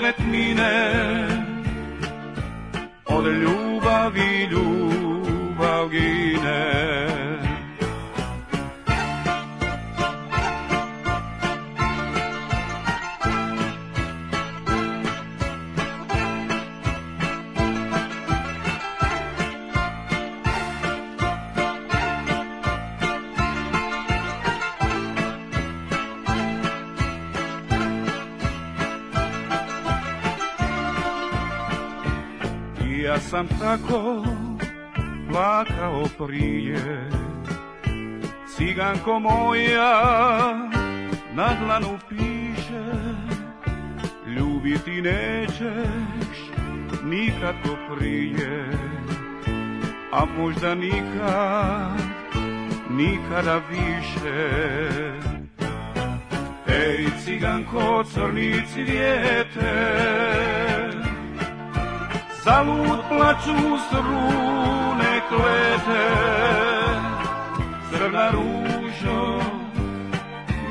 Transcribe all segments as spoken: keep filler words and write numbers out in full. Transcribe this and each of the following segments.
noćne tmine, od ljubavi ljubav gine. Ja sam tako plakao prije, ciganko moja na dlanu piše, ljubiti nećeš nikad ko prije, a možda nikad, nikada više. Ej ciganko, crni cvijete, zalud plaću strune klete, crna ružo,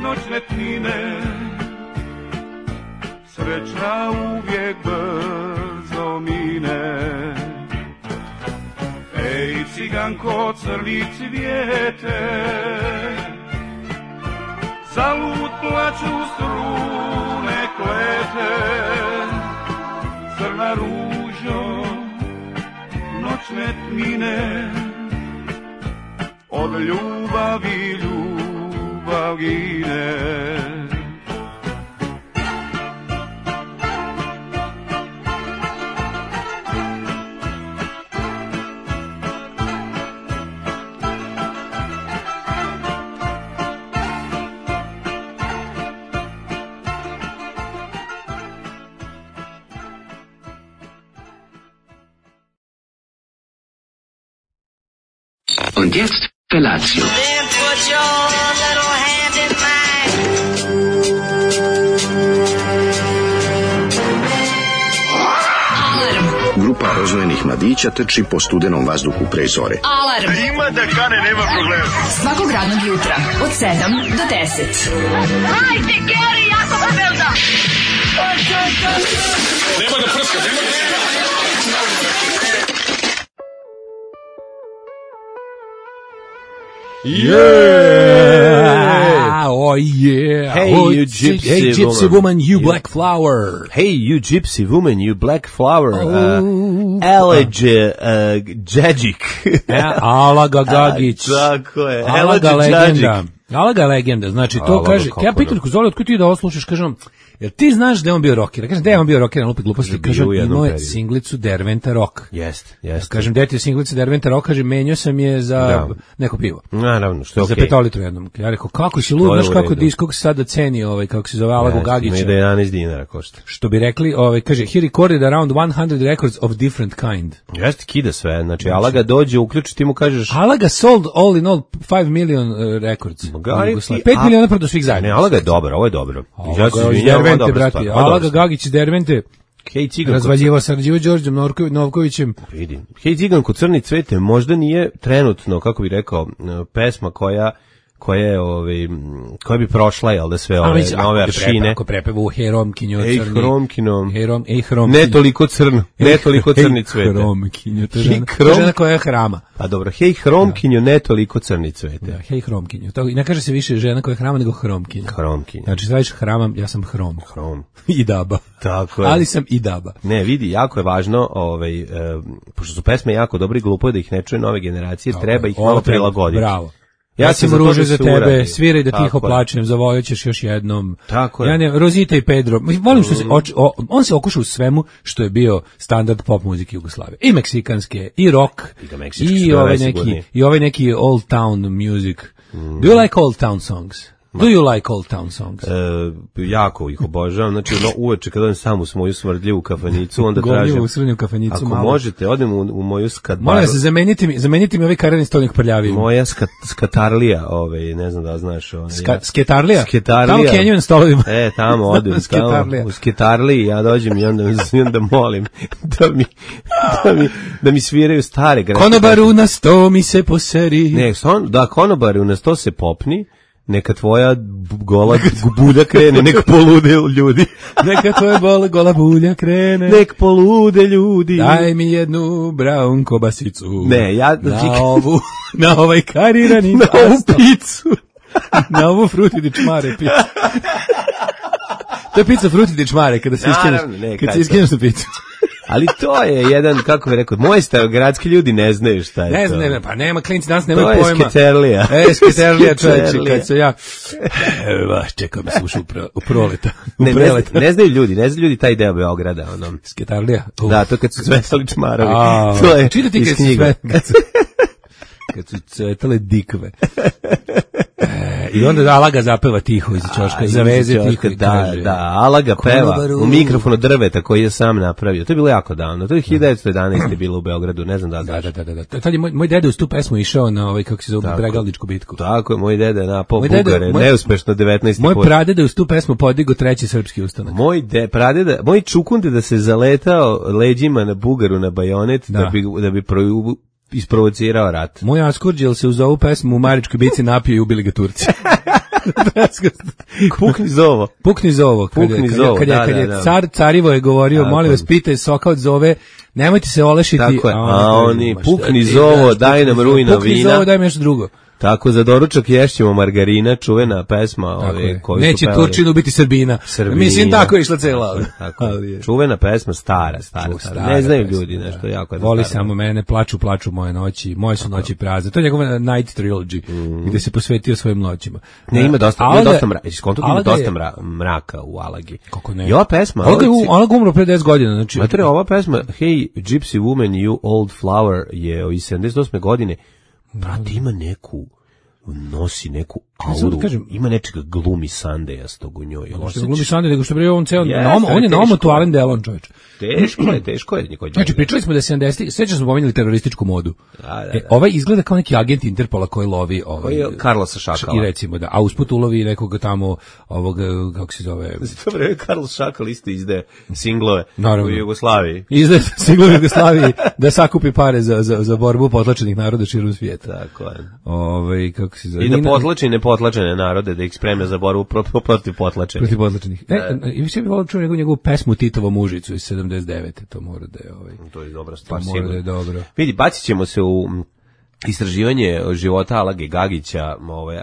noćne tmine, sreća uvijek brzo mine. Ej ciganko, crni cvijete, zalud plaću strune klete, crna ružo, noćne tmine, od ljubavi ljubav gine. Und jetzt Felatio. Then put your little hand in mine. Alarm. Grupa rozvojenih mladića trči po studenom vazduhu pre zore. Alarm. Ima da kane, nema problema. Svakog radnog jutra od sedam do deset. Hajde, Geri, jako se velda. Nema da prska, nema da prska. Yeah! Oh yeah! Hey, oh, you gypsy, hey, gypsy woman. woman, you black flower! Hey, you gypsy woman, you black flower! Oh. Uh, Eleđe uh, Džedžik. Alaga Gagić. Tako je. Alaga Eleđe legenda. Džedžik. Alaga legenda. Znači, to Alaga, kaže, kako ja pitam da. ko Zoli, otkud ti da ovo slušaš, kažem, jer ti znaš da je on bio rocker. Ja kažem, da je on bio rocker, na lupi gluposti. Bio Kažem, u jednom imao je periodu. singlicu Derventa Rock. Jest, Ja jest. kažem, deti je singlica Derventa Rock, kaže, menio sam je za Da. neko pivo. Naravno, što je Za okej. petolitru jednom. Ja rekao, kako si To lud, je znaš u kako redu. diskog sada ceni, ovaj, kako se zove, Alagu Jeste, Gagića. ima i da jedanaest dinara košta. Što bi rekli, ovaj, kaže, he recorded around one hundred records of different kind. Jeste, kida sve. Znači, Alaga dođe, uključi, ti mu kažeš... Alaga sold all in all five million uh, records. Gari ti, pet a- miliona prodo svih zajedno. Ne, Alaga je dobro, ovo je dobro. Ja se Alaga iz izvinjavam, ovo je Dervente, dobra brati. stvar, ovo je dobra Alaga stvar. Gagić iz Dervente Hej, ciganko, razvaljivo sarađivo Đorđem Norko- Novkovićem. vidim. Hej, ciganko, crni cvete, možda nije trenutno, kako bi rekao, pesma koja koja je ovaj koja bi prošla, jel da sve ove mislim, nove ako prepe- aršine. Ako prepeva Hej Romkinjo Ej, crni. Hromkinom. Hej Rom, ej Hromkinjo. Ne toliko crno, ne toliko crni cvete. Hej Hromkinjo, to je Hej, žena, to Hrom- je žena koja je hrama. Pa dobro, hej Hromkinjo, ne toliko crni cvete. Da, hej Hromkinjo. To, i ne kaže se više žena koja je hrama nego Hromkinjo. Hromkinjo. Znači, staviš hramam, ja sam Hrom. Hrom. I daba. Tako je. Ali sam i daba. Ne, vidi, jako je važno, ovaj, e, pošto su pesme jako dobre i glupo je da ih ne čuje nove generacije, treba ih Ovo malo treba, prilagoditi. Bravo. Ja Ja sam sam za to ruže da za se tebe, uradi. sviraj da Tako tiho je. plačem, zavojaćeš još jednom. Tako je. Ja ne, Rozita i Pedro. Mislim, volim što se, oč, o, on se okuša u svemu što je bio standard pop muzike Jugoslavije. I meksikanske, i rock, I da meksički su i bile ovaj najsigurnije. neki, i ovaj neki old town music. Do you like old town songs? Do you like old town songs? E, jako ih obožavam, znači ono, uveče kad odem sam u moju smrdljivu kafanicu, onda Gorljivo tražim, u srnju kafanicu ako malo. možete, odem u, u moju skatbaru. Molim se, zamenite mi, zamenite mi ovaj karadni stolnik prljavim. Moja skat, skatarlija, ovaj, ne znam da li znaš. Ovaj, Ska, ja. sketarlija? Sketarlija. Tamo Kenju na stolovima. E, tamo odem, tamo, Sketarlija. u sketarliji, ja dođem i onda, i onda molim da mi, da mi, da mi sviraju stare greške. Konobaru na sto mi se poseri. Ne, son, da, konobaru na sto se popni, neka tvoja gola bulja krene, nek polude ljudi. Neka tvoja gola, gola bulja krene. Nek polude ljudi. Daj mi jednu brown kobasicu. Ne, ja... Na ovu, na ovaj karirani na ovu picu. Na ovu fruti di čmare picu. To je pizza fruti di čmare, kada se iskineš, kada se iskineš na picu. Ali to je jedan, kako bih rekao, moji starogradski ljudi ne znaju šta je ne to. Ne znam, pa nema klinci danas nemaju pojma. To je sketerlija. E, sketerlija čovječe, kad se ja... Evo, čekao me slušao u proleta. U ne, ne, ne znaju ljudi, ne znaju ljudi taj deo Beograda. Ono. Sketarlija? Uh. Da, to kad su cvetali čmarovi. A, to je čitati iz knjiga. Kad su, kad su cvetale dikve. E, I onda Alaga zapeva tiho iz ćoška, zaveze tiho i da, kaže. Da, Alaga peva u mikrofonu drveta koji je sam napravio. To je bilo jako davno. To je hiljadu devetsto jedanaeste bilo u Beogradu, ne znam da li znaš. Da, da, da, da. Tad je moj, moj deda uz tu pesmu išao na ovaj, kako se zove, Bregalničku bitku. Tako je, moj deda je napao Bugare, moj, neuspešno devetnaesti Moj pradeda uz tu pesmu podigo treći srpski ustanak. Moj de, pradeda, moj čukunde da se zaletao leđima na Bugaru na bajonet da, da bi, da bi pro, isprovocirao rat. Moj Askurđel se uz ovu pesmu u Maričkoj bici napio i ubili ga Turci. Pukni zovo. Pukni zovo. Pukni zovo, kad je, kad je, da, kad je da, da. car Carivo je govorio, tako, molim vas, pitaj soka od zove, nemojte se olešiti. Tako je, a, a oni, pukni zovo, daj nam rujna pukni vina. Pukni zovo, daj mi nešto drugo. Tako, za doručak ješćemo margarina, čuvena pesma. Ove, koju neće Turčinu biti Srbina. Srbina. Mislim, tako je išla cela. Tako, čuvena pesma, stara, stara, stara. stara ne znaju pesma, ljudi nešto da. Jako. Voli samo mene, plaču, plaču moje noći, moje su noći prazne. To je njegova Night Trilogy, mm. gde se posvetio svojim noćima. Ne, ima dosta, Alaga, ima dosta mraka, skonto ima dosta mra, mraka u Alagi. Kako ne? I ova pesma... Alaga je Alaga umro pre deset godina. Znači, Matere, ova pesma, Hey, Gypsy Woman, You Old Flower, je iz sedamdeset osme godine. Brate, ima neku... nosi neku auru, kažem, ima nečega glumi Sandejastog u njoj. Ono što glumi Sandej, nego što bre on ceo, yes, na, on je na omotu Alain Delon, čovječ. Teško je, teško je. Znači, pričali smo da je sedamdesetih, sveća smo pomenuli terorističku modu. Da, da, da. E, ovaj izgleda kao neki agent Interpola koji lovi... Ovaj, koji je Carlosa Šakala. I recimo, da, a usput ulovi nekoga tamo, ovog, kako se zove... Dobro je, Carlos Šakal isto izde singlove naravno. U Jugoslaviji. Izde singlove u Jugoslaviji da sakupi pare za, za, za borbu potlačenih naroda širom svijeta. Tako je. Ovaj, kako se zove... I da potlači nepotlačene narode, da ih spreme za borbu protiv potlačenih. Protiv potlačenih. Ne, i više bih volio čuo njegovu, njegovu pesmu Titovo mužicu iz sedamdeset devete. To mora da je ovaj. To je dobra stvar, sigurno. Da je dobro. Vidi, bacit ćemo se u istraživanje života Alage Gagića, ovaj,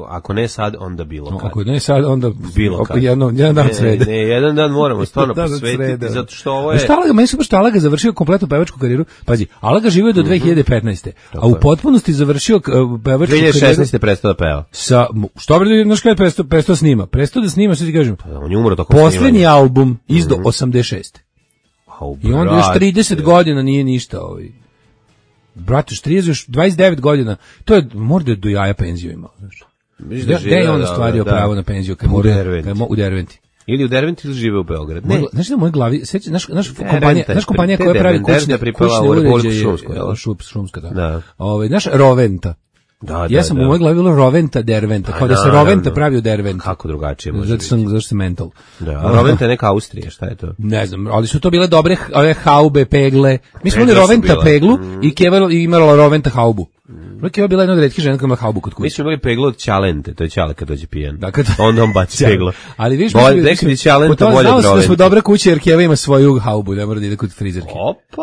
ako ne sad, onda bilo kad. Ako ne sad, onda bilo kad. Jedno, jedan dan srede. Ne, ne, jedan dan moramo stvarno posvetiti, zato što ovo je... Šta Alaga, meni super što Alaga završio kompletnu pevačku karijeru. Pazi, Alaga živio do dve hiljade petnaeste. A u potpunosti završio pevačku karijeru... dve hiljade šesnaeste prestao da peva. Sa, što bre, znaš kada je prestao, prestao snima? Prestao da snima, što ti kažem? Pa, on je umro tokom snimanja. Poslednji album izdo mm-hmm. osamdeset šeste. Oh, I onda još trideset godina nije ništa ovaj. Brate, trideset, još dvadeset devet godina, to je, možda je do jaja penziju imao, znaš. Gde je on ostvario da, pravo na penziju? Kad u Derventi. U Derventi. Ili u Derventi ili žive u Beogradu. Ne. Znaš da u mojoj glavi, seća, naš, naš kompanija, naš kompanija koja pravi kućne, kućne uređaje, Šumska, da. da. Ove, naš Roventa. Da, ja sam da, u mojoj glavi bilo Roventa Derventa, kao da se Roventa pravi u Derventi. Kako drugačije može zato sam, zato sam mental. Da, a Roventa je neka Austrija, šta je to? Ne znam, ali su to bile dobre ove haube, pegle. Mi smo imali Roventa peglu mm. i Keva imala Roventa haubu. Mm. Keva bila jedna od retkih žena koja ima haubu kod kuće. Mi smo imali peglu od Ćalente, to je Ćale kad dođe pijen. Da, kad... Onda on baci peglo. Ali viš, nekad je Ćalenta bolje od Roventa. Da smo dobra kuća jer Keva ima svoju haubu, ne mora da ide kod frizerke. Opa,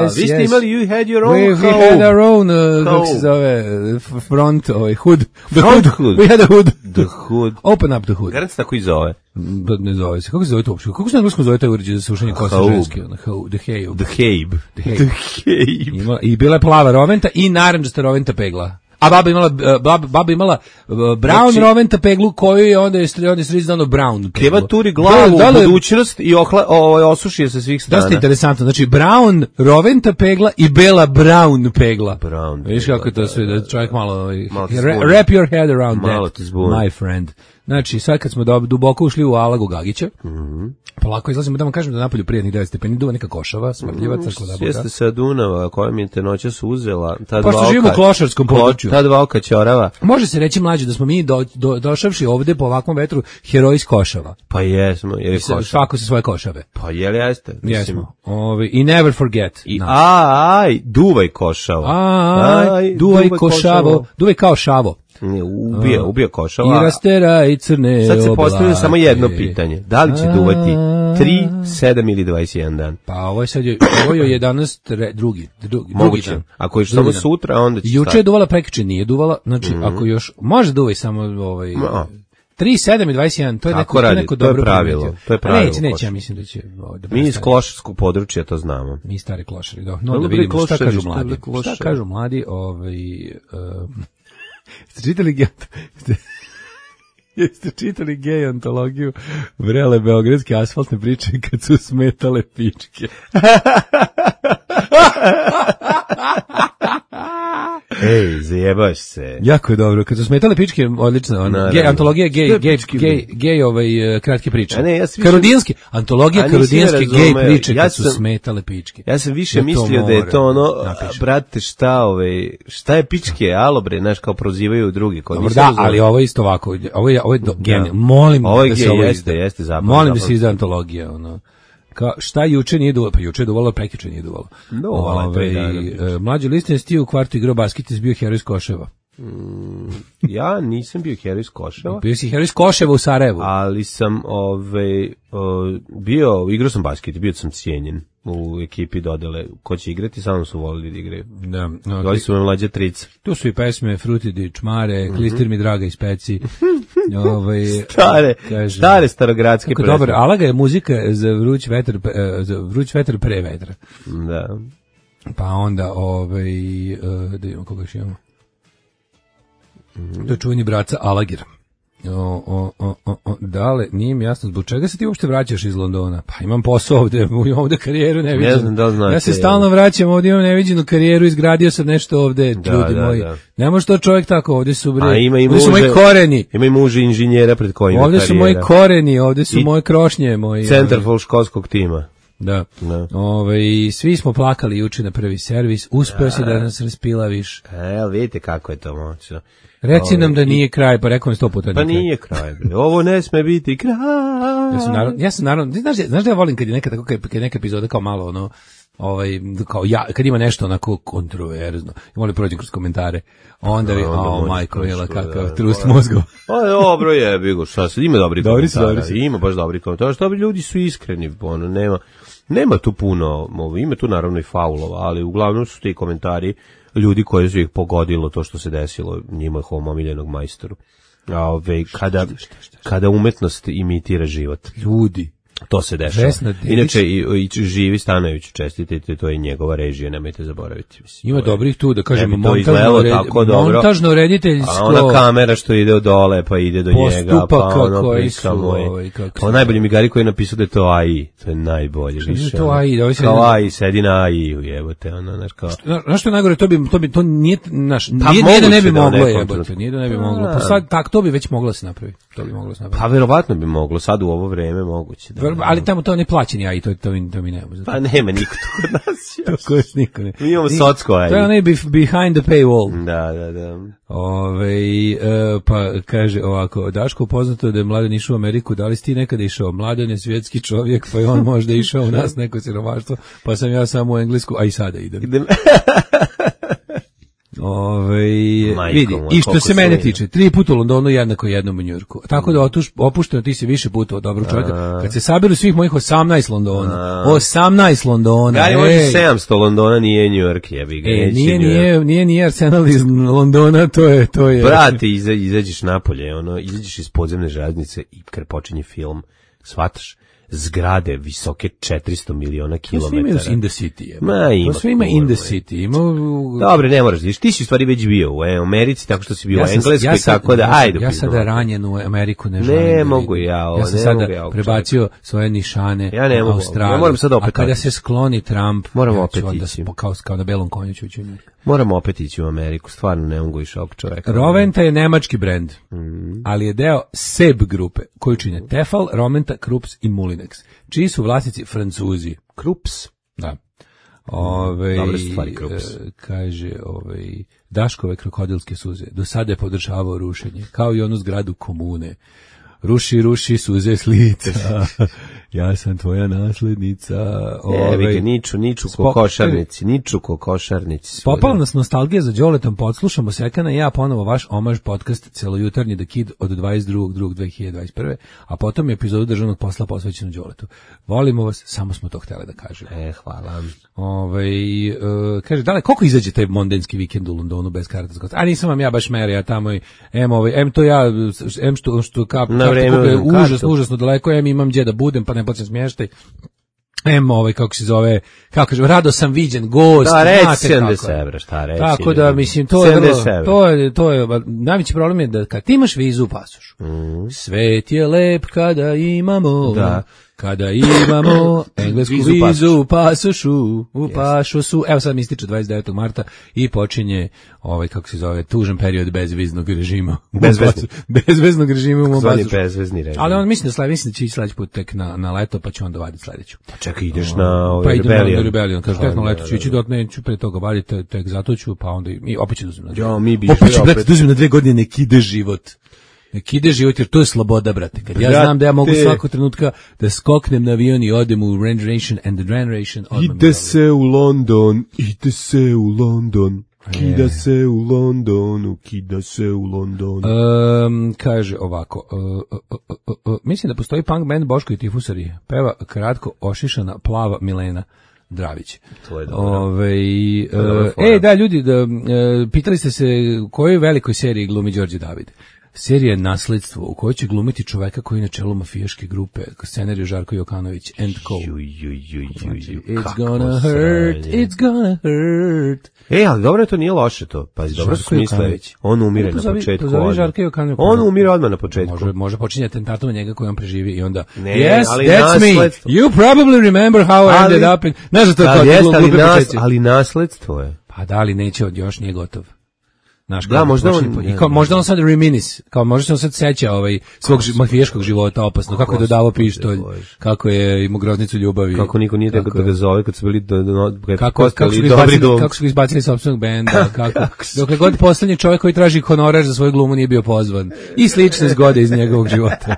yes, vi ste yes. imali, you had your own we, haubu. We had our own, uh, kako se zove, front, ovaj, hood. The hood. hood. We had a hood. The hood. Open up the hood. Garant se tako i zove. Ne zove se. Kako se zove to uopšte? Kako se na engleskom zove taj uređaj za sušenje kosa ženske? The Habe. The Habe. The Habe. I bila je plava Roventa i narandžasta Roventa pegla. A baba imala baba, baba imala brown znači, Roventa peglu koju je onda je onda srizdano brown peglu. Keva turi glavu da, da, u budućnost i ohla, ovaj osuši je sa svih strana. Dosta interesantno. Znači brown Roventa pegla i bela brown pegla. Brown. Viš kako to sve da čovjek malo, malo wrap your head around malo that. My friend. Znači, sad kad smo duboko ušli u Alagu Gagića, mm-hmm. polako izlazimo da vam kažem da napolju prijatnih devet stepeni, duva neka košava, smrdljiva, mm, crkla da boga. Jeste sa Dunava, koja mi te noćas uzela. Ta Pošto živimo u klošarskom području. Ta dva oka ćorava. Može se reći mlađe da smo mi do, do, došavši ovde po ovakvom vetru heroji iz Košava. Pa jesmo, jer je Košava. Svako se svoje Košave. Pa jel jeste? Jesmo. Ovi, I never forget. I no. aj, duvaj Košavo. Aj, aj duvaj, duvaj Košavo. Duvaj kao Šavo. Ne, ubija, ubija košava. I rastera i crne Sad se postavlja samo jedno oblake. pitanje. Da li će duvati tri, sedam ili dvadeset jedan dan? Pa ovo je sad, je, ovo je jedanaest, re, drugi, drugi, Moguće. drugi dan. Ako je samo sutra, onda će Juče stati. je duvala, prekjuče nije duvala, znači mm-hmm. ako još, može duvaj samo ovaj... No. tri, sedam i dvadeset jedan, to je neko, radi, to je neko to je dobro pravilo, primetio. to je pravilo. Neće, neće, ja mislim da će... Da Mi iz klošarskog područja to znamo. Mi stari klošari, da. No, da vidimo šta kažu mladi. Šta kažu mladi, ovaj... Uh, ste čitali ge... Jeste čitali gej antologiju vrele beogradske asfaltne priče kad su smetale pičke? Ej, zajebaš se. Jako je dobro. Kad su smetale pičke, odlično. Ono, gej, antologija gej, gej, gej, gej, ovaj, kratke priče. A ne, ja sam Karudinski, antologija karudinske gej priče ja kad su sam, smetale pičke. Ja sam više ja mislio da je to ono, napišem. Brate, šta, ovaj, šta je pičke, alo bre, znaš, kao prozivaju drugi. Kao Dobro, da, razumio. Ali ovo je isto ovako. Ovo je, ovo je do, genijal. Molim ovo da se gej, ovo jeste, izda. Jeste, zapravo, Molim da se izda antologija, ono. Ka, šta juče nije duvalo? Pa juče je duvalo, prekjuče nije duvalo. No, Ove, e, mlađi Listin je stio u kvartu igrao basket i bio heroj iz Koševa. Mm, ja nisam bio heroj iz Koševa. Bio si heroj iz Koševa u Sarajevu. Ali sam ove, o, bio, igrao sam basket, bio sam cijenjen u ekipi dodele. Ko će igrati, samo su volili da igraju. Da, no, Doli su me mlađe trica. Tu su i pesme Frutidi, Čmare, mm-hmm. Klistir mi draga iz Peci. Ovaj, stare, kaže, stare starogradske pesme. Dobar, Alaga je muzika za vruć vetar, za vruć vetar pre vetra. Da. Pa onda, ovaj, da imamo koga još imamo. Mm-hmm. To je čuveni braca Alagir. O, o, o, o, o, dale, nije mi jasno zbog čega se ti uopšte vraćaš iz Londona. Pa imam posao ovde, ovde karijeru neviđenu. Ne znam da li znate. Ja se stalno vraćam, ovde imam neviđenu karijeru, izgradio sam nešto ovde, da, ljudi da, moji. Da. Ne može to čovjek tako, ovde su bre, A ima i ovde muže, su moji koreni. Ima i muže inženjera pred kojim ovde karijera. Su moji koreni, ovde su I moje krošnje. Moji, centarful školskog tima. Da. da. Ove, svi smo plakali juče na prvi servis, uspeo si da nas raspilaviš. E, vidite kako je to moćno. Reci nam da nije kraj, pa rekao mi sto puta. Pa nije kraj, bre. Ovo ne sme biti kraj. Ja sam naravno, ja sam naravno, znaš, znaš da ja volim kad je neka tako, kad je neka epizoda kao malo, ono, ovaj, kao ja, kad ima nešto onako kontroverzno, i volim prođem kroz komentare, onda vi, o, majko, jela, kakav trust mozgova. Pa dobro je, bigo, šta se, ima dobri komentara, dobri si. Ima baš dobri komentara, što bi ljudi su iskreni, ono, nema, nema tu puno, ima tu naravno i faulova, ali uglavnom su ti komentari ljudi koji su ih pogodilo to što se desilo njihovom omiljenog majstoru. A ove, kada, kada umetnost imitira život. Ljudi. To se dešava. Inače, i, i živi Stanojević, čestitite, to je njegova režija, nemojte zaboraviti. Mislim, ima dobrih tu, da kažemo, montažno, red, montažno rediteljsko. A ona kamera što ide od dole, pa ide do njega, pa ono prika moj. Pa najbolji mi gari koji je napisao da je to A I, to je najbolje. Što je to A I? Da kao A I, sedi na A I-u, jebote, ono, znaš kao. Znaš što je najgore, to bi, to bi, to nije, naš, nije, nije da ne bi moglo, jebote, nije da ne bi moglo. Pa sad, tak, to bi već moglo se napraviti. To bi moglo se napraviti. Pa verovatno bi moglo, sad u ovo vreme moguće. Ali tamo to ne plaćeni, a i to, to, to mi nema. Pa nema niko to kod nas. To kod niko ne. Mi imamo socko, aj. To je onaj behind the paywall. Da, da, da. Ove, e, pa kaže ovako, Daško, poznato je da je Mladen išao u Ameriku, da li si ti nekada išao? Mladen je svjetski čovjek, pa je on možda išao u nas neko siromaštvo, pa sam ja samo u Englesku, a i sada idem. idem. Ove, vidi, i što se mene tiče, tri puta u Londonu jednako jednom u Njujorku. Tako da otuš, opušteno ti si više puta od dobrog čovjeka. Kad se sabiru svih mojih osamnaest Londona, osamnaest Londona. Gari može sedamsto Londona, nije Njujork, jebi ga. E, nije, nije, nije, nije Arsenal iz Londona, to je, to je. Brate, iza, izađeš napolje, ono, izađeš iz podzemne željeznice i kad počinje film, shvataš, zgrade visoke četiristo miliona kilometara. To sve ima in the city. Je. Ma, ima to sve ima in the city. Ima... Dobre, ne moraš vidiš. Ti si u stvari već bio u Americi, tako što si bio ja u Engleskoj, ja sam, tako da, ja ajde. Ja sada ranjen u Ameriku ne želim. Ne mogu ja ovo, ja sam ne sada mogu ja prebacio svoje nišane ja ne u mogu, Australiju. Ja moram sad opet a kada se skloni Trump, moram ja opet onda ići. Kao, kao na belom konju ću ući. Moram opet ići u Ameriku, stvarno ne mogu više ovog čoveka. Roventa je nemački brend, mm. ali je deo Seb grupe, koju čine Tefal, Roventa, Krups i Mulinex, čiji su vlasnici Francuzi. Krups? Da. Ove, Dobre stvari, Krups. Kaže, ove, Daškove krokodilske suze, do sada je podržavao rušenje, kao i onu zgradu komune. ruši, ruši suze s lica, ja sam tvoja naslednica. Ove, niču, niču ko košarnici, niču ko košarnici. Popala nas nostalgija za Đoletom, podslušamo Sekana i ja ponovo vaš omaž podcast celojutarnji The Kid od dvadeset drugog drugog dve hiljade dvadeset prve. a potom je epizodu državnog posla posvećenu Đoletu. Volimo vas, samo smo to htjeli da kažemo. E, hvala. Ove, uh, kaže, dale, koliko izađe taj mondenski vikend u Londonu bez karata? A nisam vam ja baš meri, ja tamo i em, ovaj, em to ja, em što, što kap, na vreme, kap, kap, užasno, užasno daleko, em imam gdje da budem, pa ne plaćam smještaj. Em, ovaj, kako se zove, kako kažem, rado sam viđen, gost, da, reći znate sedamdeset evra, šta reći. Tako da, mislim, to je, vrlo, to je, to je, najveći problem je da kad ti imaš vizu u pasošu, mm. svet je lep kada imamo, da. Kada imamo englesku vizu, vizu u pasošu, u pasošu, evo sad mi ističe dvadeset devetog marta i počinje ovaj, kako se zove, tužan period bezviznog režima. Bezvezni. Bezveznog režima u mom pasošu. Bezvezni režim. Ali on mislim da, sled, mislim da će ići sledeći put tek na, na leto, pa će onda vaditi sledeću. Pa čekaj, ideš na ovaj pa idem Rebellion. na Rebellion, kaže, tek na leto ću ići, dot neću pre toga vaditi, tek zato ću, pa onda i opet ću dozim na dve. Jo, mi bi opet ću, brate, dozim na dve godine, nek ide život. Nek ide život, jer to je sloboda, brate. Kad ja brate. znam da ja mogu svakog trenutka da skoknem na avion i odem u Generation and the Generation. Ide se u London, ide se u London, kida se u Londonu, kida se u Londonu. Um, kaže ovako, uh, uh, uh, uh, uh, mislim da postoji punk band Boško i Tifusari. Peva kratko ošišana plava Milena Dravić. To je dobro. Ove, uh, e, da, ljudi, da, uh, pitali ste se u kojoj velikoj seriji glumi Đorđe David. Serija Nasledstvo, u kojoj će glumiti čoveka koji je na čelu mafijaške grupe, scenariju Žarko Jokanović, and co. Ju, ju, ju, ju, ju, it's gonna hurt, it's gonna hurt. E, ali dobro, to nije loše to. Pazi, dobro su smisle. On umire na početku. On umire odmah na početku. Može, može počinje atentatom na njega koji on preživi i onda, ne, yes, ali that's nasledstvo. me, you probably remember how I ali, ended up in... Znaš da to da, je jest, to ali, nas, početci. ali nasledstvo je. Pa da, ali neće, još nije gotov. Naš, da, možda on, i kao, možda on sad reminis, kao možda se on sad seća ovaj, svog mafijaškog života opasno, kako je dodavao pištolj, kako je imao groznicu ljubavi. Kako niko nije tako da ga zove kad su bili do, do, do, kako, kako, su izbacili, kako su izbacili iz sopstvenog benda, kako, dokle god poslednji čovjek koji traži honorar za svoju glumu nije bio pozvan. I slične zgode iz njegovog života.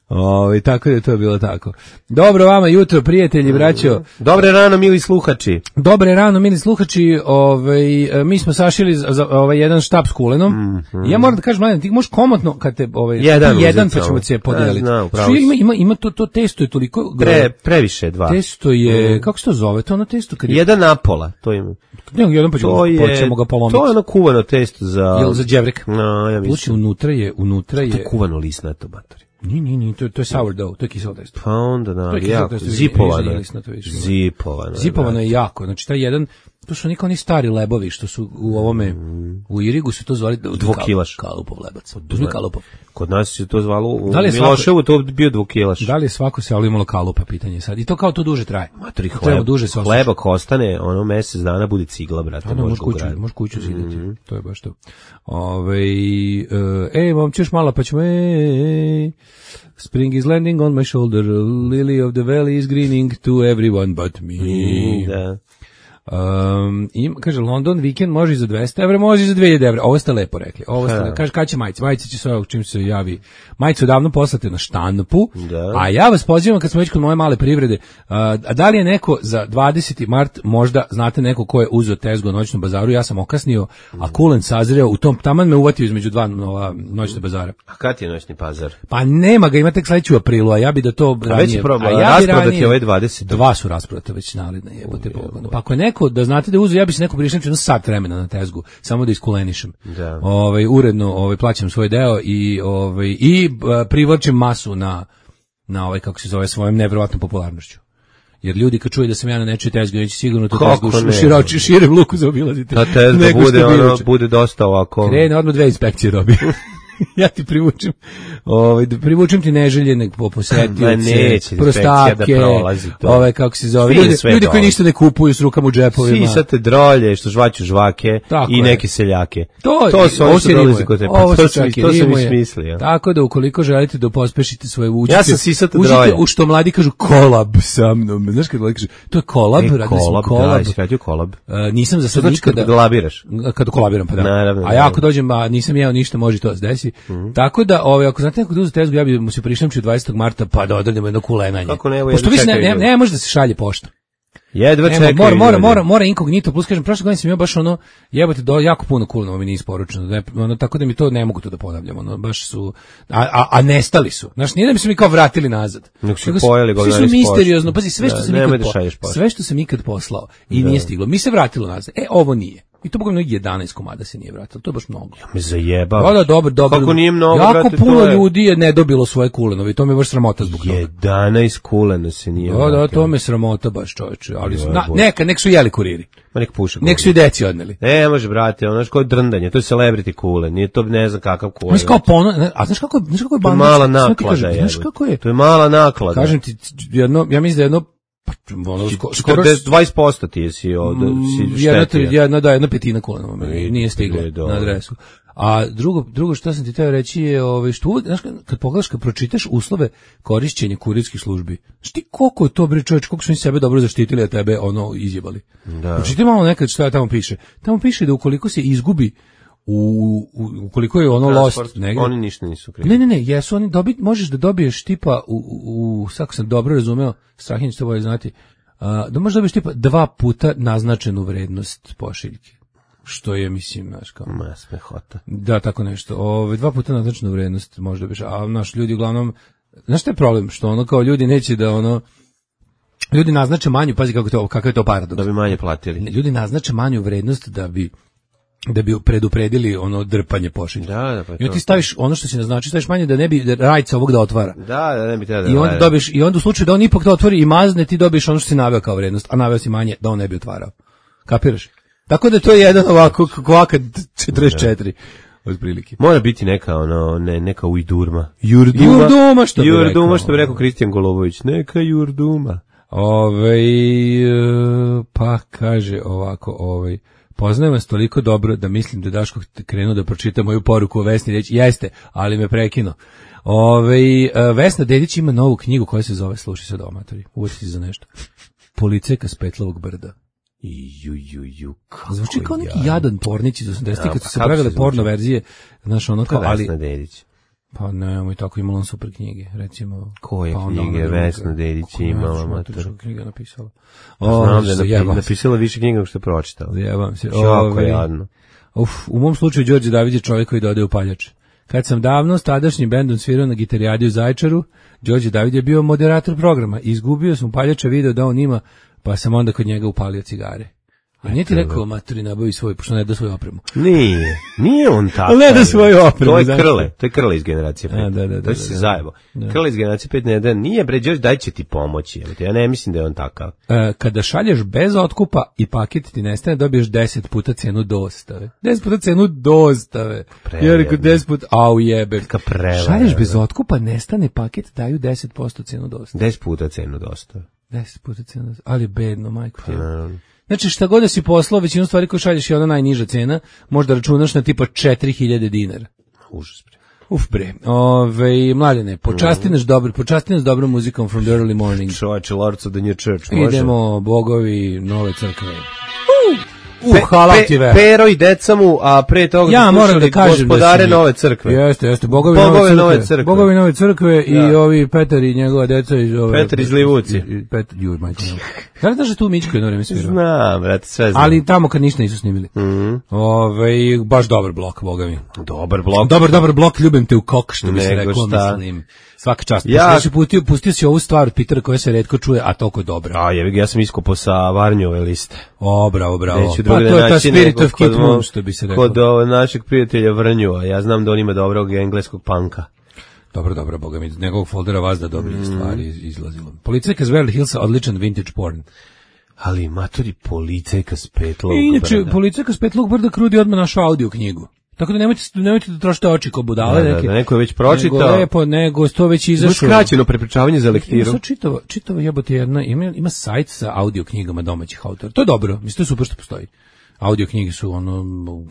Ovi, tako da je to bilo tako. Dobro vama jutro, prijatelji, braćo. Dobre rano, mili sluhači. Dobre rano, mili sluhači. Ovaj, mi smo sašili za ovaj jedan štap s kulenom. Mm-hmm. Ja moram da kažem, mladen, ti možeš komotno kad te ovaj jedan, jedan pa ćemo se podijeliti. Ja, ima, ima, ima to, to testo je toliko... Pre, previše dva. Testo je, mm. kako se to zove? To ono testo kad je... Jedan napola, to ima. Ne, jedan pa ćemo, to je, ćemo ga polomiti. To je ono kuvano testo za... Jel za đevrek? No, ja mislim. Sluči, unutra je, unutra je... To je kuvano lisnato, batori. Ni, ni, ni, to, to je sourdough, to je kiselo testo. Pa onda, da, jako, zipovano. Zipovano. Zipovano je jako, znači taj jedan, to su niko oni stari lebovi, što su u ovome, mm. u Irigu su to zvali dvokilaš. Kalupov lebac. Uzmi Kalupov. Kod nas se to zvalo, u da Miloševu to bio dvokilaš. Da li je svako selo imalo kalupa, pitanje sad. I to kao to duže traje. Matri hleb, duže se hleba ostane, ono mesec dana bude cigla, brate. Da, može kuću, može kuću zidati. Mm. To je baš to. Ove, e, vam ćeš malo, pa ćemo, e, Spring is landing on my shoulder, lily of the valley is greening to everyone but me. Mm, da. Um, im, kaže, London vikend može i za dvesta evra, može i za dve hiljade evra. Ovo ste lepo rekli. Ovo ste, kaže, kada će majice? Majice će sve čim se javi. Majice odavno poslate na štampu, da. A ja vas pozivam kad smo već kod moje male privrede, a, a da li je neko za dvadeseti mart, možda znate neko ko je uzeo tezgu na noćnom bazaru, ja sam okasnio, a kulen sazreo, u tom taman me uvatio između dva nova noćne bazara. A kad je noćni pazar? Pa nema ga, ima tek sledeću aprilu, a ja bi da to ranije. A već je problem, a ja rasprodati ove dvadeset. Dva su rasprodate već nalidne, jebote pogledno. Pa ako je neko, da znate da uzeo, ja bi se neko prišao jedno sat vremena na tezgu, samo da iskulenišem. Da. Ovaj uredno, ovaj plaćam svoj deo i ovaj i privlačim masu na na ovaj kako se zove svojom neverovatnom popularnošću. Jer ljudi kad čuju da sam ja na nečoj tezgi, neće sigurno to tezgu široči, širem luku zaobilaziti. Ta tezga bude, ono, bude dosta ovako. Krene odmah dve inspekcije robi. Ja ti privučem, ovaj da privučem ti neželjene posetioce, prostake, da ove kako se zove, ljudi, ljudi koji ništa ne kupuju s rukama u džepovima. Sisate drolje što žvaću žvake tako i je. Neke seljake. To, to su oni što dolazi kod tebe. To, to, to sam ismislio. Tako da ukoliko želite da pospešite svoje učite, ja sam sisate drolje. U što mladi kažu kolab sa mnom. Znaš kad mladi kažu, to je kolab, e, radi kolab, kolab. Da, radio kolab. Uh, nisam za sad nikada. Kad kolabiraš? Kad kolabiram, pa da. Naravno, a ja ako dođem, a nisam jeo ništa, može to se desiti. emisiji. Mm-hmm. Tako da, ovaj, ako znate nekog da uzeti tezgu, ja bi mu se prišamčio dvadesetog marta pa da odradimo jedno kulenanje. Kako ne, evo, pošto vi ne, ne, ne može da se šalje pošta. Jedva čekaju. Mora, mora, mora, mora inkognito, plus kažem, prošle godine sam imao baš ono, jebote, do, jako puno kulenova mi nije isporučeno, da, ono, tako da mi to ne mogu to da ponavljam, ono, baš su, a, a, a nestali su, znaš, nije da mi se mi kao vratili nazad. Nek su pojeli, svi su misteriozno, pazi, sve što, da, sam ikad po, sve što sam ikad poslao i da. Nije stiglo, mi se vratilo nazad, e, ovo nije. I to bogledno jedanaest komada se nije vratilo, to je baš mnogo. Ja me zajebao. Da, da, dobro, dobro. Kako nije mnogo, jako brate, puno to je... ljudi je ne dobilo svoje kulenove i to me je baš sramota zbog toga. jedanaest kulena se nije da, vratilo. Da, to me sramota baš, čoveče. Ali su, na, neka, nek su jeli kuriri. Ma nek puše. Nek su i deci odneli. Ne, može, brate, ono, znaš kao drndanje, to je celebrity kulen, nije to ne znam kakav kulen. Znaš kao pono, a znaš kako, znaš kako je banda? To je mala naklada, je. Znaš kako je? To je mala naklada. Kažem ti, jedno, ja mislim da jedno ono skoro dvadeset posto ti si od si štetio. Jedna, jedna, da, jedna petina kulenova mi nije stigla na adresu. A drugo, drugo što sam ti teo reći je, ovaj, što, znaš, kad pogledaš, kad pročitaš uslove korišćenja kurirskih službi, znaš ti koliko je to, bre čovječ, koliko su oni sebe dobro zaštitili, a tebe ono izjebali. Da. Pročitaj malo nekad što tamo piše. Tamo piše da ukoliko se izgubi u, u ukoliko je ono transport, lost negdje. Oni ništa nisu krivi. Ne, ne, ne, jesu oni dobit, možeš da dobiješ tipa u, u, u kako sam dobro razumeo, Strahinj što bolje znati, a, da možeš dobiješ tipa dva puta naznačenu vrednost pošiljke. Što je, mislim, znaš, kao... Ma, smehota. Da, tako nešto. Ove, dva puta naznačenu vrednost možeš dobiješ, a naš ljudi uglavnom, znaš što je problem? Što ono kao ljudi neće da ono, ljudi naznače manju, pazi kako to, kakav je to paradoks. Da bi manje platili. Ljudi naznače manju vrednost da bi da bi predupredili ono drpanje pošiljke. Da, da, pa i onda ti staviš ono što se naznači, staviš manje da ne bi da rajca ovog da otvara. Da, da ne bi da. I onda dobiješ, i onda u slučaju da on ipak to otvori i mazne, ti dobiješ ono što si naveo kao vrednost, a naveo si manje da on ne bi otvarao. Kapiraš? Tako da to je jedan ovako kvaka četrdeset četiri otprilike. Mora biti neka ono ne neka ujdurma. Jurduma, jurduma što bi rekao. Jurduma što bi rekao Kristijan Golobović, neka jurduma. Ovaj pa kaže ovako, ovaj poznajem vas toliko dobro da mislim da Daško krenuo da pročita moju poruku o Vesni reći, jeste, ali me prekinuo. Ove, Vesna Dedić ima novu knjigu koja se zove, slušaj sad omatori, uvijek za nešto, Policajka s Petlovog brda. Ju, ju, ju, zvuči kao neki jadan pornić iz osamdesetih kad su se pravile porno verzije, znaš ono kao, ali... Vesna Dedić. Pa ne, i tako imala on super knjige, recimo. Koje pa knjige Vesna Dedić imala, mater? Knjiga napisala. O, znam da je napisala više knjiga nego što je pročitala. Jebam se. Jako je jadno. Uf, u mom slučaju Đorđe David je čovjek koji dodaje u paljače. Kad sam davno s tadašnjim bendom svirao na gitarijadi u Zaječaru, Đorđe David je bio moderator programa. Izgubio sam paljača video da on ima, pa sam onda kod njega upalio cigare. A nije ti rekao, maturi, nabavi svoj, pošto ne da svoju opremu. Nije, nije on tako. Ne da svoju opremu. To je Krle, to je Krle iz generacije pet. A, da, da, da, to se zajebo. Krle iz generacije pet ne da, nije bre, Đorđe, daj će ti pomoći. Ja ne mislim da je on takav. E, kada šalješ bez otkupa i paket ti nestane, dobiješ deset puta cenu dostave. deset puta cenu dostave. Ja rekao deset puta, au jebe. Šalješ bez otkupa, nestane paket, daju deset posto cenu dostave. deset puta cenu dostave. deset puta cenu dostave. Ali bedno, majko ti. Znači šta god da si poslao, većinu stvari koje šalješ je ona najniža cena, možda računaš na tipa četiri hiljade dinara. Užas bre. Uf bre. Ove, mladene, počasti nas dobro, počasti nas dobrom muzikom from the early morning. Čovječe, Lords of the New Church, može? Idemo, bogovi nove crkve. Uh! Uh, hvala ti vera. Pero i deca mu, a pre toga ja moram da kažem gospodare da nove crkve. Jeste, jeste, bogovi, bogovi nove, nove crkve. crkve. Bogovi nove crkve i ja. Ovi Petar i njegova deca iz ove Petar iz Livuci. Petar, juj, majko. Da li znaš da tu Mičko je na vreme svirao? Znam, brate, sve znam. Ali tamo kad ništa nisu snimili. Mm -hmm. Ove, baš dobar blok, boga mi. Dobar blok. Dobar, dobar blok, ljubim te u kok, što bi se reklo, mislim. Svaka čast. Ja se pustio, pustio si ovu stvar od Pitera koja se retko čuje, a toliko je dobra. A jevi ga, ja sam iskopao sa Varnjove liste. O, bravo, bravo. Pa to je ta Spirit of Kid Moon, što bi se rekao. Kod našeg prijatelja Vrnjua, ja znam da on ima dobrog engleskog panka. Dobro, dobro, boga mi, iz njegovog foldera vas da dobrih mm. stvari izlazilo. Policajka s Beverly Hillsa, odličan vintage porn. Ali, matori, Policajka s Petlovog brda. Inače, Policajka s Petlovog brda krudi odmah našu audio knjigu. Tako da nemojte, nemojte da trošite oči ko budale. Da, neke, da, neko je već pročitao. Nego lepo, nego to već izašlo. Skraćeno prepričavanje za lektiru. Ima čitavo, čitavo jebote jedna, ima, ima sajt sa audio knjigama domaćih autora. To je dobro, mislim, to je super što postoji. Audio knjige su ono,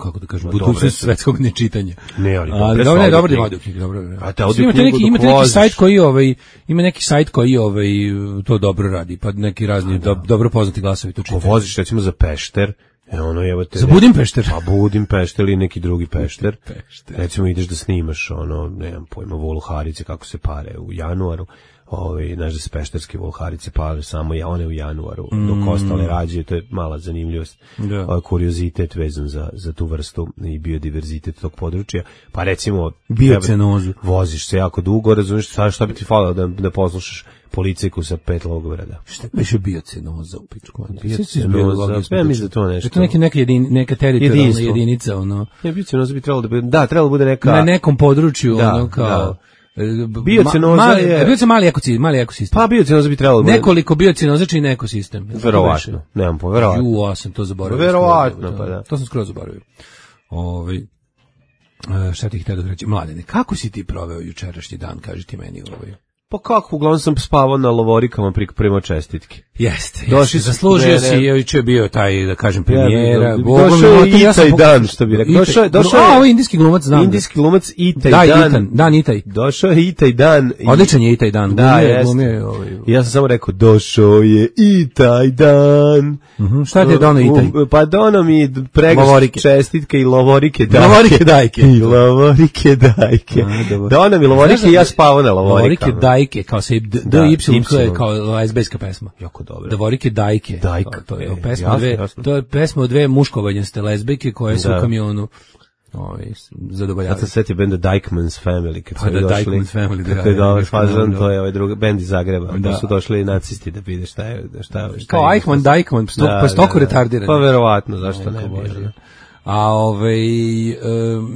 kako da kažem, budućnost svetskog nečitanja. Ne, ali dobre, dobro, ne, dobro audio knjige, dobro. A te audio knjigu neki, imate neki sajt koji ovaj, ima neki sajt koji ovaj to dobro radi, pa neki razni do, dobro poznati glasovi to čitaju. Ko voziš recimo za Pešter E ono, evo te... Za Budimpešter? Pa Budimpešter ili neki drugi Pešter. Pešter. Recimo ideš da snimaš, ono, nemam pojma, Voluharice, kako se pare u januaru. Ovaj, znaš da se pešterske Voluharice pale samo ja, one u januaru, mm. dok ostale rađaju, to je mala zanimljivost, da. Ovaj, kuriozitet vezan za, za tu vrstu i biodiverzitet tog područja. Pa recimo, biocenozu. Voziš se jako dugo, razumiješ, šta, šta bi ti falilo da, da poslušaš policajku sa pet Logograda. Šta biše biocenoza u pičku? Biocenoza, ja mislim da to nešto. Je to neka, neka, jedin, neka teritorijalna jedinica, ono. Ne, biocenoza bi trebalo da bude, da, trebalo da bude neka... Na nekom području, da, ono, kao... Da. Biocenoza Ma, je... Biocenoza mali ekosistem, mali ekosistem. Pa biocenoza bi trebalo da bude... Nekoliko biocenoza čini ekosistem. Verovatno, nemam po, verovatno. Ju, a sam to zaboravio. Verovatno, pa da. To sam skoro zaboravio. Ovaj šta ti htio da reći? Mladene, kako si ti proveo jučerašnji dan, kaži ti meni ovaj? Pa kako, uglavnom sam spavao na lovorikama prema čestitke. Jeste, jeste. Zaslužio si, juče je bio taj, da kažem, premijera. Ja, došao je i taj dan, što bi rekao. Došao je, došao je. A, ovo je indijski glumac, znam. Indijski glumac i taj da, dan. Itan, dan i taj. Došao je i taj dan. Odličan je i taj dan. Da, jeste. Ovaj... Ja sam samo rekao, došao je i taj dan. Uh-huh. Šta ti je dono i taj? Pa dono mi pregršt čestitke i lovorike dajke. Lovorike dajke. I lovorike dajke. Dono mi lovorike i ja spavao na lovorikama. Lovorike dajke, kao se D Y, to je kao lesbijska pesma. Jako dobro. Lovorike dajke. Dajke. To je pesma dve, to je pesma od dve muškovanjaste lezbijke koje su u kamionu ovaj zadovoljavaju. Sad se setio benda Dykman's Family, kad su pa da, došli. Dykman's Family, da. Kako je dobar fazon, to je ovaj drugi bend iz Zagreba. Da su došli nacisti da vide šta je, šta je. Kao Eichmann, Dykman, stok, da, pa stoko da, retardirani. Pa verovatno, zašto ne bi. A ovaj e,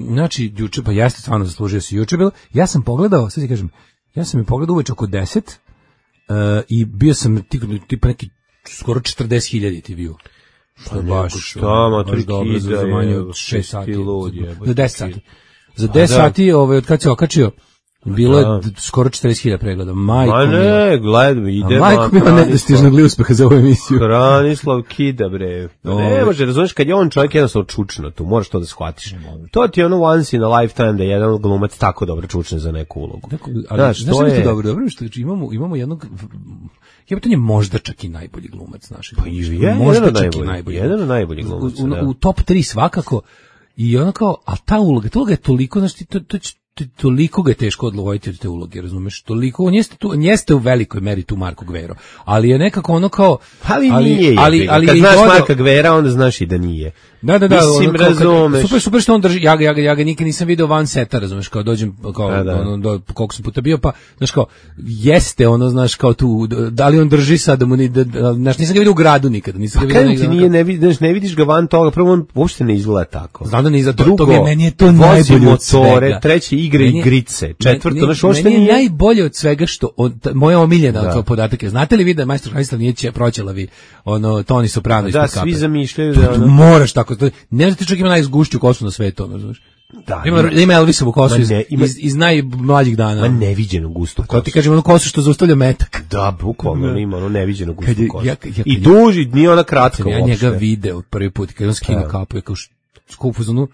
znači juče pa jeste stvarno zaslužio si juče bilo. Ja sam pogledao, sad ti kažem, ja sam je pogledao uveče oko deset uh, i bio sam tipa neki skoro četrdeset hiljada ti bio. Što baš šta, ma tri kida, za manje od šest sati. Za deset sati. Za deset sati, ovaj, od kad se okačio, bilo je skoro četrdeset hiljada pregleda. Majko ma ne, gledam, ide. Majko mi je nedostižnog li uspeha za ovu emisiju. Branislav Kida, bre. Ne može, razumiješ, kad je on čovjek jednostavno čučno tu, moraš to da shvatiš. To ti je ono once in a lifetime da je jedan glumac tako dobro čučne za neku ulogu. Znaš, to je dobro, dobro, što imamo, imamo jednog... Jebote, on je možda čak i najbolji glumac našeg. Pa i je, možda čak i najbolji. Jedan od najboljih glumaca, u, u, u top tri svakako. I ono kao, a ta uloga, ta uloga je toliko, znači, to, to, to, toliko ga je teško odloviti od te uloge, razumeš? Toliko, on jeste, tu, on jeste u velikoj meri tu Marko Gvero, ali je nekako ono kao... Ali, ali nije, ali, ali, kad znaš dođo... Marka Gvera, onda znaš i da nije. Da, da, da. Mislim, ono, razumeš. Super, super što on drži, ja ga, ja ga, ja ga nikad nisam video van seta, razumeš, kao dođem, kao, da, da. Ono, do, koliko sam puta bio, pa, znaš, kao, jeste, ono, znaš, kao tu, da li on drži sad, da mu ni, da, znaš, nisam ga vidio u gradu nikada, nisam ga vidio nikada. Ti nije, ne vidiš, ne vidiš ga van toga, prvo on uopšte ne izgleda tako. Znam da ne izgleda, drugo, to, to, meni je to najbolje od svega. Treće, igre i igrice, četvrto, znaš, uopšte nije. Meni je najbolje od svega što, od, moja omiljena kao podatak je, znate li vi da je majstor Hranislav nije proćelavi, ono, Toni Soprano ispod kape? Da, svi zamišljaju da ono... Moraš tako, ne znam čak ima najzgušću kosu na svetu, ono, znaš. Da, ima, ima, ima Elvisovu kosu iz, ima, iz, iz najmlađih dana. Ma neviđenu gustu kosu. To ti kažem, ono kosu što zaustavlja metak. Da, bukvalno da. Ima ono neviđenu gustu je, kosu. ja, ja, I duži, nije ona kratka uopšte. Ja njega video prvi put, kad on skine da. kapu, je kao skupu za onu,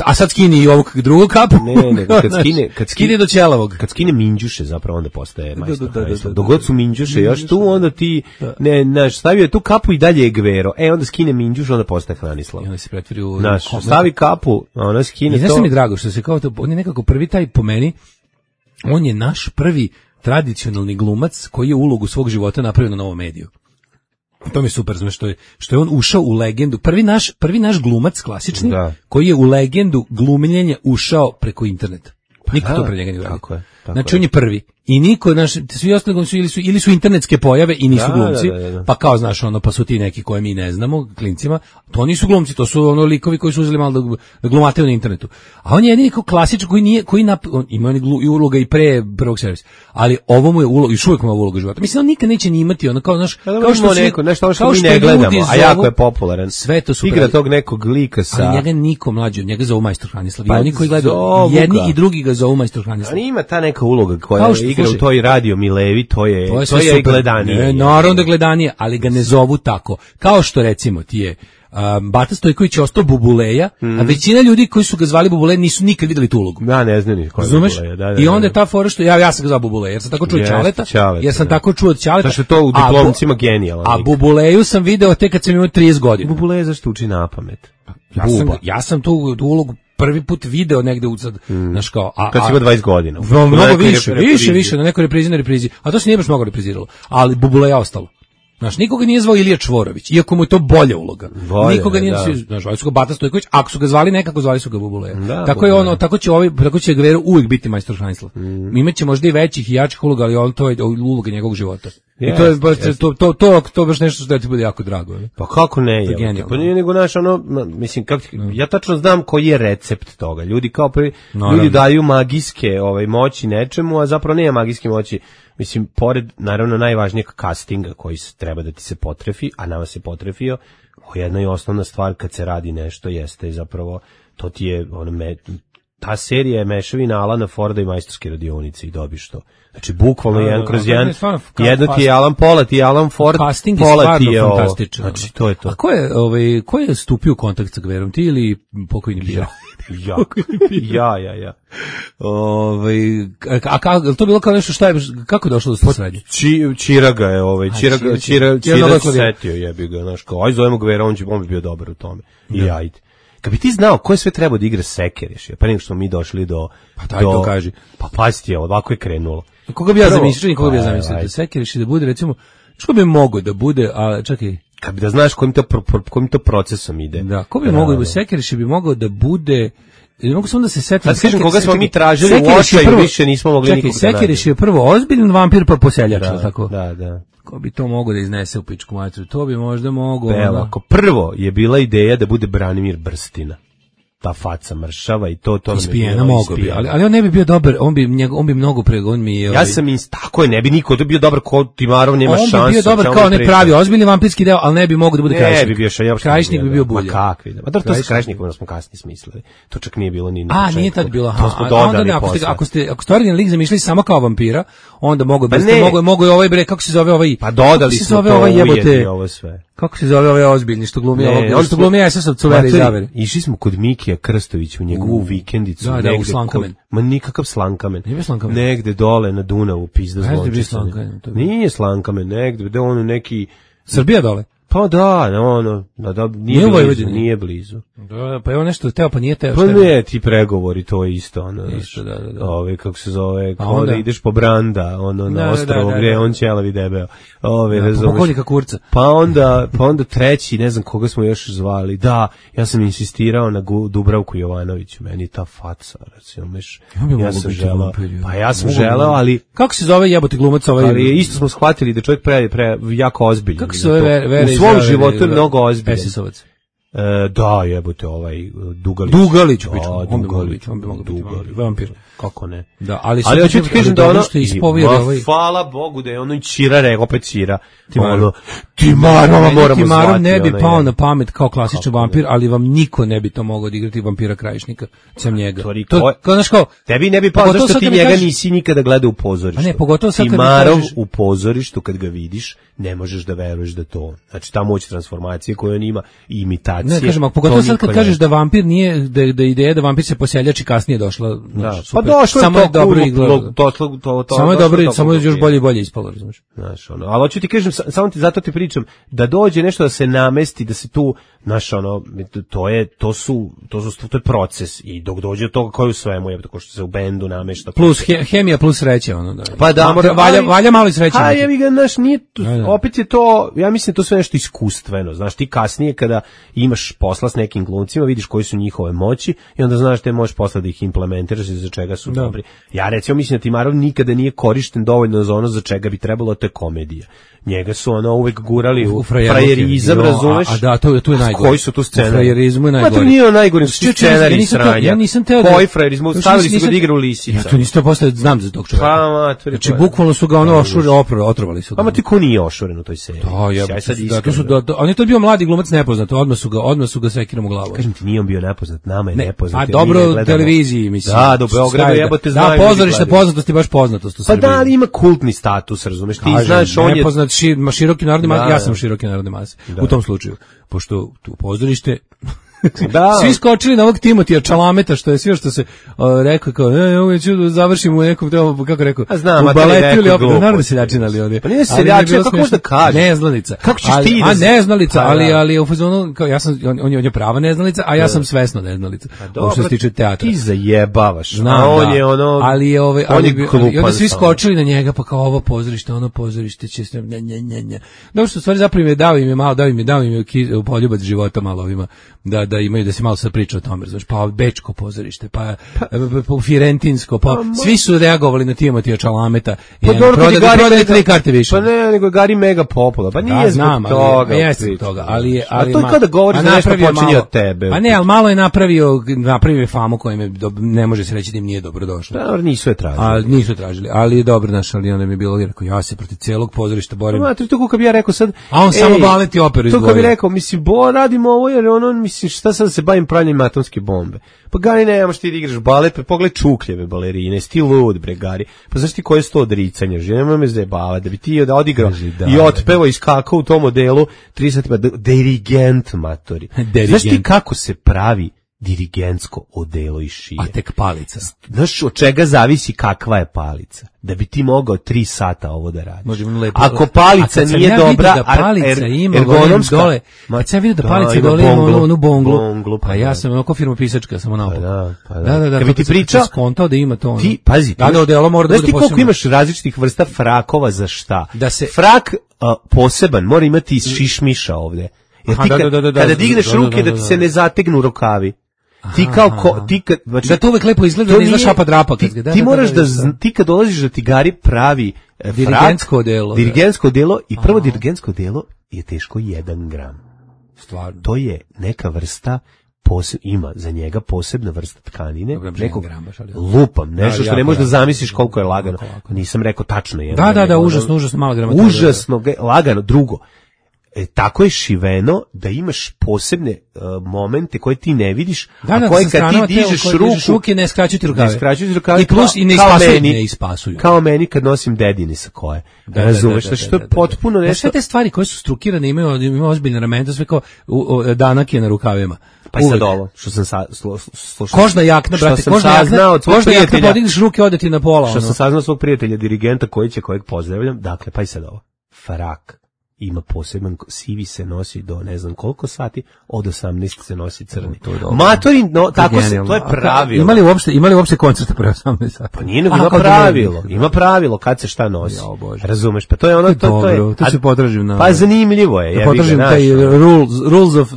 a sad skini i ovog drugog kapu. Ne, ne, ne, kad skine, kad skine do ćelavog. Kad skine minđuše, zapravo onda postaje majstor. Da, da, da, da, dogod su minđuše, još tu onda ti, ne, znaš, stavio je tu kapu i dalje je Gvero. E, onda skine minđuš, onda postaje Hranislav. I onda se pretvori u... Znaš, stavi kapu, a ona skine to. I znaš mi drago što se kao to, on je nekako prvi taj po meni, on je naš prvi tradicionalni glumac koji je ulogu svog života napravio na Novom mediju. To mi je super, znači što je što je on ušao u legendu. Prvi naš prvi naš glumac klasični da. Koji je u legendu glumljenja ušao preko interneta. Niko da, to pre njega nije uradio. Tako je. Tako znači je. On je prvi. I niko, naš, svi ostali su ili su ili su internetske pojave i nisu da, glumci. Da, da, da. Pa kao znaš, ono pa su ti neki koje mi ne znamo, klincima. To nisu glumci, to su ono likovi koji su uzeli malo da, da glumate na internetu. A on je jedini kao klasičan koji nije koji nap, on ima on glu, i uloga i pre prvog servisa. Ali ovo mu je uloga i uvijek mu je uloga života. Mislim on nikad neće ni imati ono kao znaš, da, kao što svi, neko nešto što mi ne gledamo, a jako je popularan. Sve to su igra tog nekog lika sa. Ali njega niko mlađi, njega zovu majstor Hranislav. Pa, oni koji gledaju jedni i drugi ga zovu majstor Hranislav. Ali ima ta neka uloga koja igra u toj radio Milevi, to je to je, to je gledanije. Ne, naravno da gledanije, ali ga ne zovu tako. Kao što recimo ti je Um, Bata Stojković je ostao Bubuleja, mm. a većina ljudi koji su ga zvali Bubuleja nisu nikad videli tu ulogu. Ja ne znam ni ko je Bubuleja. Da, da, I onda je ta fora što ja ja sam ga zvao Bubuleja, jer sam tako čuo yes, Ćaleta, Ćaleta, jer sam da. tako čuo od Ćaleta. Zašto je to u diplomcima genijalno. A Bubuleju sam video tek kad sam imao trideset godina. Bubuleja zašto uči na pamet? Ja sam, ja sam tu, tu ulogu prvi put video negde u sad, mm. znaš kao... A, kad si imao dvadeset godina. Mnogo više, više, više, na nekoj reprizi, na reprizi. A to se nije baš mnogo repriziralo. Ali Bubuleja ostalo. Znaš, nikoga nije zvao Ilija Čvorović, iako mu je to bolja uloga. Bolje, nikoga nije, da. Znaš, zvali su ga Bata Stojković, ako su ga zvali nekako, zvali su ga Bubuleja. Da, tako je ono, tako će ovaj, tako će Gvero uvijek biti majstor Heinzla. Mm. Imaće možda i većih i jačih uloga, ali on to je uloga njegovog života. Yes, I to je baš yes. to to to to baš nešto što ti bude jako drago. Ne? Pa kako ne je? Pa nije nego naš ono, mislim kako no. ja tačno znam koji je recept toga. Ljudi kao prvi, no, ljudi no. daju magijske ovaj moći nečemu, a zapravo nema magijske moći. Mislim, pored, naravno, najvažnijeg castinga koji treba da ti se potrefi, a nama se potrefio, jedna i osnovna stvar kad se radi nešto jeste zapravo, to ti je, ono, me, ta serija je mešavina Alana Forda i Majstorske radionice i dobiš to. Znači, bukvalno no, jedan kroz jedan, jedno ti je Alan Pola, ti je Alan Ford, casting Pola ti je ovo. Fantastično. Znači, to je to. A ko je, ovaj, ko je stupio u kontakt sa Gverom, ti ili pokojni Bira? Ja, ja, ja, ja. Ovaj, a kako to bilo kao nešto šta je, kako je došlo do sradnje? Či, Čiraga je, ovaj, Čiraga, Čira, Čira se setio, jebi ga, znaš, kao, aj zovemo Gvera, on će, on bi bio dobar u tome. I ajde. Kad bi ti znao ko je sve trebao da igra Sekeriš, pa nego što smo mi došli do... Pa daj to kaži. Pa pazite je, ovako je krenulo. Koga bi ja zamislio, koga bi ja zamislio, da Sekeriš da bude, recimo, što bi mogao da bude, a čekaj... Kad bi da znaš kojim to, kojim to procesom ide. Da, ko bi mogao da bude, Sekeriš bi mogao da bude... Ne mogu samo da se setim. Sad kažem koga smo mi tražili u očaju, više nismo mogli nikog da nađemo. Čekaj, Sekeriš je prvo ozbiljan vampir pa poseljač, tako? Da, da. Ko bi to mogao da iznese u pičku materiju? To bi možda mogao... Evo, ako prvo je bila ideja da bude Branimir Brstina. Ta faca mršava i to to ispijena mogo bi, ali ali on ne bi bio dobar, on bi njeg, on bi mnogo pre on mi je ovaj... Ja sam ins tako je, ne bi niko da bio dobar kod Timarov, nema šanse. On bi bio dobar kao ne pravi ozbiljni vampirski deo, al ne bi mogao da bude Krajišnik. Ne bi bio Šajap. Krajišnik bi bio bolji. Ma kakvi da. Ma dobro, to sa Krajišnikom smo kasnije smislili. To čak nije bilo ni ni. A nije tad bilo, ha. Onda ako ste ako ste ako ste originalni lik zamišljali samo kao vampira, onda mogu da ste mogu mogu ovaj bre kako se zove ovaj. Pa dodali smo to ovaj jebote ovo sve. Kako se zove ovaj ozbiljni što glumi ovog, on što glumi es es od Cuvera i Zavere. Išli smo kod Mikija Krstovića u njegovu vikendicu, da, negde, da, kod, ma nikakav Slankamen, Slankamen, negde dole na Dunavu, pizda zlončica. Nije Slankamen, negde, gde ono neki... Srbija dole? Pa da, ono, da, da, nije, nije blizu, nije blizu. Da, pa je on nešto teo, pa nije teo. Pa ne, ti pregovori, to je isto, ono, isto, da, da, da. Ove, kako se zove, kao onda ideš po Branda, ono, na da, ostrovo, da, da, gdje je on ćelavi debeo. Ove, da, po pokojnika Kurca. Pa onda, pa onda treći, ne znam koga smo još zvali, da, ja sam insistirao na Dubravku Jovanoviću, meni ta faca, recimo, meš, ja, ja sam želeo, pa ja sam želeo, ali... Kako se zove jebote glumac ovaj? Ali isto smo shvatili da čovjek pre, pre, jako ozbiljan. Kako se zove Vere? U svom životu je mnogo ozbiljan. es es ovac. E, da, jebote, ovaj Dugalić. Dugalić, pičku, on bi mogao biti, on bi mogao biti vampir. Kako ne? Da, ali ali hoću ti kažem da ono što ispovjeri ovaj. Hvala Bogu da je ono i Čirare, opet Čira. Ono, Timarova moramo Timarov ne bi pao na pamet kao klasičan vampir, ali vam niko ne bi to mogao odigrati vampira Krajišnika, sem njega. To, kao znaš kao, tebi ne bi pao zašto ti njega nisi nikada gledao u pozorištu. A ne, pogotovo sad kad Timarov u pozorištu kad ga vidiš, ne možeš da veruješ da to. Znači ta moć transformacije koju on ima i imitacije. Ne, kažem, pogotovo sad kad kažeš da vampir nije da da ideja da vampir se poseljači kasnije došla. Došlo samo je dobro izgleda. To, to, to, to, samo je dobro, samo je još bolje i bolje ispalo, razumiješ. Znaš, ono, ali hoću ti kažem, samo ti zato ti pričam, da dođe nešto da se namesti, da se tu, znaš, ono, to je, to su, to su, to je proces i dok dođe do toga koji u svemu je, tako što se u bendu namešta. Plus he, hemija, plus sreće, ono, da. Pa da, mora, valja, valja malo i sreće. A ja mi ga, znaš, nije, opet je to, ja mislim to sve nešto iskustveno, znaš, ti kasnije kada imaš posla s nekim glumcima, vidiš koji su njihove moći i onda znaš da možeš posle da ih implementiraš i za čega su da. Dobri. Ja recimo mislim da Timarov nikada nije korišten dovoljno za ono za čega bi trebalo, a to je komedija. Njega su ono uvek gurali u, u frajerizam, razumeš? A, a da, to, to je najgore. Koji su tu scenari? U frajerizmu je najgore. Ma to nije najgore, su scenari ja sranja. Ja nisam teo da... Koji frajerizmu? Stavili su ga da igra u Lisica. Ja to nisam postao, znam za tog čovjeka. Pa, materi. Znači, bukvalno su ga ono ošure, opro, otrovali su ga. Pa, ma ti ko nije ošuren u toj seriji? Da, ja, da, to su, da, da, on je to bio mladi glumac nepoznat, odmah su ga, odmah su ga sekirom u glavu. Kažem ti, nije on bio nepoznat, nama je nepoznat. A dobro, televiziji, mislim. Da, do Beograda jebote znaju. Da, pozorište poznatosti, baš poznatost u Srbiji. Pa da, ali ima kultni status, razumeš? Ti znaš, on je nepoznat, široki narodni mas, ja sam široki narodni mas u tom slučaju. pošto tu pozorište Da. Svi skočili na ovog Timotija Čalameta, što je sve što se uh, rekao, kao, e, ovo ću da završim u nekom, kako rekao, a znam, u baletu ili opet, naravno da seljačina, ali ovdje. Pa nije seljačina, kako možda kaže? Neznalica. Kako ćeš ali, ti da... A neznalica, pa, ali, ali u fazonu, kao, ja sam, on, on, je, on je prava neznalica, a ja sam svesno neznalica. Ovo što se tiče teatra. Ti zajebavaš. Znam, a on da. je ono... Ali je ove, on ali, je klupan, i onda svi skočili na njega, pa kao ovo pozorište, ono pozorište, će se, nja, nja, nja, nja. Dobro što stvari zapravo im je dao im je malo, dao im je, dao im je poljubac života malo ovima, da, da imaju, da se malo sad priča o tome, znaš, pa Bečko pozorište, pa, pa, pa Firentinsko, pa, pa svi su reagovali na Timotija Čalameta i pa prodali, prodali tri karte više. Pa ne, nego je Gari mega popular, pa nije da, znam, zbog toga. Ali, jeste zbog toga, ali, ali, a to je kada govoriš da nešto počinje od tebe. Pa ne, ali malo je napravio, napravio je famu kojem je, ne može se reći da im nije dobro došlo. Da, nisu je tražili. A, nisu tražili, ali je dobro naš, ali onda mi je bilo, rekao, ja se protiv celog pozorišta borim. Ma, to kako bi ja rekao sad. A on ej, samo balet i operu izgovorio. To kako bi rekao, mislim, bo, radimo ovo, jer ono, mislim, šta sad se bavim pranjem atomske bombe. Pa Gari, nemaš ti da igraš balet, pa pogledaj čukljeve balerine, sti lud, bre, Gari. Pa znaš ti koje je sto odricanja, že nemoj me zajebavati, da bi ti da odigrao da, i otpevao i skakao u tom modelu trideset pa dirigent, matori. Znaš ti kako se pravi dirigentsko odelo iz šije? A tek palica. Znaš od čega zavisi kakva je palica? Da bi ti mogao tri sata ovo da radiš. Lepo, ako palica nije ja dobra, da palica er, ima ergonomska, dole. Kad sam vidio da palica da, dole ima onu, onu bonglu, bonglu, pa, pa ja sam onako firma pisačka samo naopako. Pa da, pa da. Da, da, da, kad bi ti pričao, skontao da ima to ono. Ti, pazi, da, da, odelo mora da bude posebno. Znaš ti koliko imaš različitih vrsta frakova za šta? Da se, frak uh, poseban mora imati šišmiša ovde. Jer ti kada digneš ruke da ti se ne zategnu rukavi. Ti kao ko, ti kad, znači, da to uvek lepo izgleda, da izgleda šapa drapa. Ti, da, ti da, moraš da, da, da, ti kad dolaziš da ti Gari pravi frak, dirigentsko delo. Dirigentsko delo i prvo dirigentsko delo je teško jedan gram. Stvarno. To je neka vrsta, poseb, ima za njega posebna vrsta tkanine. Dobro, nekog, gram, baš, ali... lupam, nešto što ne možeš da zamisliš koliko je lagano. Nisam rekao tačno jedan. Da, da, da, užasno, užasno malo grama. Užasno lagano. Drugo, E, tako je šiveno da imaš posebne uh, momente koje ti ne vidiš, da, da, a koje kad ti dižeš ruku, ruke ne skraćuju ti rukave. Ne skraćuju ti rukave. I plus i ne ispasuju, ne ispasuju. Kao meni kad nosim dedine sa koje. Da, razumeš, da, da, da, što je potpuno nešto. Sve te stvari koje su strukirane imaju, imaju ozbiljne ramena, sve kao u, u, danak je na rukavima. Pa i sad ovo, što sam sa, slo, slušao. Kožna jakna, brate, kožna jakna, kožna jakna, podigneš ruke, ode ti na pola. Što ono. Sam saznao svog prijatelja, dirigenta, koji će, kojeg pozdravljam, dakle, pa i sad ovo. Frak. Ima poseban, sivi se nosi do ne znam koliko sati, od osamnaest se nosi crni. Matori, no, tako se, to je pravilo. Imali uopšte, imali uopšte koncerte pre osamnaest sati? Pa nije, nego ima pravilo, ima pravilo kad se šta nosi. Razumeš, pa to je ono, to, to je... Dobro, to se podražim na... Pa zanimljivo je. Ja podražim taj rules, rules of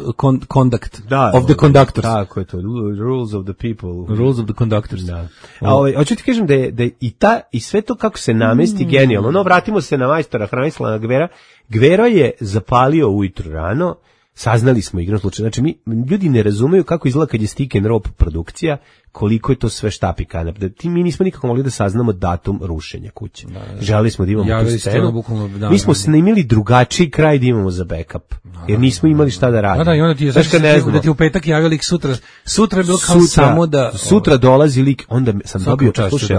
conduct, da, of the conductors. Tako je to, rules of the people. Rules of the conductors. Da. A ovaj, hoću ti kažem da je, da je i, ta, i sve to kako se namesti mm. genijalno. No, vratimo se na majstora Hranislava Gvera. Gvero je zapalio ujutru rano, saznali smo igrom slučaju. Znači, mi, ljudi ne razumeju kako izgleda kad je stick and rope produkcija, koliko je to sve štapi kanap. Da, ti mi nismo nikako mogli da saznamo datum rušenja kuće. Da, da. Želeli smo da imamo ja, tu scenu. Bukvalno, da, mi smo snimili drugačiji kraj da imamo za backup, jer nismo imali šta da radimo. Da, da, i onda ti je znaš, ne da ti u petak javio lik sutra, sutra je bilo kao sutra, samo da... Sutra dolazi lik, onda sam dobio, slušaj,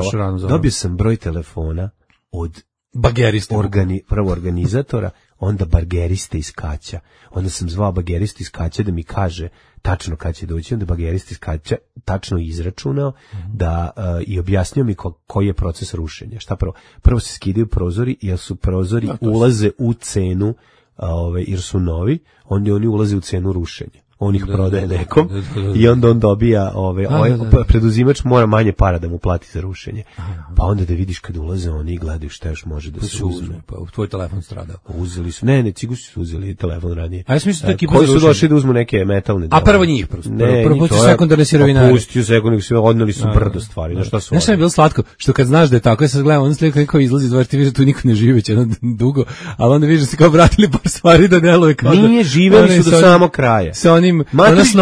dobio sam broj telefona od bagerista, organi, prvo organizatora, onda bageriste iz Kaća. Onda sam zvao bagerista iz Kaća da mi kaže tačno kad će doći, onda bagerista iz Kaća tačno izračunao mm-hmm. da uh, i objasnio mi ko, koji je proces rušenja. Šta prvo? Prvo se skidaju prozori, jer su prozori da, ulaze u cenu, uh, ove, jer su novi, onda oni ulaze u cenu rušenja. On ih da, prodaje da, nekom da, da, da, da. I onda on dobija ove, da, ovaj, da, da. preduzimač mora manje para da mu plati za rušenje. Aha. Pa onda da vidiš kad ulaze oni i gledaju šta još može da pa se uzme. Pa tvoj telefon stradao. Uzeli su. Ne, ne, cigusi su uzeli telefon ranije. A ja sam mislio da koji su došli da uzmu neke metalne. A prvo njih prosto. Ne, prvo pusti sekundarne sirovinare. Pustio sekundarne sirovinare, odneli su brdo stvari. Na šta su? Znaš šta je bilo slatko? Što kad znaš da je tako, ja sad gledam, on slika kako izlazi, znači ti vidiš da tu niko ne živi će dugo, al onda vidiš da se kao vratili par stvari da deluje kao da. Nije, živeli su do samog kraja. Sa onim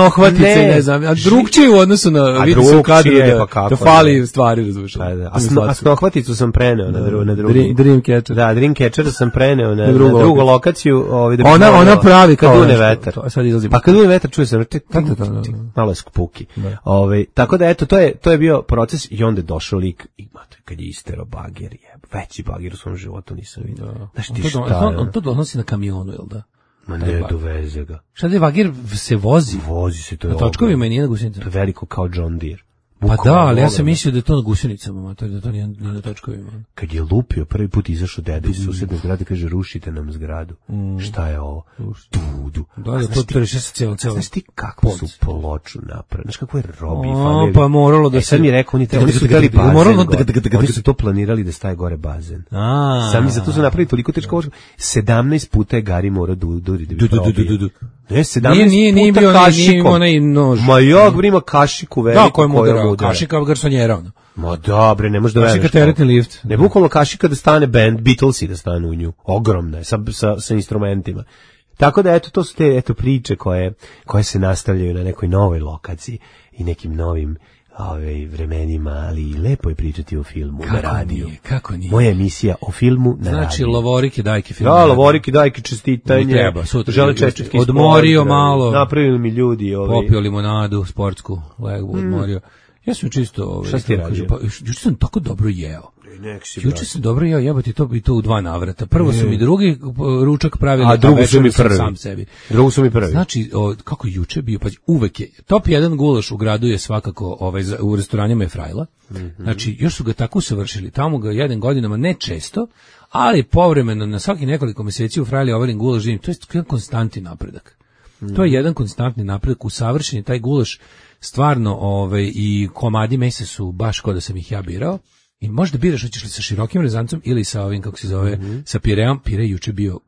ohvatice, ne, ne znam, a drugčije u odnosu na vidi se u kadru da, pa da fali stvari, razumiješ. A, da. a, sno, a snohvaticu sam preneo na, dru, na drugu. Dream, Dreamcatcher. Da, Dreamcatcher sam preneo na, na drugu, na drugu lokaciju. Ovaj, da ona, ona pravi kao kad dune vetar. To, sad izlazi. Pa kad dune vetar čuje se malo je skupuki. Ovaj, tako da eto, to je, to je bio proces i onda je došao lik i mato, kad je istero bager, je veći bager u svom životu nisam vidio. Znaš ti šta? On to donosi na kamionu, jel da? Ma ne, doveze ga. Šta da je Vagir se vozi? Vozi se, to je na točkovima i nije na gusenicama. To je veliko kao John Deere. Pa da, ali ja sam mislio da je to na gusenicama, to je da to nije, nije na točkovima. Kad je lupio, prvi put izašao deda iz susedne zgrade, kaže, rušite nam zgradu. Mm. Šta je ovo? Dudu. Da, da, to treše se cijelo, cijelo. Znaš ti kako su ploču napravili? Znaš kako je Robi o, falili? Pa moralo da e, se... Sad mi je rekao, oni, oni su htjeli bazen gore. Oni su to planirali da staje gore bazen. Sami za to su napravili toliko teško. sedamnaest puta je Gari morao duri da bi probio. Ne, sedamnaest puta kašikom. Ma jok, brima kašiku veliku. Da, koja mudara, kašika garsonjera, ono. Ma dobre, ne možeš da veruješ. Kašika teretni lift. Ne, bukvalno kašika da stane band, Beatlesi da stane u nju. Ogromna je, sa, sa, sa instrumentima. Tako da, eto, to su te eto, priče koje, koje se nastavljaju na nekoj novoj lokaciji i nekim novim ove, vremenima, ali lepo je pričati o filmu kako na radiju. Nije, kako nije? Moja emisija o filmu na znači, radiju. Znači, Lovorike, Dajke film. Da, Lovorike, Dajke, čestitanje. Treba, sutra. Žele čestitke. Odmorio malo. Napravili mi ljudi. Ove. Popio limonadu, sportsku, legbu, mm. odmorio. Ja sam čisto... Ove, šta si ti radio? Pa, juče sam tako dobro jeo. Juče sam dobro jeo, jebati to i to u dva navrata. Prvo su mi drugi ručak pravili, a drugo su mi prvi. Sam sebi. Drugo su mi prvi. Znači, o, kako juče bio, pa uvek je, top jedan gulaš u gradu je svakako, ovaj, u restoranima je Frajla. Mm-hmm. Znači, još su ga tako usavršili. Tamo ga jedan godinama, ne često, ali povremeno, na svaki nekoliko meseci u Frajli ovalim gulaš živim. To je jedan konstantni napredak. Mm. To je jedan konstantni napredak, usavršen je taj gulaš stvarno, ovaj, i komadi mesa su baš kao da sam ih ja birao. I možda biraš hoćeš li sa širokim rezancom ili sa ovim, kako se zove, mm-hmm. sa pireom. Pire juče bio,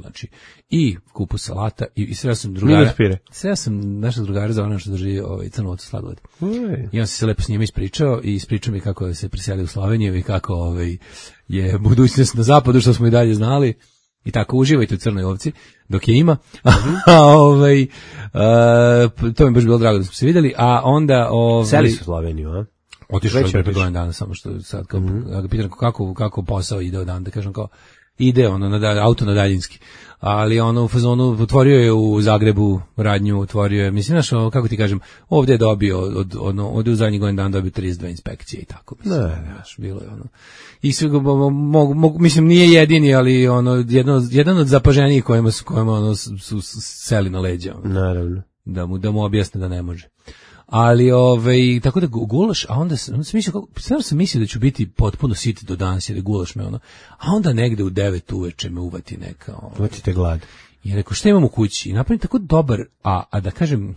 znači, i kupus salata, i, i sreo sam drugara. Sreo sam našeg drugara za ono što drži ovaj, crnovotu sladoled. I on se lepo s njima ispričao i ispričao mi kako se preselio u Sloveniju i kako ovaj, je budućnost na zapadu, što smo i dalje znali. I tako uživajte u crnoj ovci dok je ima. A ovaj a, to mi baš bilo drago da smo se vidjeli, a onda ovaj seli su u Sloveniju, a? Otišao je pre godinu dana, samo što sad kao mm-hmm. ja ga pitam kako kako posao ide od dana, da kažem kao ide ono na auto na daljinski. Ali ono u fazonu otvorio je u Zagrebu radnju, otvorio je, mislim znaš, kako ti kažem, ovdje je dobio od ono ovdje u zadnjih godinu dana dobio trideset dve inspekcije i tako mislim. Ne, znaš, bilo je ono. I sve mogu, mogu, mislim nije jedini, ali ono jedno jedan od zapaženijih kojima su kojima ono su, su seli na leđa. Ono, naravno. Da mu da mu objasne da ne može. Ali ovaj tako da gulaš, a onda sam, onda sam mislio kako stvarno sam mislio da ću biti potpuno sit do danas jer je gulaš me ono. A onda negde u devet uveče me uvati neka. Uvatite glad. I rekao šta imam u kući? I napravim tako dobar, a a da kažem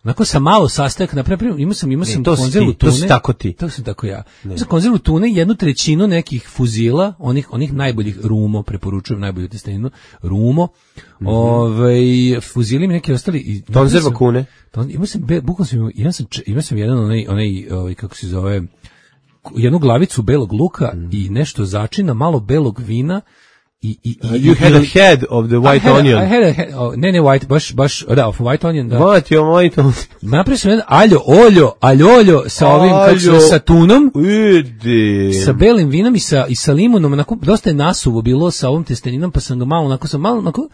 onako sam malo sastojak napravio, imao sam imao sam konzervu tune. To si tako ti. To sam tako ja. Imao sam konzervu tune, jednu trećinu nekih fuzila, onih onih najboljih rumo, preporučujem najbolju testeninu, rumo. Mm-hmm. Ovaj fuzili mi neki ostali i konzerva kune. Imao sam bukvalno sam imao sam imao sam jedan onaj onaj ovaj kako se zove jednu glavicu belog luka mm. i nešto začina, malo belog vina. I, i, i, you had a head of the white I had, onion. I had a head, oh, ne, ne, white, baš, baš, da, of white onion, da. What, your white onion? Napravio sam jedan aljo, oljo, aljoljo sa ovim, kako se, sa tunom, Udi. sa belim vinom i sa, i sa limunom, onako, dosta je nasuvo bilo sa ovom testeninom, pa sam ga malo, onako sam malo, onako,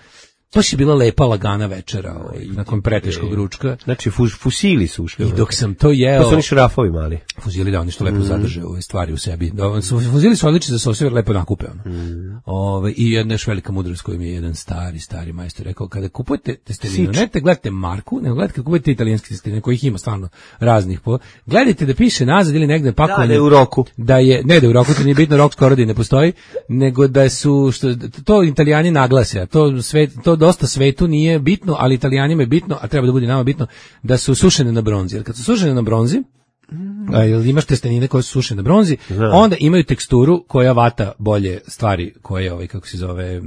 baš je bila lepa lagana večera, ovaj, nakon preteškog ručka. Znači, fuz, fusili su ušli. I dok sam to jeo... To su oni šrafovi mali. Fuzili, da, oni što lepo mm. zadrže ove stvari u sebi. Da, fuzili su odlični za sosjever, lepo nakupe. Ono. Mm. Ove, I jedna još velika mudrost koju mi je jedan stari, stari majstor rekao, kada kupujete testeninu, ne te gledate marku, nego gledate kada kupujete italijanske testenine, kojih ima stvarno raznih. Po, gledajte da piše nazad ili negde pakovanje. Da, da je u roku. Da je, ne da je u roku, to nije bitno, rok skoro da ne postoji, nego da su, što, to Italijani naglase, to, sve, to dosta svetu nije bitno, ali Italijanima je bitno, a treba da bude nama bitno, da su sušene na bronzi. Jer kad su sušene na bronzi, a, imaš testenine koje su sušene na bronzi, Znam. onda imaju teksturu koja vata bolje stvari koje, ovaj, kako se zove,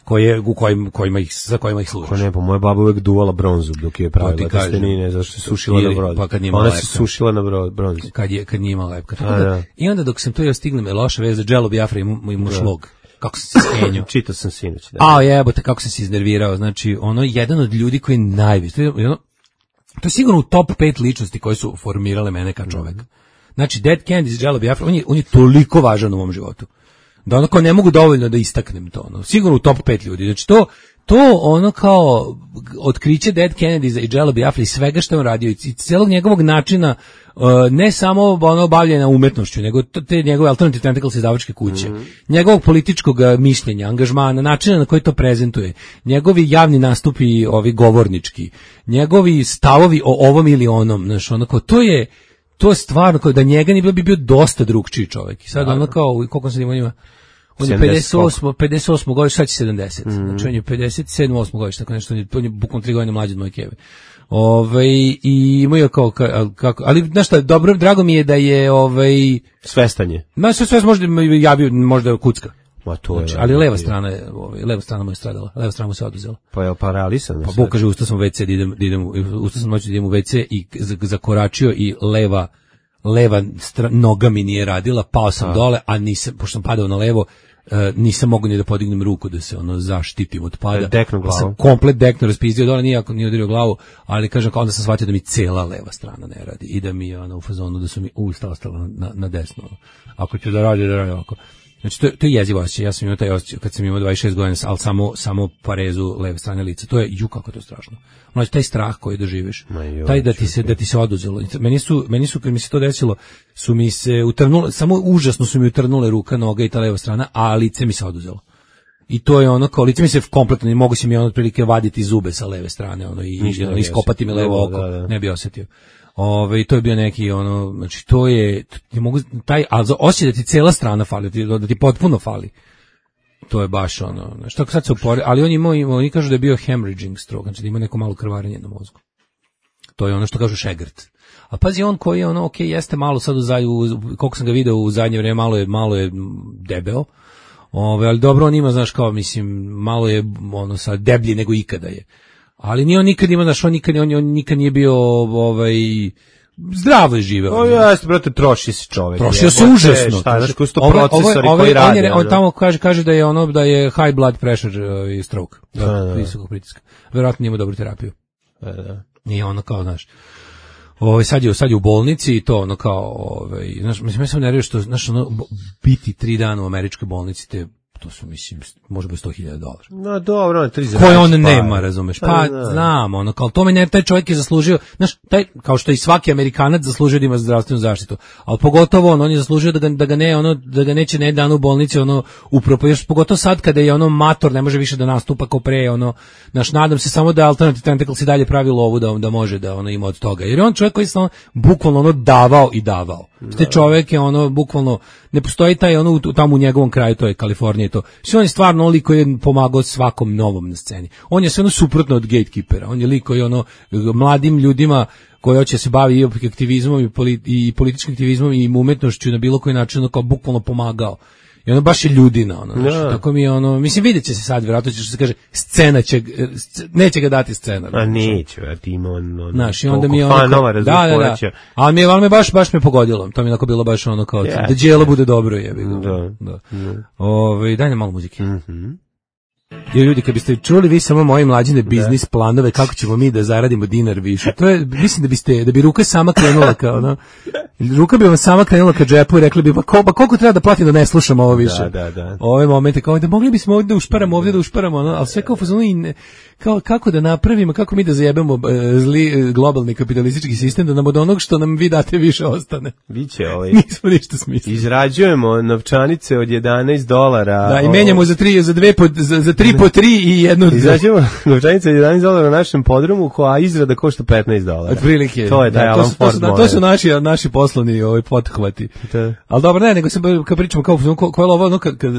koje, u kojim, kojima ih, za kojima ih služiš. Ko ne, pa moja baba uvek duvala bronzu dok je pravila pa testenine, zašto se sušila ili, na bronzi. Pa kad nije Ona lepka. se sušila na bronzi. Kad, je, kad nije imala lepka. Tako da, i onda dok sam to jeo stignem, je loša vez za Jello Biafra i mu, mu šlog. Kako sam se skenio. Čitao sam sinoć. Da. A jebote, kako sam se iznervirao. Znači, ono, jedan od ljudi koji najviše, to je, ono, to je sigurno u top pet ličnosti koje su formirale mene kao čoveka. Znači, Dead Kennedys, Jello Biafra, on je, on je toliko važan u mom životu. Da ono kao ne mogu dovoljno da istaknem to, ono. Sigurno u top pet ljudi. Znači to, to ono kao otkriće Dead Kennedys i Jello Biafra i svega što je on radio i celog njegovog načina, uh, ne samo ono bavljenja umetnošću, nego te njegove Alternative Tentacles izdavačke kuće, mm-hmm. njegovog političkog mišljenja, angažmana, načina na koji to prezentuje, njegovi javni nastupi, ovi govornički, njegovi stavovi o ovom ili onom, znaš, ono kao, to je, to je stvarno, kao da njega nije bilo bi bio dosta drugčiji čovjek. I sad ono kao, koliko sad ima njima? On je pedeset osam, pedeset osam godište, sad će sedamdeset. Mm. Znači on je pedeset sedam, osam godište, tako nešto, on je bukvalno tri godine mlađi od moje keve. Ove, i imaju kao, kako, ali znaš šta, dobro, drago mi je da je ovaj svestanje. Ma sve sve možda javio, možda kucka. Ma to je, znači, ali leva strana je, ovaj, leva strana mu je stradala, leva strana mu se oduzela. Pa je paralisan. Pa Bog kaže, ustao sam u ve ce, da idem, da idem, ustao sam noći da idem u ve ce i zakoračio i leva, leva stra, noga mi nije radila, pao sam a. dole, a nisam, pošto sam padao na levo, Uh, nisam mogu ni da podignem ruku da se ono zaštitim od pada. Deknu glavu. Sam komplet dekno raspizdio dole, nije nije udario glavu, ali kažem onda sam shvatio da mi cela leva strana ne radi i da mi ono u fazonu da su mi usta ostala na, na desno. Ako ću da radi, da radi ovako. Znači to, to je jezivo osjećaj. Ja sam imao taj osjećaj kad sam imao dvadeset šest godina, ali samo samo parezu leve strane lica. To je ju kako to strašno. Znači taj strah koji doživiš, joj, taj da ti se da ti se oduzelo. Meni su meni su kad mi se to desilo, su mi se utrnule, samo užasno su mi utrnule ruka, noga i ta leva strana, a lice mi se oduzelo. I to je ono kao lice mi se kompletno ne mogu se mi ono otprilike vaditi zube sa leve strane, ono i ono, iskopati mi levo oko, da, da. Ne bi osetio. Ove, i to je bio neki ono, znači to je ti mogu taj al osjećaj da ti cela strana fali, da ti, da ti potpuno fali. To je baš ono, znači tako sad se upori, ali on ima, ima oni kažu da je bio hemorrhaging stroke, znači da ima neko malo krvarenje na mozgu. To je ono što kažu šegrt. A pazi on koji je ono, ok, jeste malo sad u zadnju, koliko sam ga video u zadnje vrijeme, malo je, malo je debeo. Ove, ali dobro on ima, znaš kao, mislim, malo je ono sad deblji nego ikada je. Ali nije on nikad ima, znaš, on nikad, on, on nikad nije bio ovaj zdravo je živeo. O jeste, brate, troši se čovjek. Trošio se užasno. Šta, znaš, koji su to procesori ove, koji rade. On, je, on tamo kaže, kaže da je ono, da je high blood pressure i stroke. Da, da. Visokog pritiska. Verovatno ima dobru terapiju. Da, da. Nije ono kao, znaš, ovaj sad je sad je u bolnici i to ono kao, ovaj, znaš, mislim ja sam nervio što, znaš, ono, biti tri dana u američkoj bolnici te to su, mislim, može biti sto hiljada dolara. No, dobro, tri za koje on nema, razumeš? Pa, pa znam, ono, kao tome ne, taj čovjek je zaslužio, znaš, taj, kao što i svaki Amerikanac zaslužio da ima zdravstvenu zaštitu, ali pogotovo on, on je zaslužio da ga, da ga ne, ono, da ga neće ne dan u bolnici, ono, upropo, još pogotovo sad kada je ono mator, ne može više da nastupa kao pre, ono, naš, nadam se samo da Alternative Tentacles i dalje pravi lovu da, da može da ono ima od toga, jer je on čovjek koji je bukvalno ono davao i davao. Te čovjek je ono, bukvalno, ne postoji taj ono tamo u njegovom kraju, to je Kalifornija i to. Sve on je stvarno lik koji je pomagao svakom novom na sceni. On je sve ono suprotno od gatekeepera. On je lik koji ono mladim ljudima koji hoće se bavi i aktivizmom i, politi, i političkim aktivizmom i umetnošću na bilo koji način ono kao bukvalno pomagao. I ono baš je ljudina, ono, znači, ja. Tako mi je ono, mislim, vidjet će se sad, vjerojatno će što se kaže, scena će, neće ga dati scena. A neće, a ti ima on, on znaš, i onda mi je ono, fanova, da, da, da, ali mi je, ali me baš, baš me pogodilo, to mi je onako bilo baš ono kao, yeah, da djelo yeah. bude dobro, jebi ga. Da, da. da. Ove, daj nam malo muzike. Mhm. Jer ljudi, kad biste čuli vi samo moje mlađine biznis planove, kako ćemo mi da zaradimo dinar više, to je, mislim da biste, da bi ruka sama krenula kao, no, ruka bi vam sama krenula ka džepu i rekli bi, pa, ko, pa koliko treba da platim da ne slušam ovo više. Da, da, da. Ove momente, kao da mogli bismo ovdje da ušparamo, ovdje da ušparamo, no, ali sve kao fazonu i ne, kao, kako da napravimo, kako mi da zajebemo e, zli e, globalni kapitalistički sistem, da nam od onog što nam vi date više ostane. Biće ovaj. Nismo ništa smislili. Izrađujemo novčanice od jedanaest dolara. Da, i menjamo za tri, za dve, po, za, za tri po tri i jednu. Izrađujemo novčanice od jedanaest dolara na našem podrumu, koja izrada košta petnaest dolara. Otprilike. To je taj Alan Ford. To su, to su naši, naši poslovni ovaj, pothvati. Ali dobro, ne, nego se kad pričamo kao, ko, ko je ovo, ono, kad, kad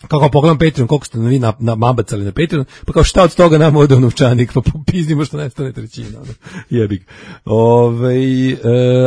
kako pogledam Patreon, koliko ste vi na, na mabacali na Patreon, pa kao šta od toga nam ode u novčanik, pa popizdimo što nestane trećina. Ono. Jebik. Ove, e,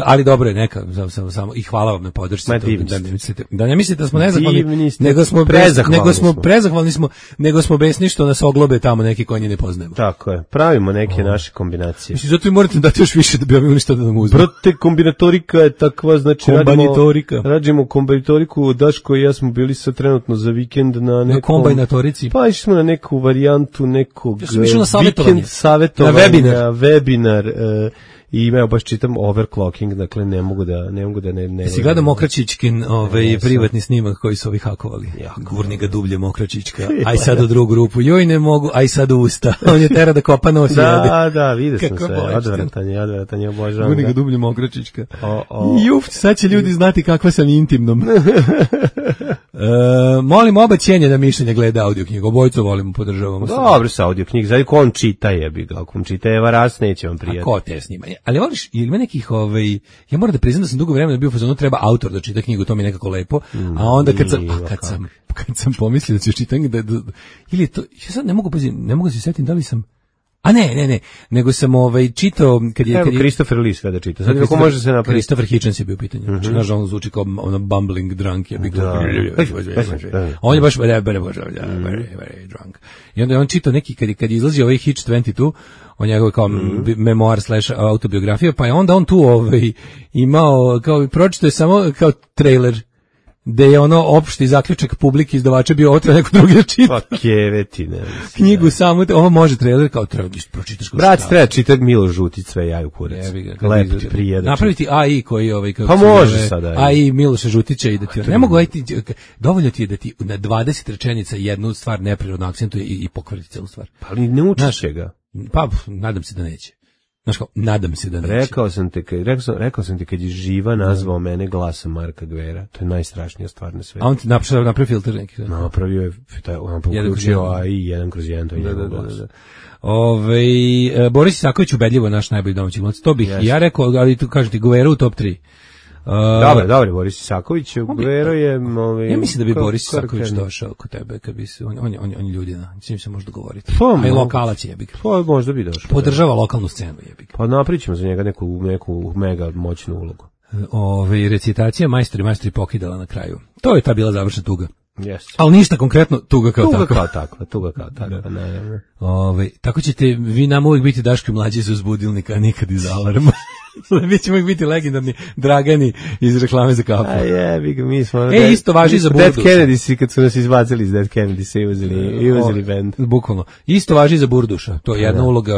ali dobro je, neka, samo, samo, samo, i hvala vam na podršci. Da, da, ne mislite, da ne mislite da smo nezahvalni, nego smo prezahvalni, nego smo prezahvalni smo, nego smo besni što nas oglobe tamo neki koji ne poznajemo. Tako je, pravimo neke o. naše kombinacije. Mislim, zato vi morate dati još više da bi vam nešto da nam uzme. Brate, kombinatorika je takva, znači radimo, radimo kombinatoriku, Daško i ja smo bili sa trenutno za vikend na nekom, na kombinatorici. Pa išli smo na neku varijantu nekog ja vikend savjetovanja, na webinar, na webinar uh, i imao baš čitam overclocking, dakle ne mogu da ne mogu da ne ne. Si gledao Mokračićkin, ovaj privatni snimak koji su ovi hakovali. Gurni ga dublje Mokračićka. Aj sad u drugu grupu. Joj ne mogu, aj sad u usta. On je tera da kopa nos. Da, da, vidio sam sve. Odvratanje, odvratanje, obožavam. Gurni ga dublje Mokračićka. Juf, sad će ljudi znati kakva sam intimnom. E, molim oba cijenjena da mišljenja gleda audio knjigu. Obojcu volimo, podržavamo. Dobro sa audio knjig. Znači ko on čita jebi ga. Ako on čita Eva Ras, neće vam prijati. A ko te snima? Ali voliš, ima nekih, ovaj, ja moram da priznam da sam dugo vremena bio u fazonu treba autor da čita knjigu, to mi je nekako lepo. A onda kad sam, a kad sam, kad sam pomislio da ću čitati, da, da, ili je to, ja sad ne mogu, ne mogu se sjetiti da li sam, a ne, ne, ne, nego sam ovaj čitao kad je kad je Christopher Lee sve da čita. Sad kako može se napraviti? Christopher Hitchens je bio pitanje. Mm -hmm. Znači nažalost zvuči kao ono bumbling drunk je bio. On je baš very very very drunk. I onda je on čitao neki kad kad je izlazio ovaj Hitch dvadeset dva, on je kao mm-hmm. memoir slash autobiografija, pa je onda on tu ovaj imao kao pročitao je samo kao trailer da je ono opšti zaključak publike izdavača bio ovo treba neko drugi da čita. Pa keveti, ne. Knjigu samo, ovo može trailer kao treba da pročitaš. Brat, treba čitati Milo Žutić, sve jaju kurac. Lep ti prijedač. Napraviti A I koji ovaj kako pa može sada. A I Miloša Žutića i da ti ne mogu ajti, dovoljno ti je da ti na dvadeset rečenica jednu stvar neprirodno akcentuje i, i pokvariti celu stvar. Pa ali ne učiš ga. Pa nadam se da neće. Znaš kao, nadam se da neće. Rekao sam te, rekao sam, rekao sam ti kad je živa nazvao mene glasom Marka Gvera. To je najstrašnija stvar na svetu. A on ti napravio, napravio filter neki? Da? Napravio je, on uključio A I jedan kroz jedan, to je njegov glas. Da, da, da. Ove, Boris Isaković ubedljivo naš najbolji domaći glumac. To bih yes. ja rekao, ali tu kažem ti, Gvera u top tri. Uh, dobro, dobro, Boris Isaković, Gvero je... Ovaj, ja mislim da bi Boris Isaković došao kod tebe, kad bi se, on, on, on, on je ljudina, s njim se može dogovoriti. Pa, a i lokalac jebik. Pa, možda bi došao. Podržava lokalnu scenu jebik. Pa napričamo za njega neku, neku mega moćnu ulogu. Ove, recitacija majstori, majstori pokidala na kraju. To je ta bila završna tuga. Yes. Ali ništa konkretno, tuga kao tuga takva. Kao takva, tuga kao takva, da. Ne, ne. Ove, tako ćete vi nam uvijek biti Daško i mlađi iz uzbudilnika, a nikad iz alarma. Mi ćemo uvijek biti legendarni Dragani iz reklame za kafu. A jebi ga, mi smo... E, isto važi za Burduša. Dead Kennedy, kad su nas izbacili iz Dead Kennedy, i uzeli, i uzeli band. Bukvalno. Isto važi za Burduša. To je jedna da. uloga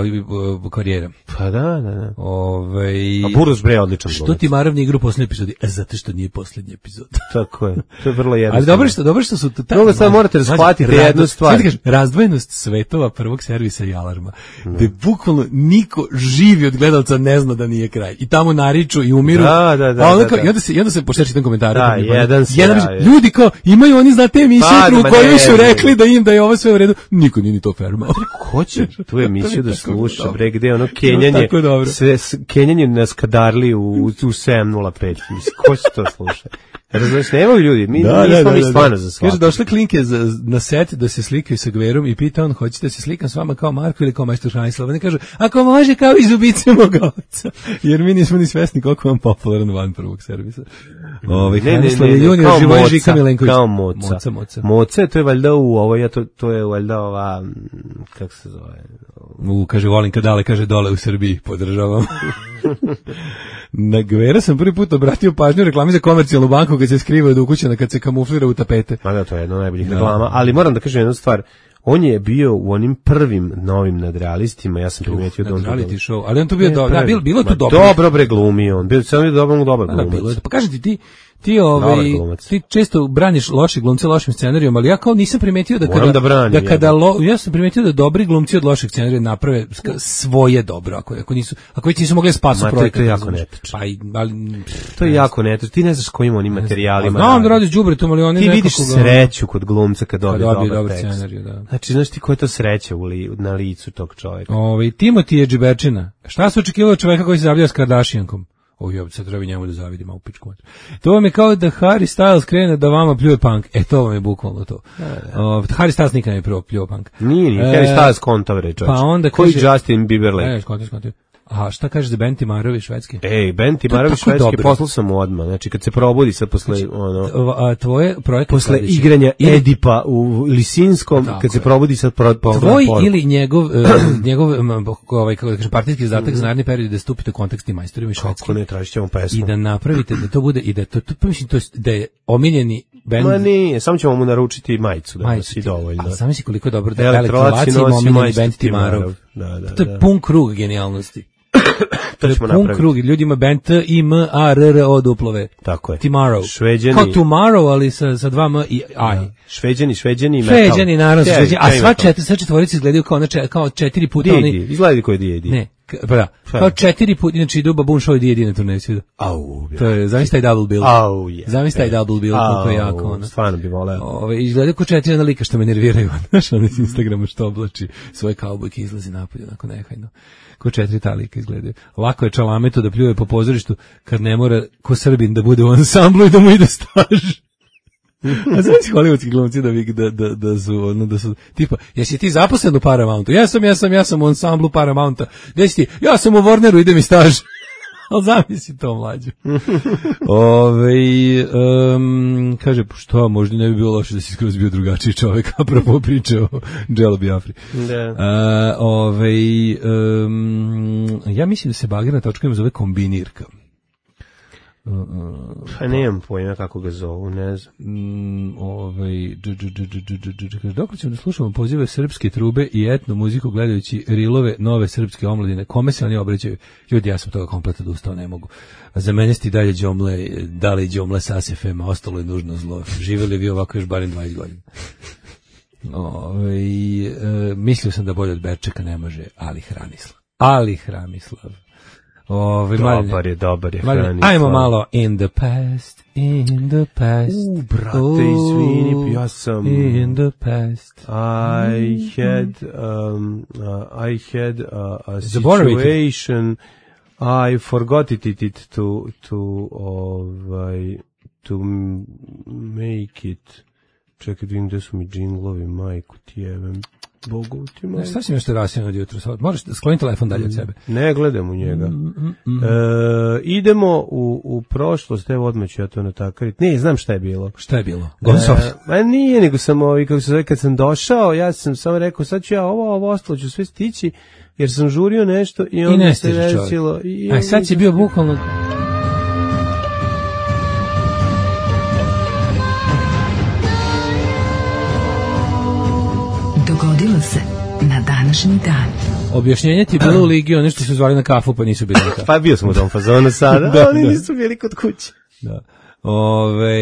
u karijera. Pa da, da, da. Ove... A Burduš bre odličan. Što ti Maravni igru posljednji epizodi? E, zato što nije posljednji epizod. Tako je. To je vrlo jednostavno. Ali dobro što, dobro što su... Mnogo sad morate shvatiti jednu stvar. Razdvojenost svetova prvog servisa i alarma. Da bukvalno niko živi od gledalca ne zna da nije kraj. I tamo nariču i umiru. Da, da, da. A onda, kao, da, da. I onda se, i onda se pošto čitam komentare. Da, jedan se jedan ja, ljudi kao, imaju oni, znate, emisiju pa, u kojoj su rekli da im da je ovo sve u redu. Niko nije ni to fermao. Ko će tu emisiju da sluša, bre, gde ono kenjanje, sve, kenjanje na Skadarli u, u sedam nula pet. Mislim, ko će to sluša? Razumiješ, nemaju ljudi, mi da, nismo da, mi da, stvarno da. za svako. Kaže, došle klinke za, na set da se slikaju sa Gverom i pita on, hoćete da se slikam s vama kao Marko ili kao majstor Hranislav? Oni kažu, ako može kao iz ubice moga oca. Jer mi nismo ni svesni koliko vam popularan van prvog servisa. Ove, ne, ne, ne, ne, kao Moca, kao Moca. Moca, Moca. Moca, to je valjda u ovo, ja to, to je valjda ova, kako se zove? U, kaže, volim kad dale, kaže, dole u Srbiji, podržavam. Na Gvera sam prvi put obratio pažnju reklami za komercijalnu banku kad se skriva od ukućana, kad se kamuflira u tapete. Ma da, to je jedna od najboljih reklama, ali moram da kažem jednu stvar. On je bio u onim prvim novim nadrealistima, ja sam primetio da on reality show, ali on to bio dobro, da, bilo, bilo tu dobro. Dobro bre glumio on, bio samo je dobro, dobar glumac. Pa kažete ti, ti ovaj ti često braniš loše glumce lošim scenarijom, ali ja kao nisam primetio da kada da, branim, da kada lo, ja sam primetio da dobri glumci od lošeg scenarija naprave svoje dobro, ako ako nisu ako već nisu mogli spasu projekat. To je jako netačno. Pa ali to je jako netačno. Ti ne znaš kojim onim materijalima. Znam da radiš đubretom, ali oni nekako ti vidiš sreću kod glumca kad dobije dobar, dobar scenarij, da. Znači, znaš ti koja je to sreća u li, na licu tog čovjeka. Ovaj Timothy je džiberčina. Šta se očekivalo od čovjeka koji se zavljao s Kardashiankom? O, ja sad treba njemu da zavidim, a u pičku. To vam je kao da Harry Styles krene da vama pljuje punk. E, to vam je bukvalno to. Da, da. O, Harry Styles nikad ne je prvo pljuje punk. Nije, nije. E, Harry Styles kontavre, čovječ. Pa onda koji kaže, Justin Bieberley. Ne, skontav, skontav. A šta kažeš za Ben Timarovi švedski? Ej, Ben Timarovi švedski, poslao sam mu odmah. Znači, kad se probudi sad posle, ono... A tvoje projekte... Posle igranja Edipa u Lisinskom, tako kad se probudi sad... Pro, tvoj ili njegov, uh, njegov ovaj, kako da kažem, partijski zadatak za naredni period da stupite u kontakt s tim majstorima švedski. Kako ne, tražit ćemo pesmu. I da napravite, da to bude, i da to, to, to mislim, to je, da je omiljeni bend... Ma nije, samo ćemo mu naručiti majicu, da majicu, si dovoljno. A sami si koliko je dobro da elektrolaci ima omiljeni bend Timarov. Da, da, to je pun krug genijalnosti. To ćemo pun napraviti. krug, ljudima band T I M A R R O duplove. Tako je. Tomorrow. Šveđani. Kao tomorrow, ali sa, sa dva M i I. Šveđani, šveđani i metal. Šveđani, naravno, šveđani. A sva četiri, sve četvorice izgledaju kao, znači, kao četiri puta. D oni... I D, izgledaju koji D I D. Ne, pa da, kao četiri puta, znači idu Baboon Show i D I D na turneju sviđa. Au, to je, zamisli taj double bill. Au, yeah. Zamisli taj double bill, koliko je jako ono. Stvarno bi voleo. Ove, izgledaju kao četiri jedna lika što me nerviraju, znaš, ono iz Instagrama što oblači svoje kaubojke izlazi napolje, onako nehajno. Ko četiri ta lika izgledaju. Lako je Čalametu da pljuje po pozorištu kad ne mora ko Srbin da bude u ansamblu i da mu ide staž. A znači hollywoodski glumci da, da, da, da su, ono, da su, tipa, jesi ti zaposlen u Paramountu? Ja sam, ja sam, ja sam u ansamblu Paramounta. Gde si ti? Ja sam u Warneru, ide mi staž. Ali zamisli to, mlađu. Ove, um, kaže, što, možda ne bi bilo loše da si skroz bio drugačiji čovjek, apropo priče o Dželo Biafri. Da. Uh, ove, um, ja mislim da se bagirna točka ima zove kombinirka. Pa nemam pojma kako ga zovu, ne znam. Mm, ovaj, dok ćemo da slušamo pozive srpske trube i etno muziku gledajući rilove nove srpske omladine, kome se oni obraćaju? Ljudi, ja sam toga kompletno odustao, ne mogu. A za mene sti dalje đomle, dalje đomle sa S F M-a, ostalo je nužno zlo. Živjeli vi ovako još barem dvadeset godina. Ove, e, mislio sam da bolje od Berčeka ne može, ali Hranislav. Ali Hranislav. Ove, dobar je, dobar je Hranislav. Ajmo malo in the past, in the past. U, brate, izvini, ja sam... In the past. I had, um, uh, I had a, a situation, I forgot it, it, it to, to, ovaj, to make it. Čekaj, vidim gde su mi džinglovi, majku ti jebem. Bogu ti majku. Šta si nešto rasijeno od jutra? Možeš skloniti telefon dalje od sebe. Ne gledam u njega. Mm, mm, mm. E, idemo u, u prošlost, evo odmah ću ja to natakariti. Ne, znam šta je bilo. Šta je bilo? Gonsof. E, ma nije, nego sam ovi, kako se zove, kad sam došao, ja sam samo rekao, sad ću ja ovo, ovo ostalo ću sve stići, jer sam žurio nešto i onda se desilo. I, Aj, sad si bio bukvalno... Dogodilo se na današnji dan. Objašnjenje ti je bilo u ligi, oni što su zvali na kafu pa nisu bili na kafu. Pa bio sam u tom fazonu sada, da, oni da. nisu bili kod kuće. Da. Ove,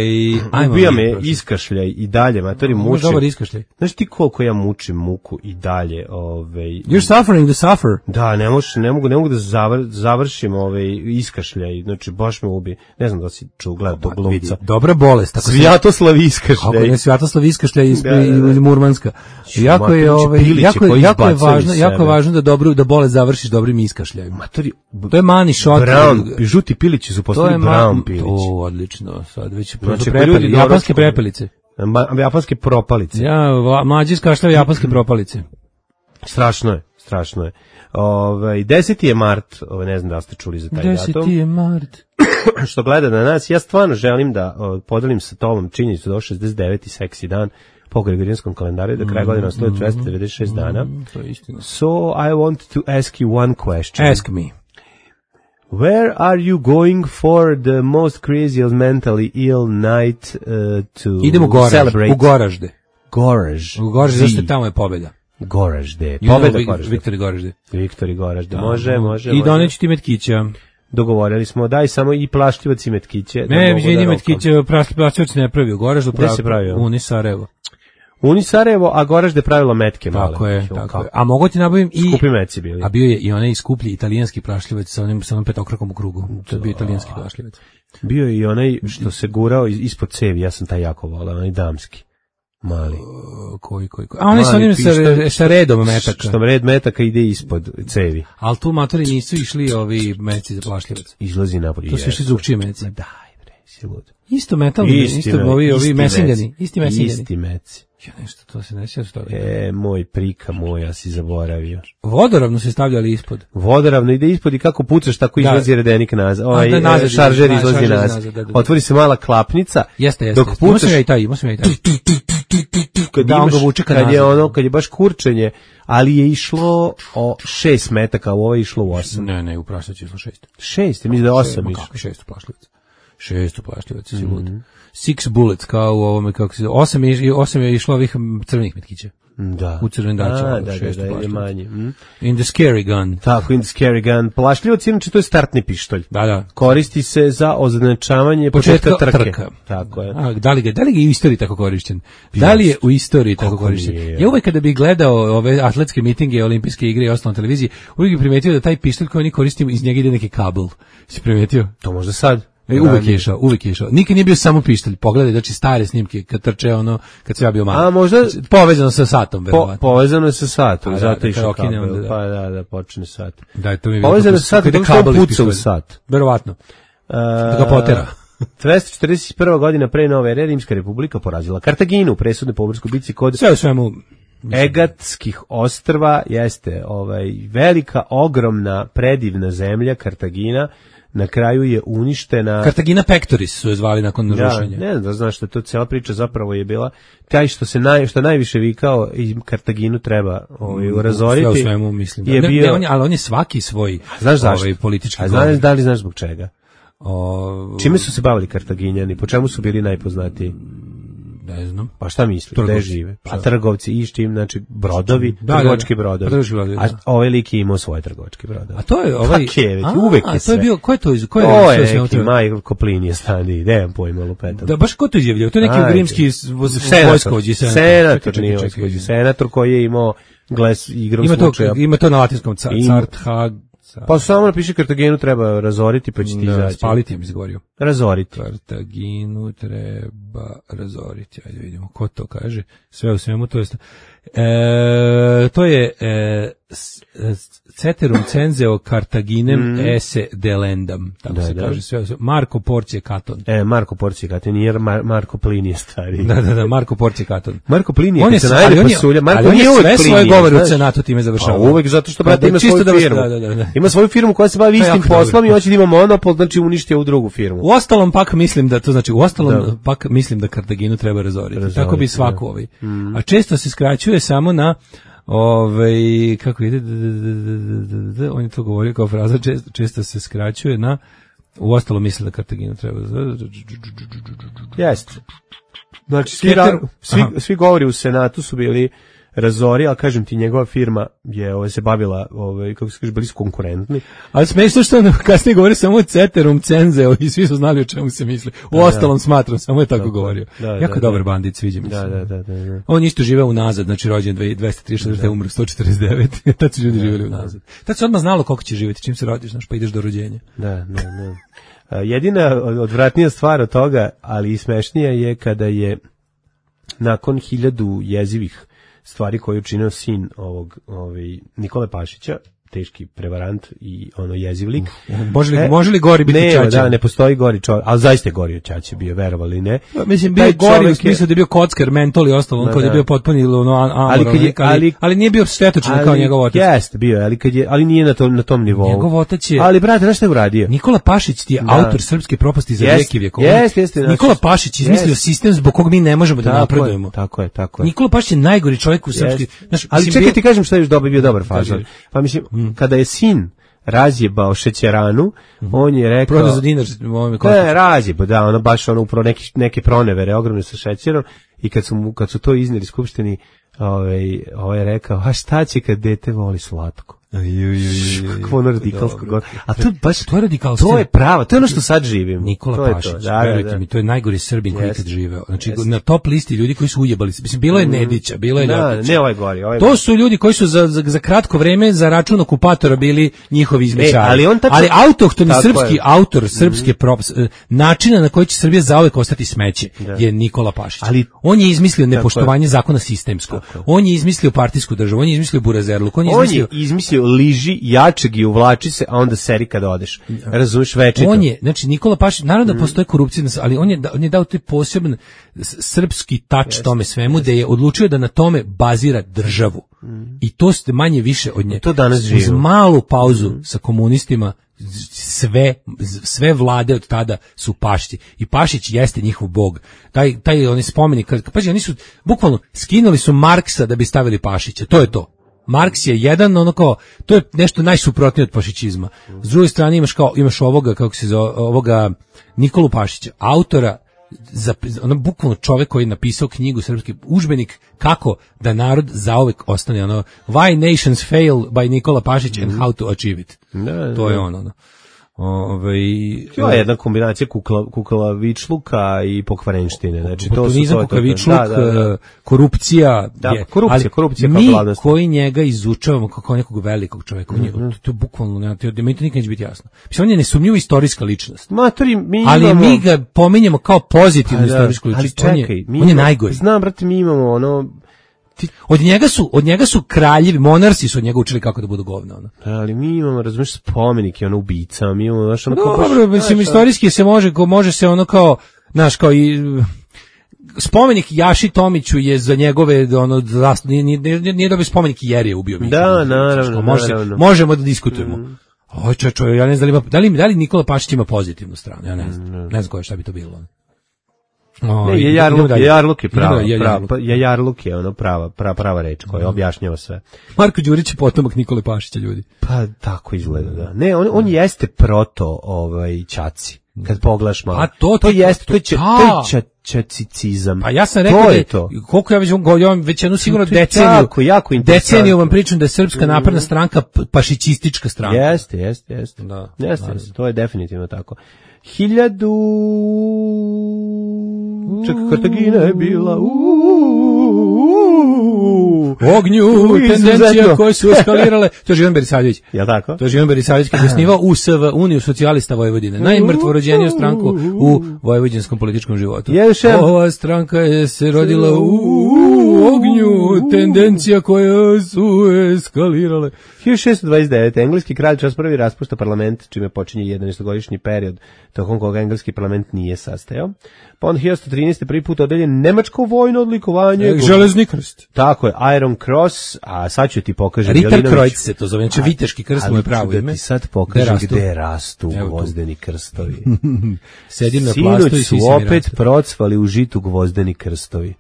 ubija me iskašljaj i dalje, matori mučim. Dobar iskašljaj. Znaš ti koliko ja mučim muku i dalje? Ove, You're suffering the suffer. Da, ne, moš, ne, mogu, ne mogu da zavr, završim ove iskašljaj, znači baš me ubi. Ne znam da si čuo gledati tog glumca. Dobra bolest. Svjatoslav iskašljaj. Kako ne, Svjatoslav iskašljaj iz, da, da, da. iz Murmanska. Jako je, ove, jako, jako, je važno, jako je važno da, dobro, da bolest završiš dobrim iskašljajem. Matori, to je mani shot. Brown, žuti pilići su postali brown pilići. To odlično. Sad već znači, prepeli, japanske prepelice. Ma, japanske propalice. Ja, mlađi iskašljaju japanske propalice. Strašno je, strašno je. Ove, deseti je mart, ove, ne znam da ste čuli za taj datum. deseti je mart. Što gleda na nas, ja stvarno želim da o, podelim sa tobom činjenicu da je šezdeset deveti seksi dan po Gregorijanskom kalendaru, da kraj godina stoji dvesta devedeset šest dana. To je istina. So, I want to ask you one question. Ask me. Where are you going for the most crazy or mentally ill night uh, to Idemo Goraž, celebrate? U Goražde. Goraž. U Goražde, zašto tamo je pobjeda. Goražde. Pobjeda you know, Goražde. Viktori Goražde. Viktori Goražde. Može, može. I doneću ti metkića. Dogovorili smo, daj samo i plašljivac i metkiće. Ne, vidim da metkiće, plašljivac ne pravi u Goraždu. Gde se pravio? Uni Sarajevo. Uni Sarajevo, a Goražde pravilo metke male. Tako je, tako je. A mogu ti nabavim i... Skupi meci bili. A bio je i onaj skuplji italijanski prašljivac sa onim, sa onim petokrakom u krugu. To je bio italijanski prašljivac. Bio je i onaj što se gurao ispod cevi, ja sam taj jako volao, onaj damski. Mali. Uh, koji, koji, koji. A oni su onim sa, sa redom metaka. Što red metaka ide ispod cevi. Ali tu matori nisu išli ovi meci za plašljivac. Izlazi napolje. To su išli drugčije meci. Daj bre, si lud. Isto metal, isti isto me, ovi, ovi mesiljani. Isti mesiljani. Isti meci. Ja nešto, to se ne sjeća toga. E, moj prika moj, ja si zaboravio. Vodoravno se stavljali ispod. Vodoravno ide ispod i kako pucaš, tako da. Izlazi redenik nazad. Ovaj, da, nazad, šaržer da, izlazi nazad. nazad da, da, da. Otvori se mala klapnica. Jeste, jeste. Dok pucaš... ja i taj, imao sam ja i taj. Kad, da, imaš, kad je ono, kad je baš kurčenje, ali je išlo o šest metaka, a ovo je išlo u osam. Ne, ne, u prašlicu je išlo šest. Šest, mislim da je osam išlo. Kako šest u prašlicu? Šest uplašljivaca, si lud. Six bullets, kao u ovome, kako se osam je, osam je išlo ovih crvenih metkića. Da. U crvendaču, A, da, šest da, da, je uplašljivaca. manje. Mm. In the scary gun. Tako, in the scary gun. Plašljivac, inače, to je startni pištolj. Da, da. Koristi se za označavanje početka, Početka trke. trka. Tako je. A, da li ga, da li ga je u istoriji tako korišćen? Da li je u istoriji tako korišćen? nije? Ja uvek kada bih gledao ove atletske mitinge, olimpijske igre i ostalo na televiziji, uvek bih primetio da taj pištolj koji oni koristimo, iz njega ide neki kabel. Si primetio? To možda sad. E, uvek je išao, uvek je išao. Nikad nije bio samo pištolj. Pogledaj, znači stare snimke kad trče ono, kad se ja bio malo. A možda povezano sa satom, po, verovatno. povezano je sa satom, A, da, zato da, išao kad okine, kabel. onda da. Pa da, da, počne sat. Da, to mi je Povezano sa satom, ide kako kabel što iz puca u pištolja. sat. Verovatno. Uh, Da ga potera. dvesta četrdeset prva godina pre nove ere Rimska republika porazila Kartaginu u presudnoj pomorskoj bici kod Sve u svemu Egatskih ostrva. Jeste ovaj velika, ogromna, predivna zemlja Kartagina. Na kraju je uništena. Kartagina Pectoris su je zvali nakon Ja, rušenja. ne znam da znaš što to cela priča zapravo je bila taj što se naj što najviše vikao i Kartaginu treba ovaj razoriti. Sve u svemu mislim da. Je Ne, bio, ne, on je, ali on je svaki svoj znaš zašto? ovaj politički. A znaš da li znaš zbog čega? O, Čime su se bavili Kartaginjani? Po čemu su bili najpoznatiji? ne znam. Pa šta misliš? Gde Trgovci. žive? Pa Šta? trgovci i s čim, znači brodovi, Da, trgovački da, da. brodovi. Trgovački brodovi, A da. ovaj lik je imao svoje trgovačke brodove. A to je ovaj Kak je već, A, uvek je a to sve. je bio ko je to iz ko je To sve je sve neki to- Majko Koplini je stani, nemam pojma lupetam. Da baš ko to izjavljao? To je neki Ajde. ugrimski Senator, vojskovođi senator, nije vojskovođi, senator koji je imao gles igrom Ima to slučaja. ima to na latinskom ca- Ima. Carthag. Pa samo napiši Kartaginu treba razoriti pa će ti Da, izaći. spaliti im izgovorio. Razoriti. Kartaginu treba razoriti. Ajde vidimo ko to kaže. Sve u svemu to je e, to je e, s- s- ceterum censeo Cartaginem Mm. esse delendam. Tako Da, se da. kaže. Sve, u svemu. Marko Porcije Katon. E, Marko Porcije Katon, nije Mar- Marko Plinije stari. Da, da, da, Marko Porcije Katon. Marko Plinije, On je, kad se ali najde on je, pasulja, Marko ali on je nije uvek sve svoje Plinije, govore u znaš. Senatu time završava. A uvek zato što, brate, Pa da, ima čisto svoju da vas- firmu. da, da, da, da. Ima svoju firmu koja se bavi To je istim jako dobro. poslom i hoće da ima monopol, znači uništi ovu drugu firmu. U ostalom pak mislim da to znači u ostalom Da. pak mislim da Kartaginu treba razoriti. Razoriti, Tako bi da. svaku ovaj. A često se skraćuje samo na ovaj kako ide d- d- d- d- d- d- on je to govorio kao fraza često, često se skraćuje na u ostalom misli da Kartaginu treba razoriti. Jeste. Znači, svi, Keter- ra- svi, Aha. svi govori u Senatu su bili razori, ali kažem ti, njegova firma je ovaj, se bavila, ovaj, kako se kaže, bili su konkurentni. Ali smešno što on kasnije govori samo ceterum cenzeo i svi su znali o čemu se misli. U ostalom smatram, samo je tako Tako, govorio. da, jako da, dobar da. bandit, sviđa mi se. Da, da, da, da, da. On isto živeo unazad, znači rođen dvesta trideset, da. umro sto četrdeset devet. Tad su ljudi živjeli unazad. Tad se odmah znalo koliko će živjeti, čim se rodiš, znaš, pa ideš do rođenja. Da, da, da. A, jedina odvratnija stvar od toga, ali i smešnija je kada je nakon hiljadu jezivih stvari koje je učinio sin ovog ovaj, Nikole Pašića, teški prevarant i ono jezivlik. Može li, E, može li gori biti ne, Čača? da, ne postoji gori čovjek, ali zaista je gori od Čače bio, verovali ne. Mislim, bio Taj je gori u čovjek je- smislu da je bio kockar, mentol i ostalo, on Da, kao da je da. bio potpuni ono, a- amoral, Ali kad je- ali, ali, ali- nije bio štetočan kao njegov otac. Jeste, bio je, ali, kad je, ali nije na tom, na tom nivou. Njegov otac je... Ali, brate, znaš šta je uradio? Nikola Pašić ti je Da. autor srpske propasti za Jest, vijek i vjekova. jest, jeste, znači- Nikola Pašić izmislio jest. sistem zbog kog mi ne možemo da Tako je, napredujemo. tako je, tako je. Nikola Pašić je najgori čovjek u srpski. Jest. Znaš, Ali mislim, čekaj bio- ti kažem šta je još dobar, bio dobar fazon. Kaži. Pa mislim, kada je sin razjebao šećeranu, on je rekao... Prodao za dinar, ovome ko- Ne, razjebao, da, ono baš ono upravo neki, neke pronevere ogromne sa šećerom i kad su, mu, kad su to iznijeli skupštini, ovaj, ovaj je rekao, a šta će kad dete voli slatko? Kako ono radikalsko govor. A to je baš, To je radikalstvo. to je pravo, to je ono što sad živim. Nikola to je Pašić, to, da, da, verujte da. mi, to je najgori Srbin koji je Jeste. ikad živeo. Znači, Jeste. na top listi ljudi koji su ujebali se. Mislim, bilo je Nedića, bilo je Da, Ljotića. ne ovaj gori, ovaj To gori. su ljudi koji su za, za, za kratko vreme za račun okupatora bili njihovi izmećari. E, ali on tačno- ali autohtoni Tako srpski je. autor srpske props, e, načina na koji će Srbija zauvek ostati smeće je Nikola Pašić. Ali- on je izmislio nepoštovanje zakona sistemsko. On je izmislio partijsku državu, on je izmislio burazerluk, on je On izmislio je izmislio liži jačeg i uvlači se, a onda seri kada odeš. Razumeš večito. On je, znači Nikola Pašić, naravno da postoje korupcija, ali on je, da- on je dao taj poseban s- srpski tač tome svemu, da je odlučio da na tome bazira državu. I to ste manje više od nje. To danas Uz živimo. malu pauzu sa komunistima, z- sve, z- sve vlade od tada su Pašići. I Pašić jeste njihov bog. Taj, taj oni spomenik, kad, pazi, oni su, bukvalno, skinuli su Marksa da bi stavili Pašića. To je to. Marks je jedan, ono kao, to je nešto najsuprotnije od fašičizma. S druge strane imaš kao, imaš ovoga, kako se zove, ovoga Nikolu Pašića, autora, za, ono bukvalno čovjek koji je napisao knjigu, srpski udžbenik kako da narod zauvek ostane, ono, Why Nations Fail by Nikola Pašić and How to Achieve It. Da, to je ono, ono. Ove, to je jedna kombinacija kukla, kukavičluka i pokvarenštine. Znači, to su to, kukavičluk, da, da, da. korupcija. Da, je, korupcija, korupcija mi kao koji njega izučavamo kao nekog velikog čovjeka, mm-hmm. to, to je bukvalno, ne, to, mi to nikad neće biti jasno. Mislim, on je nesumnjivo istorijska ličnost. Matori, mi ali imamo... mi ga pominjemo kao pozitivnu pa, istorijsku ličnost. Ali čekaj, on je, on je najgori. Znam, brate, mi imamo ono... Ti... Od njega su, od njega su kraljevi, monarsi su od njega učili kako da budu govna, ono. Ali mi imamo, razumiješ, spomenike, ono, ubicama, mi imamo, znaš, ono, kao... Dobro, mislim, istorijski se može, može se ono kao, znaš, kao i... Spomenik Jaši Tomiću je za njegove, ono, nije, nije, nije dobio spomenik jer je ubio Mića. Da, naravno, može, naravno. Možemo da diskutujemo. Mm. Oj, čo, čo, ja ne znam da li, da li, da li Nikola Pašić ima pozitivnu stranu, ja ne znam, mm. ne znam koje šta bi to bilo. O, ne, je Jarluk, je Jarluk je prava, je prava, prava, je Jarluk je ono prava, prava, prava reč koja objašnjava sve. Marko Đurić je potomak Nikole Pašića, ljudi. Pa tako izgleda, da. Ne, on, on jeste proto ovaj Ćaci. Kad pogledaš malo. A to, to jeste, to je to je ćacicizam. Pa ja sam rekao to da je to. Koliko ja već govorim, već jednu sigurno deceniju. Jako, jako deceniju vam pričam da je Srpska napredna stranka pašićistička stranka. Jeste, jeste, jeste. Da. Jeste, jeste, to je definitivno tako. Hiljadu... Čak Kartagina je bila u ognju, tendencija koje su eskalirale. To je Živan Berisavljević. Ja tako? To je Živan Berisavljević kad je osnivao U S V, Uniju socijalista Vojvodine. Najmrtvorođeniju stranku u vojvođanskom političkom životu. Ova stranka je se rodila u ognju, tendencija koje su eskalirale. hiljadu šessto dvadeset devet. Engleski kralj Charles prvi raspušta parlament, čime počinje jedanaestogodišnji period tokom koga engleski parlament nije sastajao. Pa on hiljadu trinaeste. prvi put odeljen nemačko vojno odlikovanje. E, železni krst. Tako je, Iron Cross, a sad ću ti pokažem. Ritterkreuz se to zove, znači viteški krst mu je pravo ime. Ali ti sad pokažem gde, gde rastu gvozdeni krstovi. Sedim na plastu i su opet procvali u žitu gvozdeni krstovi.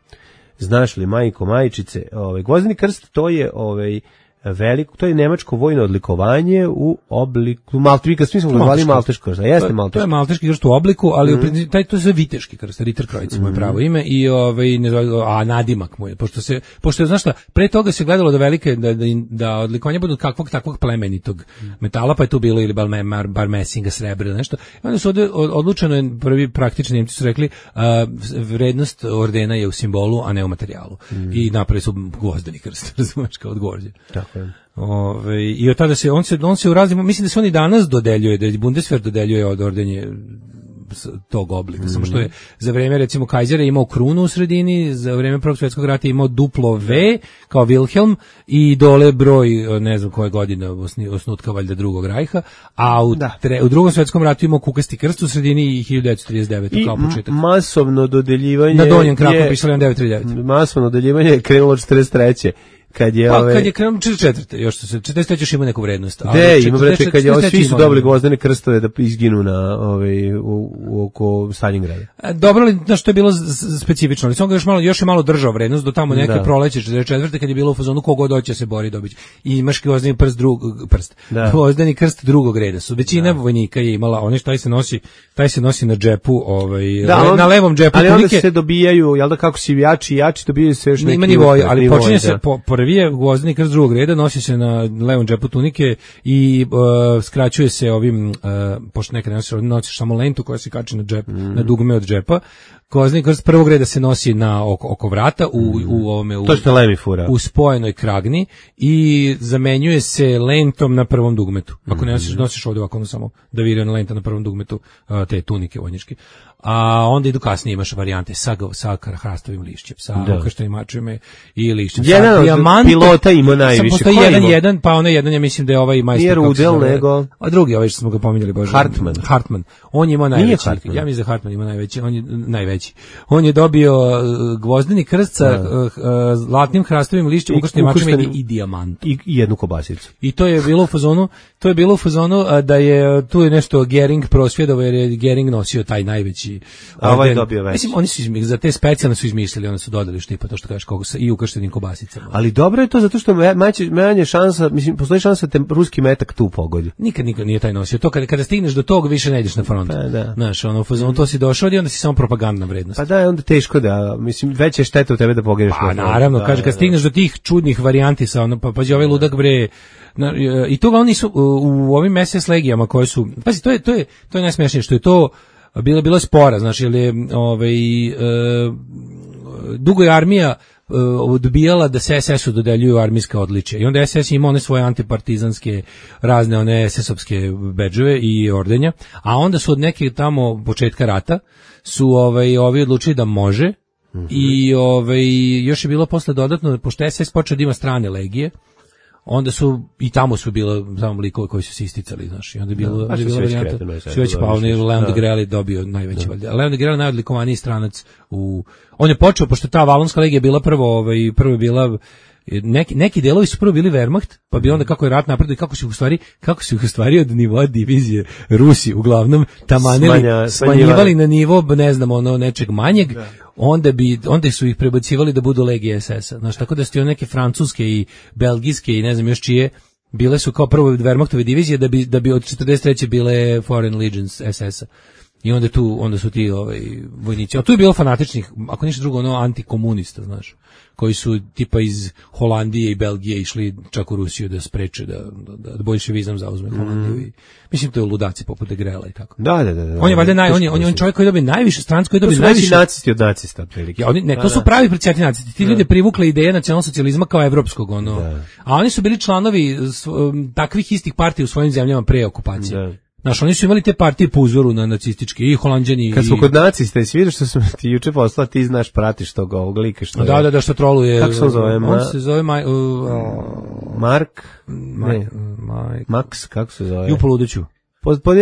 Znaš li, majko, majčice, ovaj, gvozdeni krst, to je ovaj, veliko, to je nemačko vojno odlikovanje u obliku Malteški, svi smo ga zvali Malteški krst, a jeste Malteški. To je Malteški krst u obliku, ali mm. taj to je viteški krst, Ritterkreuz mu je pravo ime i ovaj ne zove, a nadimak mu je, pošto se pošto znaš šta, pre toga se gledalo da velike da da, da odlikovanja budu kakvog takvog plemenitog metala, pa je tu bilo ili bar, bar mesinga, srebra, nešto. I onda su od, odlučeno je prvi praktični Nemci su rekli uh, vrednost ordena je u simbolu, a ne u materijalu. Mm. I napravili su gvozdeni krst, razumeš, kao od gvožđa. Ove, i od tada se on se on se u raznim, mislim da se on i danas dodeljuje, da Bundeswehr dodeljuje od ordenje tog oblika, mm. samo što je za vreme recimo Kajzera imao krunu u sredini, za vreme Prvog svjetskog rata imao duplo V kao Wilhelm i dole broj ne znam koje godine osnutka valjda drugog rajha, a u, tre, u Drugom svjetskom ratu imao kukasti krst u sredini i hiljadu devetsto trideset devete kao početak. I masovno dodeljivanje na donjem kraku pisalo hiljadu devetsto trideset devet. Masovno dodeljivanje je krenulo četrdeset treće kad je pa, ove... kad je krenuo četrdeset četvrte još se četrdeset treće još ima neku vrednost. De, ima brate, kad je ovo, svi su dobili gvozdene krstove da izginu na ovaj u, u oko Stalingrada. Dobro li, znaš, što je bilo specifično, ali sam ga još malo, još je malo držao vrednost do tamo neke da. Proleće četrdeset četvrte kad je bilo u fazonu kogo doće se bori dobić. I imaš gvozdeni prst drugog prst. Da. Gvozdeni krst drugog reda su. Većina da. Vojnika je imala, oni što taj se nosi, taj se nosi na džepu, ovaj da, on, na levom džepu. Ali onda se dobijaju, jel da kako si jači i jači dobijaju se još neki. Ima nivoji, ali počinje se po, prvi je gvozdeni krst drugog reda, nosi se na levom džepu tunike i uh, skraćuje se ovim, uh, pošto nekada nosiš, nosiš samo lentu koja se kači na džep, mm. na dugme od džepa. Gvozdeni krst prvog reda se nosi na oko, oko vrata u, mm. u ovome u, to što lemi fura. U spojenoj kragni i zamenjuje se lentom na prvom dugmetu. Ako ne nosiš, nosiš ovdje ovako, ono samo da virana lenta na prvom dugmetu uh, te tunike vojničke. A onda idu kasnije imaš varijante sa, sa hrastovim lišćem, sa okrštenim mačevima i lišćem. Jedan od pilota ima najviše. Postoji jedan, ima? jedan, pa onaj jedan, ja mislim da je ovaj majstor. Nije Rudel, nego... A drugi, ovaj što smo ga pominjali, Bože. Hartman. Hartman. On ima najveći. Ja mislim da Hartman ima najveći, on je najveći. veći. On je dobio uh, gvozdeni krst sa uh, uh, zlatnim hrastovim lišćem, ukrštenim mačem i, i dijamantom. I, I jednu kobasicu. I to je bilo u fazonu, to je bilo u fazonu uh, da je tu je nešto Gering prosvjedovao jer je Gering nosio taj najveći. A ovaj je dobio veći. Mislim, oni su izmislili, za te specijalne su izmislili, oni su dodali štipa, to što kažeš, koga sa i ukrštenim kobasicama. Ali dobro je to zato što manje, manje šansa, mislim, postoji šansa da te ruski metak tu pogodi. Nikad, nikad nije taj nosio. To kada, kada stigneš do tog, više ne ideš na front. Pa, da. Znaš, ono, fazonu, to si došao i onda si samo propagandna vrednost. Pa da, onda teško da, mislim, veća je šteta u tebe da pogeneš. Pa naravno, da, kaže, kad da, stigneš do tih čudnih varijanti sa ono, pa pađi ovaj ludak bre, na, i to oni su u, u ovim es es legijama koje su, pazi, to je, to je, to je najsmešnije, što je to bilo, bilo spora, znači, jer je, ovaj, e, dugo je armija odbijala da se es esu dodeljuju armijska odličja. I onda es es ima one svoje antipartizanske razne one es esovske bedževe i ordenja, a onda su od neke tamo početka rata su ovaj ovi odlučili da može. Mm-hmm. I ovaj još je bilo posle dodatno, pošto es es počeo da ima strane legije, onda su i tamo su bilo samo likove koji su se isticali, znaš, i onda je bilo, da, je bilo varijanta, sve već pa onaj Leon de Grelle dobio najveći valjda. Leon de Grelle najodlikovaniji stranac u, on je počeo, pošto ta Valonska legija bila prvo, ovaj, prvo je bila, neki, neki delovi su prvo bili Wehrmacht, pa bi onda kako je rat napredio, kako su ih u stvari, kako su ih u stvari od nivoa divizije Rusi uglavnom tamanili, Smanja, smanjivali na nivo, ne znam, ono nečeg manjeg, da. Onda bi onda su ih prebacivali da budu legije es esa. Znaš, tako da su one neke francuske i belgijske i ne znam još čije bile su kao prvo Wehrmachtove divizije da bi da bi od četrdeset treće bile Foreign Legions es esa. I onda tu onda su ti ovaj vojnici. A tu je bilo fanatičnih, ako ništa drugo, ono antikomunista, znaš, koji su tipa iz Holandije i Belgije išli čak u Rusiju da spreče da da, da boljševizam zauzme Holandiju. Mm. Mislim to je ludaci poput de Grelle i tako. Da, da, da. da on je valjda naj on je on je čovjek koji dobije najviše stranci, koji dobije najviše nacisti od nacista otprilike. Ja, oni ne, to su pravi predsjednici nacisti. Ti ljudi privukli ideje nacionalsocijalizma kao evropskog, ono. Da. A oni su bili članovi takvih istih partija u svojim zemljama pre okupacije. Da. Znaš, oni su imali te partije po uzoru na nacistički i Holanđani. Kad smo i... kod nacista i sviđa što sam ti juče poslao, ti znaš, pratiš tog ovog lika što je... Da, da, da, što troluje. Kako se zove? Ma... On se zove Maj... Uh, Mark? Maj... Ne. Maj... Max, kako se zove? Ju poludeću.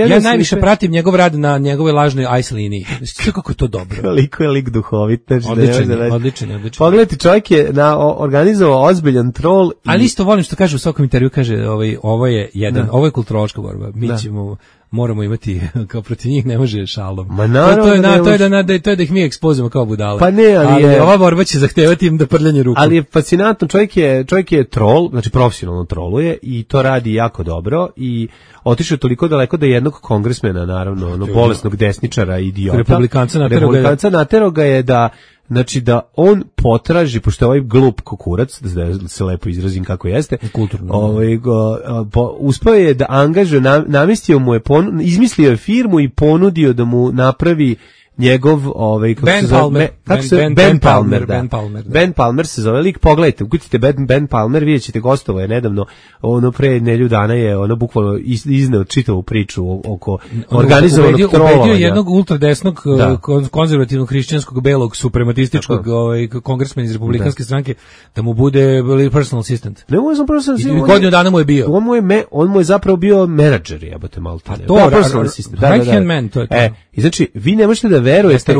Ja najviše pratim njegov rad na njegove lažnoj ice liniji. Kako je to dobro. Koliko je lik duhovit. Odličan, odličan, odličan. Pogledajte, čovjek je na, organizovao ozbiljan trol. I... Ali isto volim što kaže u svakom intervju, kaže ovaj, ovo je jedan, da. Ovo je kulturološka borba. Mi da. ćemo... moramo imati, kao protiv njih ne može šalom. Ma naravno, to je, na, to je da, na, da, to je da ih mi ekspozimo kao budale. Pa ne, ali, ali je... ova borba će zahtevati im da prljanje ruku. Ali je fascinantno, čovjek je, čovjek je trol, znači profesionalno troluje i to radi jako dobro i otišao toliko daleko da jednog kongresmena, naravno, ono bolesnog desničara, idiota, Republikanca natero ga je, natero ga je da znači da on potraži, pošto je ovaj glup kokurac, da se lepo izrazim kako jeste, kulturno, ovaj, go, po, uspeo je da angažuje, namestio mu je, pon, izmislio je firmu i ponudio da mu napravi njegov ovaj kako Ben se zove Palmer, kako Ben, se Ben, Ben, Ben Palmer, Palmer, da. Ben Palmer, da. Ben Palmer se zove lik, pogledajte, ukucite Ben, Ben Palmer, vidjet ćete, gostovo je nedavno, ono pre nedelju dana je ono bukvalno izneo čitavu priču oko organizovanog trolovanja. Ubedio jednog ultradesnog da. konzervativnog hrišćanskog belog suprematističkog ovaj kongresmena iz republikanske da. stranke da mu bude personal assistant. Ne mu sam personal assistant. Godinu dana mu je bio. On mu je me, on mu je zapravo bio menadžer, jebote malo. Pa to personal assistant. Right hand man, to je to. E, i znači vi ne možete da verujete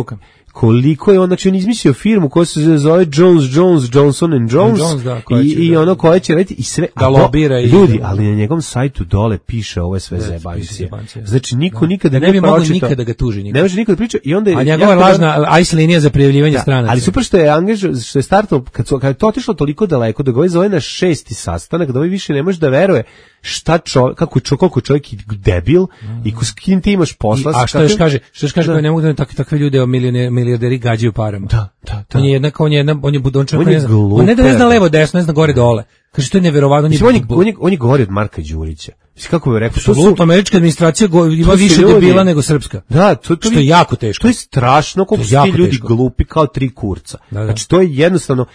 koliko je on, znači on izmislio firmu koja se zove Jones, Jones, Johnson and Jones, Jones da, i, i da, ono koje će raditi i sve, da lobira i ljudi, ali na njegovom sajtu dole piše ovo je sve zebancije. Znači niko da. nikada da ne bi mogao nikada da ga tuži nikada. Ne može nikada priča i onda je a njegova lažna ice linija za prijavljivanje da, stranaca. Ali super što je angažovao, što je startao kad, kad je to otišlo toliko daleko da ga zove na šesti sastanak, da ovaj više ne može da veruje šta čovjek, kako čovjek, koliko čovjek debil mm. i s kim ti imaš posla. I, a što još kaže, što još kaže da ne mogu da takve takve ljude milijarderi gađaju parama. Da, da, da. On je jednak, on je jedan, on je budončak, on, on, je on ne da ne zna levo desno, ne zna gore dole. Kaže to je neverovatno. Mislim, on je on je on je gori od Marka Đurića. Mislim kako bi rekao, to su američka administracija go, ima više ljudi, debila nego srpska. Da, to, to što je jako teško. To je strašno koliko su ti ljudi teško. Glupi kao tri kurca. Da, da. Znači to je jednostavno,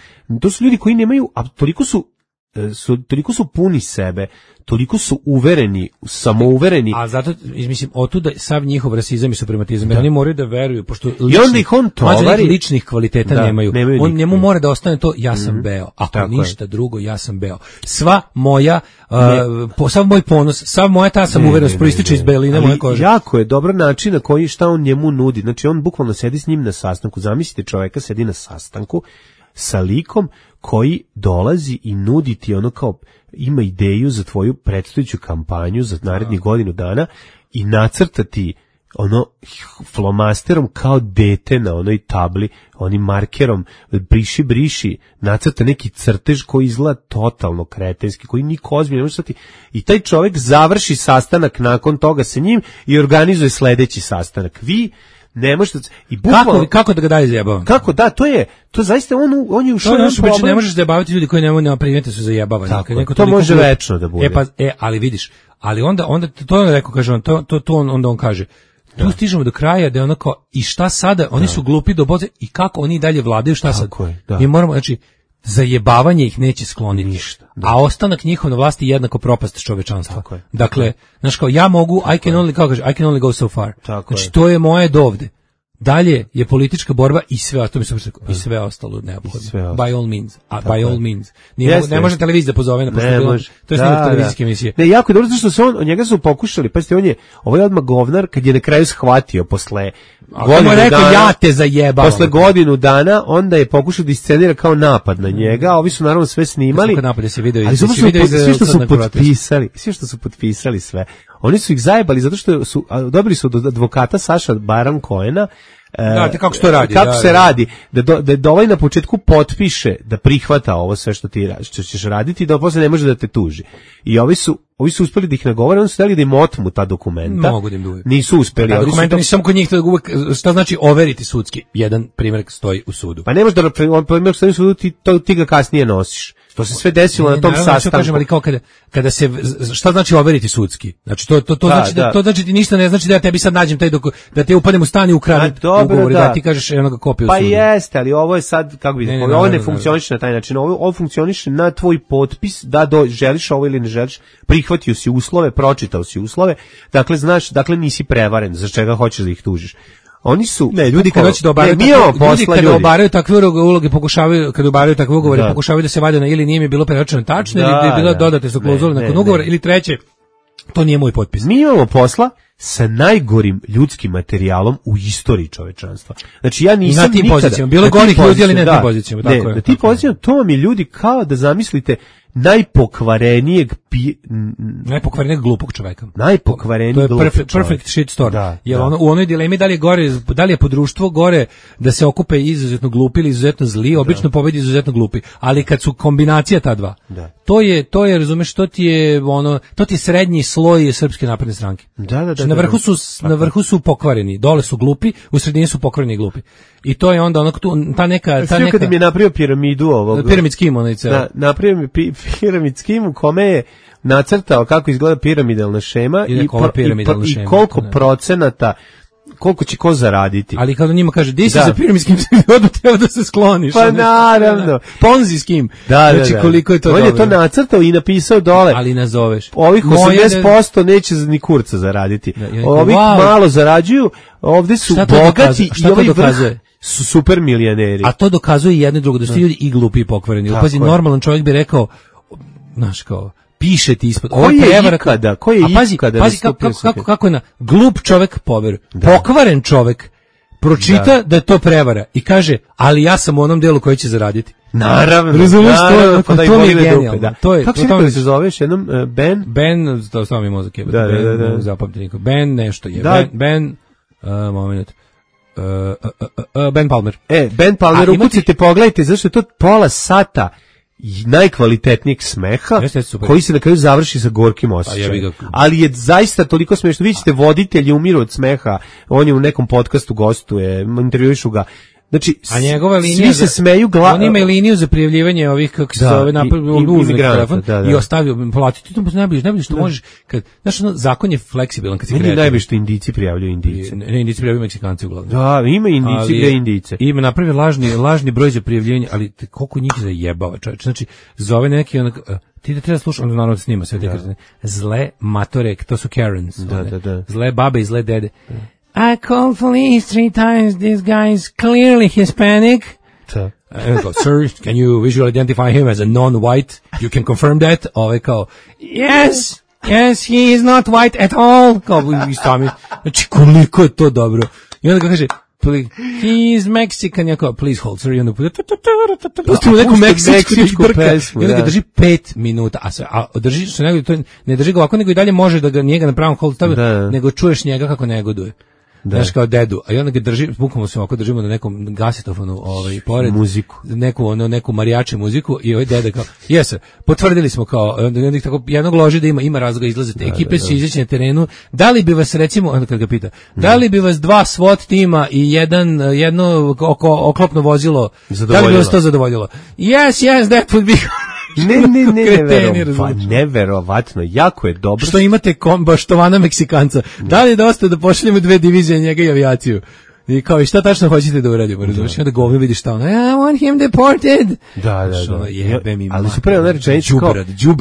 to su ljudi koji nemaju, a toliko su su, toliko su puni sebe, toliko su uvereni, samouvereni. A zato, mislim, otuda sav njihov rasizam i suprematizam, jer oni moraju da veruju, pošto lični, I onda ih on tovari, ličnih kvaliteta da, nemaju. nemaju On, njemu mora da ostane to, ja sam mm-hmm. beo, ako tako ništa je. drugo, ja sam beo. Sva moja, uh, po, sav moj ponos, sav moja ta samouverenost proističe iz beline moje kože. Jako je dobro način na koji šta on njemu nudi. Znači, on bukvalno sedi s njim na sastanku. Zamislite čoveka sedi na sastanku sa likom koji dolazi i nudi ti ono kao ima ideju za tvoju predstojeću kampanju za narednih godinu dana i nacrta ti ono flomasterom kao dete na onoj tabli, onim markerom briši, briši, nacrta neki crtež koji izgleda totalno kretenski, koji niko ozbiljno ne može stati. I taj čovjek završi sastanak nakon toga sa njim i organizuje sledeći sastanak. Vi ne možete i bukvalno kako, kako da ga daj zajebavam? Kako da, to je to zaista on on je ušao u problem. Ne možeš zajebavati ljudi koji nemaju primete su zajebavani. To, to može glup, večno da bude. E pa e ali vidiš, ali onda onda to on rekao kaže on to to to on, onda on kaže tu da. Stižemo do kraja da je onako i šta sada, oni da. su glupi do boze i kako oni dalje vladaju, šta sad? Je, da. Mi moramo, znači zajebavanje ih neće skloniti ništa, a ostanak njihov na vlasti je jednako propast čovečanstva. Dakle, znaš kao ja mogu I can only kako kaže I can only go so far. Tako znači je. To je moje dovde. Dalje je politička borba i sve ostalo, i sve ostalo neophodno. By all means. A by all means. Nije, yes, ne može televizija da pozove na pošto bilo, to je snimljeno televizijske emisije. Ne, jako je dobro što se on, od njega su pokušali, pa ste on je, ovaj odmah govnar, kad je na kraju shvatio posle godinu rekao, dana, ja te zajebavam. Posle godinu dana, onda je pokušao da iscenira kao napad na njega, a ovi su naravno sve snimali. Kako napad se video, ali su video sve što su potpisali, sve što su potpisali sve. Oni su ih zajebali zato što su dobili su od advokata Saša Baron Cohena. Da, kako se to radi? Kako da, se radi? Da do, da, da ovaj na početku potpiše da prihvata ovo sve što ti što ćeš raditi, da posle ne može da te tuži. I ovi su ovi su uspeli da ih nagovore, oni su hteli da im otmu ta dokumenta. Mogu da im duju. Nisu uspeli. Da, dokumenta nisu samo kod njih, da uvek, šta znači overiti sudski? Jedan primjer stoji u sudu. Pa ne možeš da primjer stoji u sudu, ti, to, ti ga kasnije nosiš. To se sve desilo ne, na tom naravno, sastanku. Kažem, ali kao kada, kada se, šta znači overiti sudski? Znači to, to, to, da, znači, da. to znači ti ništa ne znači da ja tebi sad nađem taj doku, da te upadnem u stan i ukradem ugovor, da. da ti kažeš enoga kopiju pa sudu. Pa jeste, ali ovo je sad, kako bi, ne, ne, ovo ne, ne funkcioniše na taj način, ovo, ovo funkcioniše na tvoj potpis, da do, želiš ovo ili ne želiš, prihvatio si uslove, pročitao si uslove, dakle znaš, dakle nisi prevaren, za čega hoćeš da ih tužiš. Oni su ne ljudi kad hoće da obaraju ne, takve, ljudi kad ljudi. obaraju takve uloge pokušavaju kad obaraju takve ugovore da. pokušavaju da se vade na ili nije mi bilo preračunano tačno da, ili da je bilo da. dodate su klauzule nakon ugovora ili treće to nije moj potpis. Mi imamo posla sa najgorim ljudskim materijalom u istoriji čovečanstva. Znači ja nisam na tim nikada pozicijama bilo gorih ljudi ali ne na tim pozicijama, tako ne, je. Na tim pozicijama to vam je ljudi kao da zamislite najpokvarenijeg pi... najpokvarenijeg glupog čoveka. Najpokvareniji to je perfect, perfect shit story. Da, jer da. Ono, u onoj dilemi da li je gore, da li je po društvu gore da se okupe izuzetno glupi ili izuzetno zli, obično da. pobedi izuzetno glupi, ali kad su kombinacija ta dva. Da. To je to je razumeš što ti je ono to ti je srednji sloj Srpske napredne stranke. Da, da, da. Na vrhu su na vrhu su pokvareni, dole su glupi, u sredini su pokvareni i glupi. I to je onda ono ta neka ta neka kad mi je napravio piramidu ovog. Piramidskim onaj ceo. Da, napravio mi pi, piramidskim u kome je nacrtao kako izgleda piramidalna šema i, i, piramidalna i, šema, i koliko ne. procenata koliko će ko zaraditi. Ali kada njima kaže, di si za piramidskim odmah treba da se skloniš. Pa naravno. Ponzi s kim. Da, znači, da, da. koliko je to on dobro. On je to nacrtao i napisao dole. Ali nazoveš. Ovih osamdeset posto neće ni kurca zaraditi. Da, ja Ovih wow. malo zarađuju, ovde su bogati i ovaj vrh su super milijoneri. A to dokazuje jedno i drugo, da su ljudi i glupi i pokvareni. Pazi, normalan čovjek bi rekao, znaš kao, piše ti ispod. Ko je prevara, ikada? Ko je a pazi, ikada? Pazi kako, kako, kako, kako je na glup čovjek poveruje. Pokvaren čovjek pročita da. da je to prevara i kaže, ali ja sam u onom delu koji će zaraditi. Naravno. Razumeš to? Pa da to je genijalno. Da. To je, kako to se to se zoveš jednom? Uh, ben? Ben, to samo mi mozak je. Da, ben, da, da, da. Zapamti niko. Ben nešto je. Da. Ben, ben uh, moment. Uh, uh, uh, uh, Ben Palmer. E, Ben Palmer, ukucite, pogledajte, zašto je to pola sata najkvalitetnijeg smeha, jeste, koji se na kraju završi sa gorkim osjećajem. Ali je zaista toliko smešno. Vi ćete voditelji umiru od smeha, on je u nekom podcastu gostuje, intervjuišu ga. Znači, a njegova linija svi se za, smeju gla... on ima liniju za prijavljivanje ovih kako se da, zove napad uzme telefon da, da. i ostavio platiti to najbolje najbolje što da. možeš kad znaš ono zakon je fleksibilan kad se kreće. Najbolje što Indijci prijavljuju Indijce. Ne, ne Indijci prijavljuju Meksikanci uglavnom. Da, ima Indijci gde Indijce. Ima napravio lažni lažni broj za prijavljivanje, ali koliko njih zajebava, čovjek. Znači zove neki onak ti da treba slušati, on naravno snima sve te kazne. Zle matore, to su Karens. Da, da, da. Zle babe i zle dede. I called police three times. This guy is clearly Hispanic. Da. And go, sir, can you visually identify him as a non-white? You can confirm that? Ove kao, yes, yes, he is not white at all. Kao, i stami. Znači, koliko je to dobro. I onda ga kaže, he is Mexican, ja kao, please hold, sir, i onda pustimo neku meksičku pesmu, i onda ga drži pet minuta, a, sve, a drži, što nego, to ne drži ga ovako, nego i dalje može da ga njega na pravom hold stavi, nego čuješ njega kako negoduje. Da. Znaš kao dedu, a i onda ga drži, bukvalno se ovako držimo na nekom gasetofonu, ovaj, pored, muziku. Neku, ono, neku marijače muziku i ovaj deda kao, jes, potvrdili smo kao, onda tako jednog loži da ima, ima razloga izlazite, da, ekipe da, da. Su izaći na terenu, da li bi vas recimo, onda kad ga pita, hmm. da li bi vas dva SWAT tima i jedan, jedno oko, oklopno vozilo, da li bi vas to zadovoljilo? Yes, yes, that would be... Ne, ne, ne, nevero, neverovatno, jako je dobro. Što imate kombaštovana Meksikanca, da li je dosta da pošaljemo dve divizije njega i avijaciju? I kao, i šta tačno hoćete da uradimo, razumiješ? I onda govno vidiš šta ono, I want him deported. Da, da, da. Jebe mi ali su prema rečenicu kao,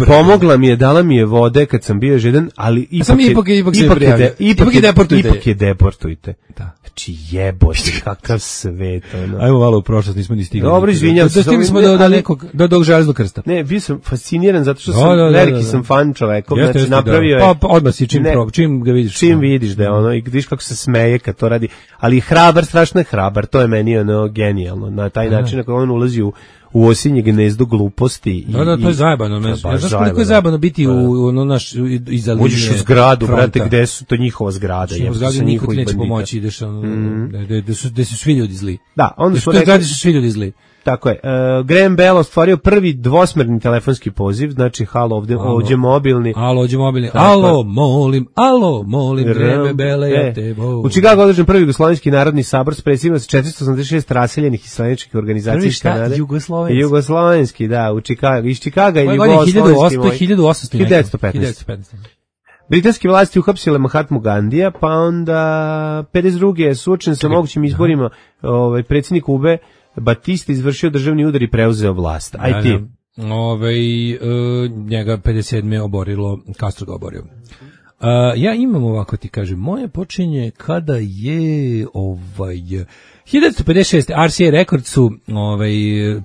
pomogla mi je, dala mi je vode kad sam bio žedan, ali ipak, sam je, ipak, ipak, ipak, je, de, ipak, ipak je deportujte. Ipak je deportujte. Da. Znači jebote, kakav svet. Ono. Ajmo malo u prošlost, nismo ni stigli. Dobro, izvinjam se. Stigli smo do, do nekog, do dog železnog krsta. Ne, bio sam fasciniran zato što sam, da, da, veliki da, da. sam fan čovekom, jeste, znači napravio je. Pa, pa odmah si čim, ne, prob, čim ga vidiš. Čim vidiš da je ono, i vidiš kako se smeje kad to radi, ali hrabar, strašno je hrabar, to je meni ono genijalno, na taj način na koji on ulazi u u osinje gnezdo gluposti. Da, da, to je zajebano. Ne znaš koliko je zajebano biti u ono naš iza linije. Uđeš u zgradu, brate, gde su to njihova zgrada. U zgradi niko ti neće pomoći, ideš ono, gde su, gde su svi ljudi zli. Da, onda su rekli, su svi ljudi zli. Tako je. Uh, Graham Bell ostvario prvi dvosmerni telefonski poziv, znači halo ovde, ovdje mobilni. Halo, ovdje mobilni. Alo, molim, alo, molim, Graham Bell, ja te volim. U Čikagu održan prvi Jugoslovenski narodni sabor s predsjednicima četiristo osamdeset šest raseljenih islamičkih organizacija iz Kanade. Jugoslovenski. Jugoslovenski, da, u Čikagu, iz Čikaga i Jugoslovenski. hiljadu osamsto petnaest Britanske vlasti uhapsile Mahatmu Gandija, pa onda pedeset druge suočen sa mogućim izborima, ovaj predsjednik Kube Batista izvršio državni udar i preuzeo vlast. Aj ti. Ove, uh, njega pedeset sedme oborilo, Castro ga oborio. Uh, ja imam ovako ti kažem, moje počinje kada je ovaj hiljadu devetsto pedeset šeste R C A Records su ovaj,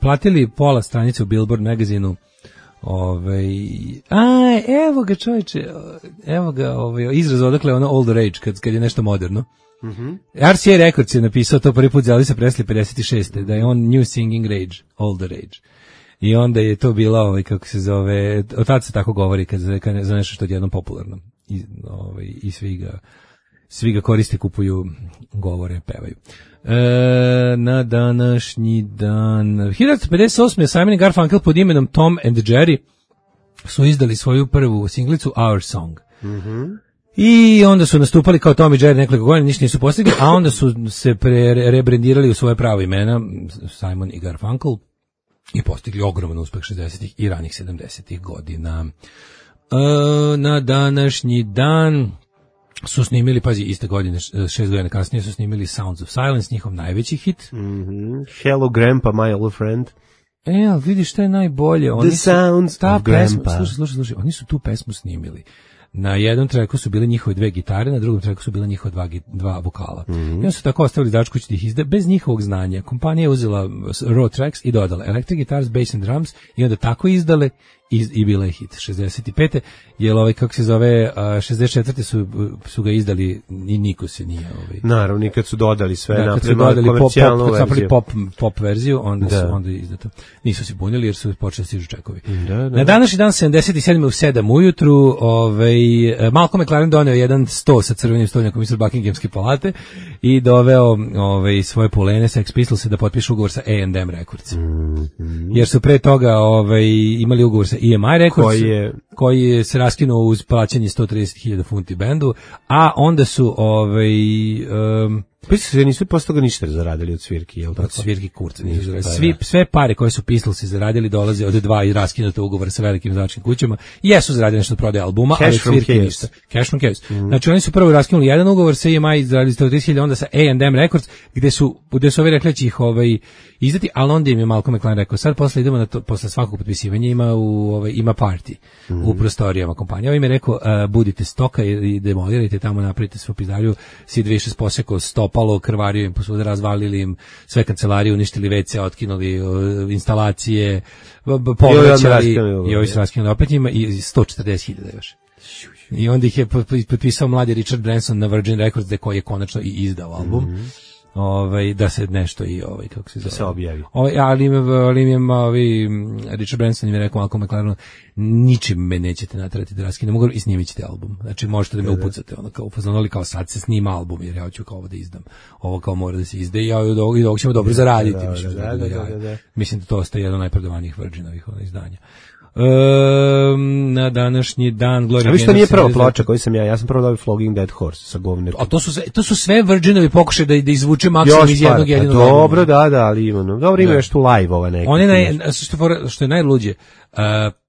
platili pola stranice u Billboard magazinu. Ovaj, a evo ga čovječe, evo ga ovaj, izraz odakle ono old rage, kad, kad je nešto moderno. Mm-hmm. R C A Records je napisao to prvi put za Elvisa Presley pedeset šeste da je on New Singing Rage, Older Rage. I onda je to bila, ovaj, kako se zove, od tada se tako govori kad za, kad za nešto što je jednom popularno. I, ovaj, i svi ga, svi ga koriste, kupuju, govore, pevaju. E, na današnji dan hiljadu devetsto pedeset osme Simon i Garfunkel pod imenom Tom and Jerry su izdali svoju prvu singlicu Our Song. Mhm. I onda su nastupali kao Tom i Jerry nekoliko godina, ništa nisu postigli, a onda su se pre, rebrendirali u svoje pravo imena, Simon i Garfunkel, i postigli ogroman uspeh šezdesetih i ranih sedamdesetih godina. E, na današnji dan su snimili, pazi, iste godine, šest godina kasnije su snimili Sounds of Silence, njihov najveći hit. Mm-hmm. Hello Grandpa, my old friend. E, ali vidiš što je najbolje. Oni The Sounds ta of pesma, Grandpa. Slušaj, slušaj, slušaj, oni su tu pesmu snimili. Na jednom tracku su bile njihove dve gitare, na drugom tracku su bile njihove dva, dva vokala. Mm-hmm. I oni su tako ostavili dačkući da ih izda, bez njihovog znanja. Kompanija je uzela raw tracks i dodala electric guitars, bass and drums i onda tako izdale i, i bila je hit. šezdeset pete jer ovaj, kako se zove, šezdeset četvrte su, su ga izdali i niko se nije... Ovaj. Naravno, nikad su dodali sve da, na kad su dodali komercijalnu pop, pop, verziju. Pop, pop verziju, onda da. su onda izdato. Nisu se bunili jer su počeli stižu čekovi. Da, da. Na današnji dan sedamdeset sedme u sedam ujutru ovaj, Malcolm McLaren doneo jedan sto sa crvenim stolnjakom iz Buckinghamske palate i doveo ovaj, svoje pulene Sex Pistols da potpišu ugovor sa A and M Records. Mm-hmm. Jer su pre toga ovaj, imali ugovor sa E M I Records koji je, koji je se raskinuo uz plaćanje sto trideset hiljada funti bendu, a onda su ovaj, um, Pa se nisu posle toga ništa zaradili od svirki, jel tako? Od svirki kurca nisu zaradili. Svi, sve pare koje su Pistolsi zaradili dolaze od dva i raskinuta ugovora sa velikim izdavačkim kućama. Jesu zaradili nešto od prodaje albuma, Cash ali from svirke case. ništa. Cash from case. Mm. Znači oni su prvo raskinuli jedan ugovor sa E M I, zaradili sto trideset hiljada, onda sa A and M Records, gde su, gde su ovi rekli da će ih ovaj, izdati, ali onda im je Malcolm McLaren rekao, sad posle idemo na to, posle svakog potpisivanja ima, u, ovaj, ima party mm. u prostorijama kompanije. Ovo im je rekao, uh, budite stoka i demolirajte tamo, napravite svoju pizdariju, Sid Vicious posekao stopalo, krvario im posvuda, razvalili im sve kancelarije, uništili ve ce, otkinuli uh, instalacije, povraćali i ovi se raskinuli opet njima i sto četrdeset hiljada još. I onda ih je potpisao mladi Richard Branson na Virgin Records, da koji je konačno i izdao album. Mm-hmm. Ovaj, da se nešto i ovaj, kako se zove, da se objavi. Ovaj, ali im ali im ovi Richard Branson im je rekao Malcolm McLaren, ničim me nećete naterati da raskinem ugovor i snimit ćete album. Znači možete da me upucate, ono kao fazonali kao sad se snima album jer ja hoću kao ovo da izdam. Ovo kao mora da se izda i ja i dok, i dok ćemo dobro zaraditi. Da, mislim, da, da, da, da, da. Mislim da to ostaje jedno od najprodavanijih Virginovih izdanja. Um, na današnji dan Gloria. A vi što nije prva ploča koju sam ja, ja sam prvo dobio Flogging Dead Horse sa govnetom. A to su sve, to su sve Virginovi pokušaj da da izvuče maksimum iz jednog jedinog. Dobro, da, da, ali ima. No. Dobro, ima još tu live ova neka. One naj, što, što je najluđe, uh,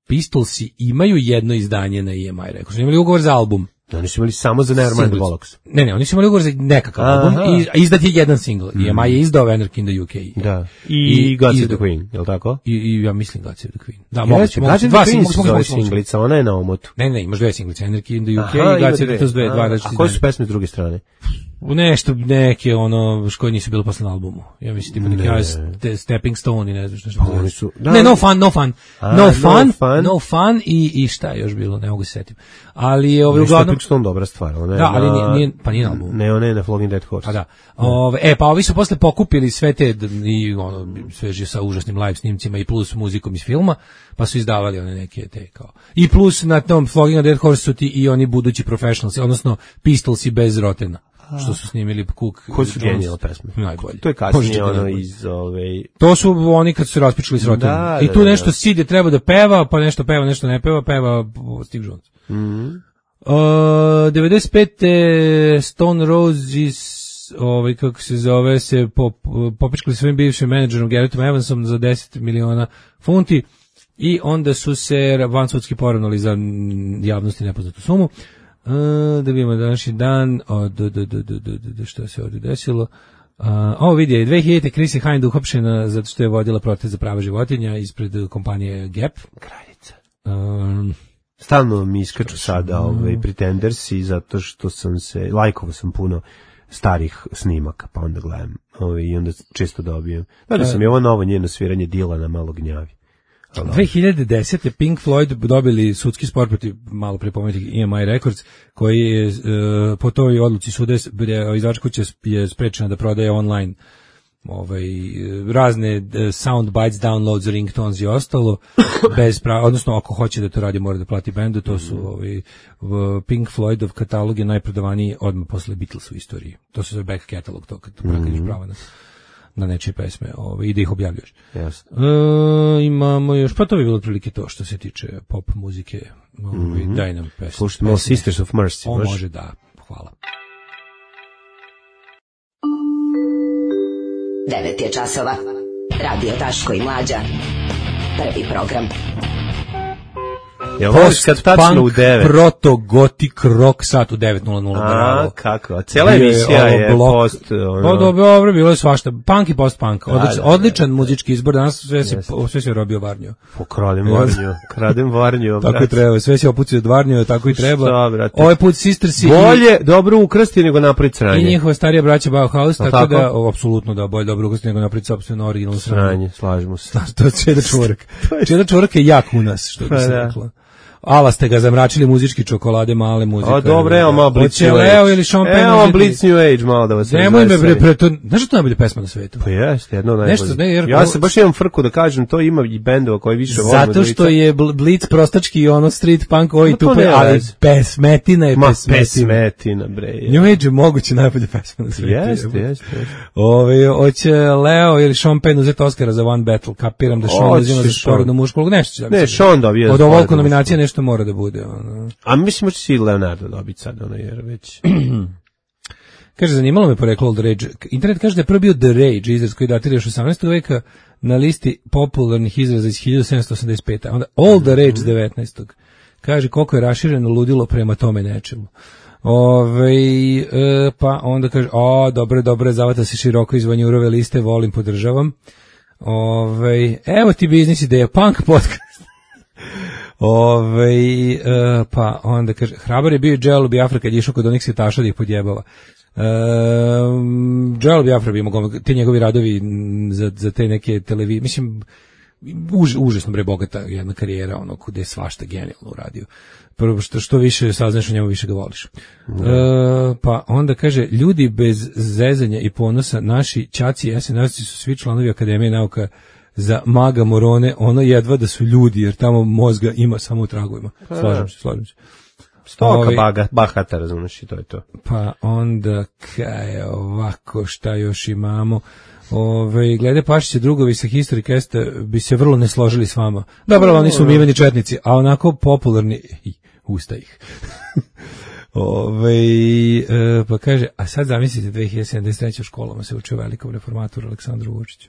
Pistolsi imaju jedno izdanje na E M I Records. Imali ugovor za album. Oni su imali samo za Nevermind the Bollocks. Ne, ne, oni su imali ugovor za nekakav Aha. album i izdat je jedan single. Mm. E M I je izdao Anarchy in the U K. Da. I, I God Save the Queen, je li tako? I, i ja mislim God Save the Queen. Da, yes, moguće. God Save the Queen su zove singlica, ona je na omotu. Ne, ne, imaš dve singlice, Anarchy in the U K Aha, i God Save the Queen, dve, dva različite. A koje su pesme s druge strane? Nešto, neke, ono, koje nisu bile posle na albumu. Ja mislim, tipa neki Stepping Stone i ne znam što što. Oni su, da. Ne, No Fun, No Fun. A, no, fun, no Fun, No Fun i, i šta je još bilo, ne mogu se setim. Ali je ovaj uglavnom... Stepping Stone dobra stvar. Ona je da, ali na, nije, pa nije na albumu. Ne, ona je na Flogging Dead Horse. Pa da. Ove, e, pa ovi su posle pokupili sve te, i ono, sveže sa užasnim live snimcima i plus muzikom iz filma, pa su izdavali one neke te kao. I plus na tom Flogging Dead Horse su ti i oni budući professionalsi, odnosno Pistolsi bez Rotena. Što su snimili Cook. Koji su genijalne pesme. Najbolje. To je kasnije ono iz ove... To su oni kad su se raspičali s Rotenom. Da, I tu da, nešto da. Sid je treba da peva, pa nešto peva, nešto ne peva, peva Steve Jones. Mhm. Uh, devedeset pete Stone Roses, ovaj kako se zove, se pop, popičkali svojim bivšim menadžerom Garrettom Evansom za deset miliona funti i onda su se vansudski poravnali za javnosti nepoznatu sumu. Uh, da vidimo današnji dan, o, do, do, do, do, do, do, što se ovdje desilo. Uh, ovo vidi, dve hiljadite Chrissy Hind uhapšena zato što je vodila protest za prava životinja ispred kompanije Gap. Kraljica. Um, Stalno mi iskaču sada ovaj Pretendersi zato što sam se, lajkovao sam puno starih snimaka, pa onda gledam ovaj, i onda često dobijem. Da sam je ovo novo njeno sviranje Dilana malo gnjavi. dve hiljade desete Pink Floyd dobili sudski spor protiv malo pre pomenutih E M I Records, koji je uh, po toj odluci suda izdavačka kuća je sprečena da prodaje online ovaj razne sound bites, downloads, ringtones i ostalo bez prava, odnosno ako hoće da to radi mora da plati bendu. To su ovaj Pink Floydov katalog je najprodavaniji odmah posle Beatles u istoriji. To se zove back catalog, to kad praktiš prava na na nečije pesme, ovaj, i da ih objavljuješ. Jasno. E, imamo još, pa to bi bilo otprilike to što se tiče pop muzike. Ovaj, mm-hmm. Daj nam pesme. Slušajte malo Sisters of Mercy. On može, da. Hvala. devet je časova. Radio Daško i Mlađa. Prvi program. Ja voliš kad tačno u devet. Proto gotik rock sat u devet nula nula. A, kako? Cijela emisija je, je post... Ono... Dobro, bilo je svašta. Punk i post-punk. Odličan, odličan muzički izbor. Danas sve se, sve se robio Varnjo. Pokradem Varnjo. Kradem Varnjo. Tako i treba. Sve se opucio od Varnjo, tako i treba. Šta, ovaj put Sistersi... Bolje dobro ukrasti nego napraviti sranje. I njihova starija braća Bauhaus, tako, tako da, o, apsolutno da, bolje dobro ukrasti nego napraviti sopstveno originalno sranje. Sranje, slažemo se. To je Čeda Čvorak. Čeda Čvorak je jak u nas, što bi se rekla. Ala ste ga zamračili muzički čokolade, male muzike. A dobro, evo malo Blitz New Age. Leo ili Sean Penn. Evo Blitz New Age, malo da vas razveseli. Nemoj me bre, pre to, znaš što to najbolje pesma na svetu? Pa jeste, jedno najbolje. Ne, jer, ja se baš imam frku da kažem, to ima i bendova koji više volim. Zato što je Blitz prostački i ono street punk, oj tupe, ali pesmetina je pesmetina. Pesmetina, bre. New Age je moguće najbolje pesma na svetu. Jeste, jeste. Ove, hoće Leo ili Sean Penn uzeti Oscara za One Battle, kapiram da Sean uzima za porodnu mušku, nešto. Ne, Sean dobije. Od ovoliko nominacija nešto mora da bude. A mislim da će si Leonardo dobiti sad, ono, jer već... Kaže, zanimalo me poreklo All the Rage. Internet kaže da je prvo bio The Rage, izraz koji datira još osamnaestog veka na listi popularnih izraza iz hiljadu sedamsto osamdeset pete. Onda All the Rage iz devetnaestog Kaže koliko je rašireno ludilo prema tome nečemu. Ove, e, pa onda kaže, o, dobro, dobro, zavata se široko iz Vanjurove liste, volim, podržavam. Ove, evo ti biznis ideja, punk podcast. Ove, e, pa onda kaže, hrabar je bio Dželo Biafra kad je išao kod onih svetaša da ih podjebava. Um, Dželo Biafra bi mogao, te njegovi radovi za, za te neke televizije, mislim, Už, užasno bre bogata jedna karijera, ono gde je svašta genijalno uradio. Prvo što što više saznaš o njemu, više ga voliš. Mm. E, pa onda kaže, ljudi bez zezanja i ponosa, naši ćaci i esenarci su svi članovi Akademije nauka za maga morone, ono jedva da su ljudi, jer tamo mozga ima samo u tragovima. Slažem se, slažem se. Stoka Ovi, baga, bahata, razumiješ, i to je to. Pa onda, kaj ovako, šta još imamo? Ove, glede Pašića, drugovi sa History Casta bi se vrlo ne složili s vama. Dobro, oni su umiveni četnici, a onako popularni, usta ih. Ove, e, pa kaže, a sad zamislite dve hiljade sedamdeset treće u školama se učio velikom reformatoru Aleksandru Vučiću.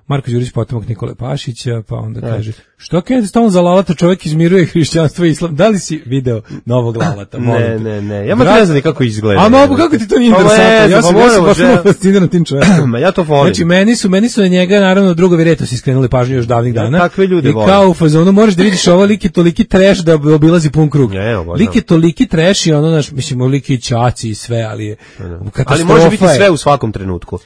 Marko Đurić, potomak Nikole Pašića, pa onda kaže, što Kennedy stalno za Lalata, čovjek izmiruje hrišćanstvo i islam. Da li si video novog Lalata? Ne, ne, ne. Ja ma ne znam kako izgleda. A mogu, kako ti to nije interesantno? Ja sam baš vrlo fasciniran tim čovjekom. Ja to volim. Znači, meni su, meni su na njega, naravno, drugovi Retos iskrenuli pažnju još davnih dana. Ja, takve ljude volim. I kao u fazonu, možeš da vidiš ovo lik je toliki treš da obilazi pun krug. Lik je toliki treš i ono, naš, mislim, lik je ćaci i sve, ali je katastrofa. Ali može biti sve u svakom trenutku.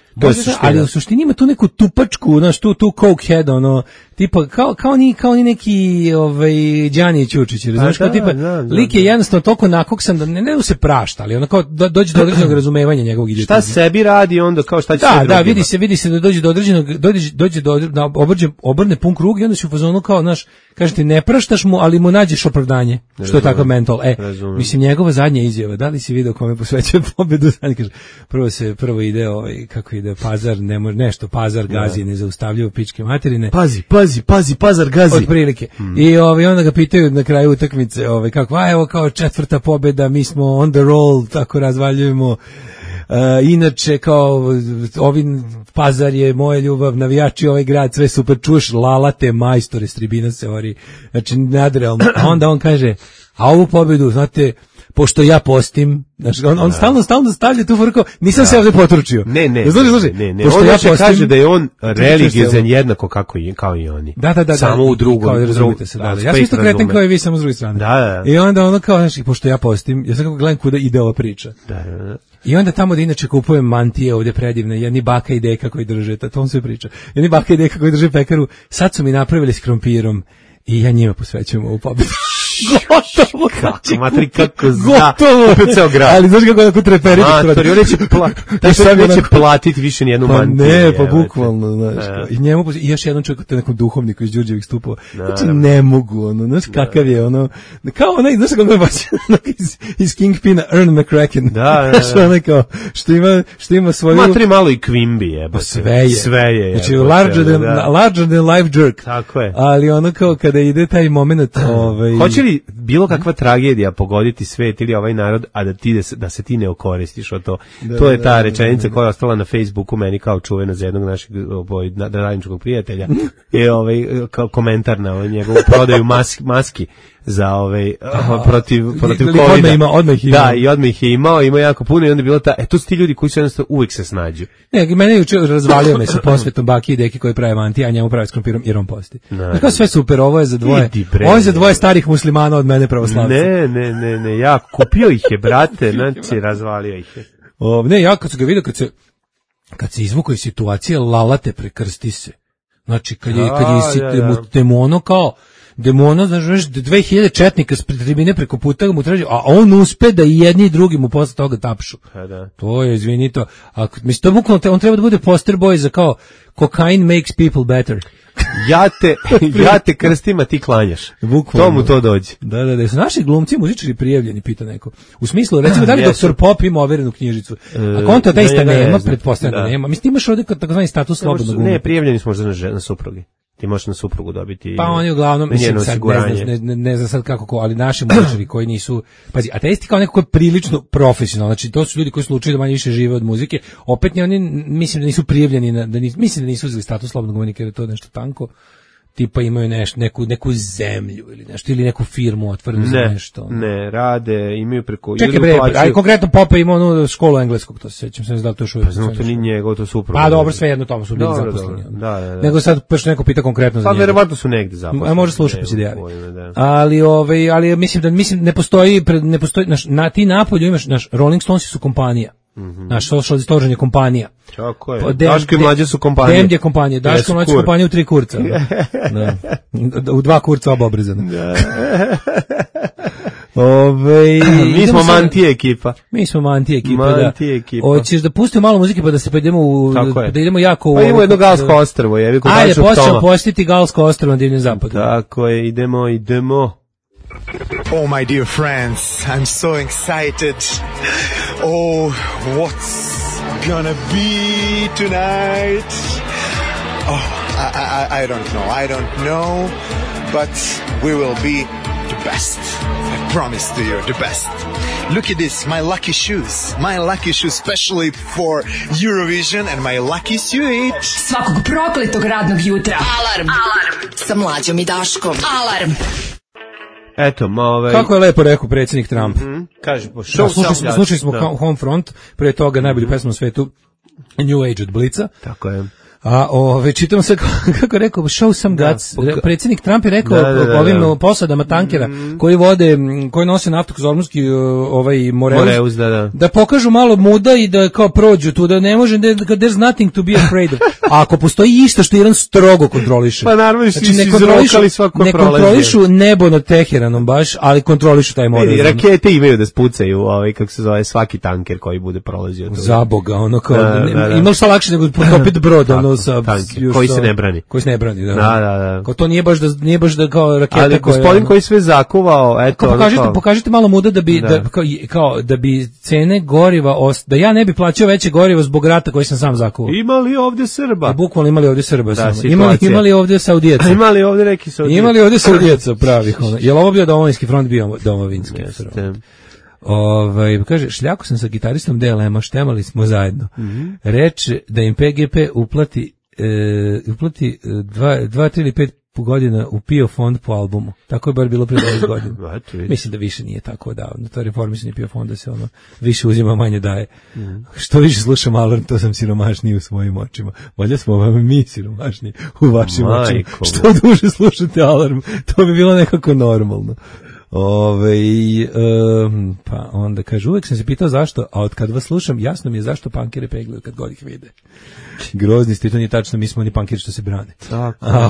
Ali u suštini ima tu neku tupačku, znaš, tu, tu cokehead, ono, tipa, kao, kao, ni, kao ni neki, ovaj, Đani Ćučić, razumiješ, kao tipa, da, da, lik je jednostavno toliko nakoksan da ne, ne da se prašta, ali ono kao do, dođe do određenog razumevanja njegovog idiotizma. Šta sebi radi onda, kao šta će da, sve da, drugima. Da, vidi se, vidi se da dođe do određenog, dođe, dođe do određenog, obrđe, obrne pun krug i onda se u fazonu kao, znaš, kaže ti, ne praštaš mu, ali mu nađeš opravdanje, što razumem, je tako mental. E, razumem. Mislim, njegova zadnja izjava, da li si video kome posvećuje pobedu, znači, kaže, prvo se, prvo ide, ovaj, kako ide, pazar, ne može, nešto, pazar gazi, nezaustavljivo pičke materine. Pazi, pazi, pazi, pazar gazi. Od prilike. Hmm. I ovaj, onda ga pitaju na kraju utakmice, ovaj, kako, a evo kao četvrta pobeda, mi smo on the roll, tako razvaljujemo. Uh, inače, kao, ovi Pazar je moja ljubav, navijači ovaj grad, sve super, čuš, Lalate, majstore, Stribina se ori, znači, nadrealno. A onda on kaže, a ovu pobedu, znate, pošto ja postim, znači, on, on stalno, stalno stavlja tu frko, nisam da. se ovdje potručio. Ne, ne, služi, služi. ne, ne, pošto ja postim, kaže da je on religijezan jednako kako i, kao i oni. Da, da, da. Samo da, u drugom. Kao da razumite se, da, da. Ja sam isto kreten kao i vi, samo s druge strane. Da, da. I onda ono kao, znači, pošto ja postim, ja sam kako gledam kuda ide ova priča. Da, da, da. I onda tamo da inače kupujem mantije ovdje predivne, jedni baka i deka koji drže, to on sve priča. Jedni baka i deka koji drže pekaru, sad su mi napravili s krompirom i ja njima posvećujem ovu pobedu. Gotovo, kako, matri, kako zna, gotovo, opet ceo grad. Ali znaš kako tako treperiti? Matori, on neće, pla, taj što neće platiti više nijednu pa mantiju. Ne, pa bukvalno, znaš, ja. I njemu, i još jedan čovjek, te nekom duhovniku iz Đurđevih stupova, znači ne mogu, ono, znaš kakav je, ono, kao onaj, znaš kako me baš, iz, iz Kingpina, Ern McCracken, da, da, znaš, onaj kao, što ima, što ima svoju... Matri malo i Quimby, jebate. Pa sve je. Sve je, znači, larger than, da. larger than life jerk. Tako je. Ali ono kao, kada ide taj moment, ovaj... Hoće li bilo kakva tragedija pogoditi svet ili ovaj narod, a da ti da se ti ne okoristiš od to. Da, to je ta da, rečenica da, da. koja je ostala na Facebooku meni kao čuvena za jednog našeg ovaj radničkog prijatelja. Je ovaj kao komentar na ovaj njegovu prodaju maski, maski za ovaj protiv protiv covida. Odmah ima, odmah ima. Da, i odmah ih je imao, ima jako puno i onda je bilo ta, e to su ti ljudi koji su jednostavno uvijek se snađu. Ne, mene juče razvalio me sa posvetom baki i deki koji prave manti, a njemu prave s krompirom jer on posti. Znači sve super, ovo je za dvoje. Ovo je za dvoje starih muslimana od mene pravoslavca. Ne, ne, ne, ne, ja kupio ih je, brate, znači razvalio ih je. O, ne, ja kad sam ga vidio, kad se, kad se izvukao iz situacije, Lalate prekrsti se. Znači, kad je, kad je ja, ja, ja. demono kao, demono, znaš, dve hiljade četnika s tribine preko puta mu traži, a on uspe da i jedni i drugi mu posle toga tapšu. Pa da. To je, izvini to, a, mislim, to je bukvalno, on treba da bude poster boy za kao, cocaine makes people better. Ja te, ja te krstim, a ti klanjaš. Bukvalno. To mu to dođe. Da, da, da. Su naši glumci, muzičari prijavljeni, pita neko. U smislu, recimo, da li doktor Pop ima overenu knjižicu? Ako on to da ista nema, pretpostavljam da nema. Mislim, imaš ovdje takozvani status slobodnog glumca. Ne, prijavljeni smo možda na, na suprugi. Ti možeš na suprugu dobiti. Pa oni uglavnom, mislim, sad ne znam, ne, ne znam sad kako ko, ali naši muzičari koji nisu, pazi, ateisti kao neko ko je prilično profesionalno, znači to su ljudi koji su učili da manje više žive od muzike, opet ne, oni mislim da nisu prijavljeni, na, da nisu, mislim da nisu uzeli status slobodnog umetnika jer je to nešto tanko, tipa imaju neš, neku, neku zemlju ili nešto, ili neku firmu otvorenu za nešto. Ne, rade, imaju preko... Čekaj bre, aj konkretno Popa ima onu školu engleskog, to se sećam, sam ne znam da li to još uvijek. Pa znam, to ni njegov, to su upravo. Pa dobro, sve jedno tomu su bili zaposleni. Da, da, da. Nego sad baš neko pita konkretno za pa, njega. Pa verovatno su negde zaposleni. A može slušati pa se javi. Ali, ovaj, ali mislim da mislim ne postoji, ne postoji, naš, na ti napolju imaš, naš Rolling Stones su kompanija. Mm-hmm. Naš Social Distortion je kompanija. Tako je. Daško i Mlađe su kompanije. Demd je kompanija. Daško i Mlađe su kompanije u tri kurca. Da. Da. U dva kurca oba obrizana. Da. Ove, mi smo Mantije ekipa. Mi smo Mantije ekipa, Mantije ekipa. Hoćeš da pustimo malo muzike pa da se pa idemo u, da idemo jako u... Pa idemo jedno Galsko ostrvo. Je, ajde, počnemo postiti Galsko ostrvo na Divljem zapadu. Tako je, idemo, idemo. Oh, my dear friends, I'm so excited. Oh, what's gonna be tonight? Oh, I, I, I don't know, I don't know, but we will be the best. I promise to you, the best. Look at this, my lucky shoes. My lucky shoes specially for Eurovision and my lucky suit. Svakog prokletog radnog jutra. Alarm. Alarm. Sa Mlađom i Daškom. Alarm. Eto, ma ovaj... Kako je lepo rekao predsjednik Trump. Mm-hmm. Kaže, po show slušali smo, slušali smo Homefront, prije toga najbolju pesmu na svetu New Age od Blica. Tako je. A ove, čitam se kako, kako rekao, show some guts. Da, poka- predsjednik Trump je rekao da, da, da, ovim da. posadama tankera mm-hmm. koji vode, koji nose naftu Kozormski, ovaj Moreus, Moreus da, da. da pokažu malo muda i da kao prođu tu, da ne može, da there's nothing to be afraid of. A ako postoji išta što Iran strogo kontroliše. Pa naravno, znači, ne kontrolišu, ne kontrolišu nebo nad Teheranom baš, ali kontrolišu taj Moreus. Vidi, rakete imaju da spucaju, ovaj, kako se zove, svaki tanker koji bude prolazio. Tu. Za Boga, ono kao, da, da, da. imali šta lakše nego potopiti brod, ono sa... Tanker, koji se ne brani. Koji se ne brani, da. Da, da, da. Kao to nije baš da nije baš da kao raketa ali koja. Ali gospodin koji sve zakuvao, eto, kao pokažite, kao... pokažite malo muda da bi da. Da, kao, kao da bi cene goriva ost... da ja ne bi plaćao veće gorivo zbog rata koji sam sam zakuvao. Imali ovdje Srba. Da, bukvalno imali ovdje Srba. Da, imali imali ovdje Saudijaca. Imali ovdje neki Saudijaca. Imali ovdje Saudijaca pravih ono. Jel ovo bio domovinski front, bio domovinski front. Ovaj kaže šljako sam sa gitaristom D L M-a, štemali smo zajedno. Mm-hmm. Reče da im P G P uplati E, uplati dva, tri ili pet godina u P I O fond po albumu. Tako je bar bilo prije dvadeset godina. Mislim da više nije tako davno. To reformisanje P I O fonda se ono više uzima, manje daje. Mm. Što više slušam Alarm, to sam siromašniji u svojim očima. Valjda smo vam mi siromašniji u vašim Majko. Očima. Što duže slušate Alarm, to bi bilo nekako normalno. Ove, um, pa onda kaže, uvek sam se pitao zašto, a od kad vas slušam, jasno mi je zašto pankere peglaju kad god ih vide. Grozni ste, to nije tačno, mi smo oni pankeri što se brane. Tako. A,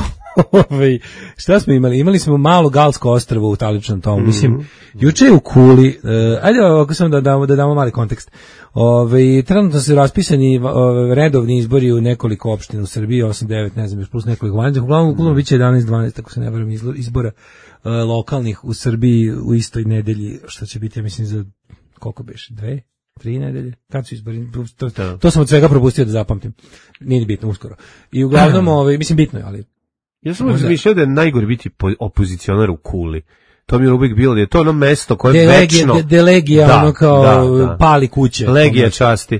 ove, šta smo imali? Imali smo malo Galsko ostrvo u taličnom tomu. Mm-hmm. Mislim, juče je u Kuli, uh, ajde ovako samo da damo, da damo mali kontekst. Ove, trenutno se raspisani ove, redovni izbori u nekoliko opština u Srbiji, osam devet, ne znam, još plus nekoliko vanjih. Uglavnom, uglavnom bit će jedanaest dvanaest, ako se ne varam, izbora uh, lokalnih u Srbiji u istoj nedelji, što će biti, ja mislim, za koliko beše, dve? Tri nedelje, kad su izbori, to, to, to sam od svega propustio da zapamtim, nije bitno uskoro. I uglavnom, ovaj, mislim, bitno je, ali... Ja sam možda mišljao da je najgore biti opozicionar u Kuli. To mi je uvijek bilo, je to ono mesto koje je večno... De, de legija, da, ono kao da, da. Pali kuće. Legija časti.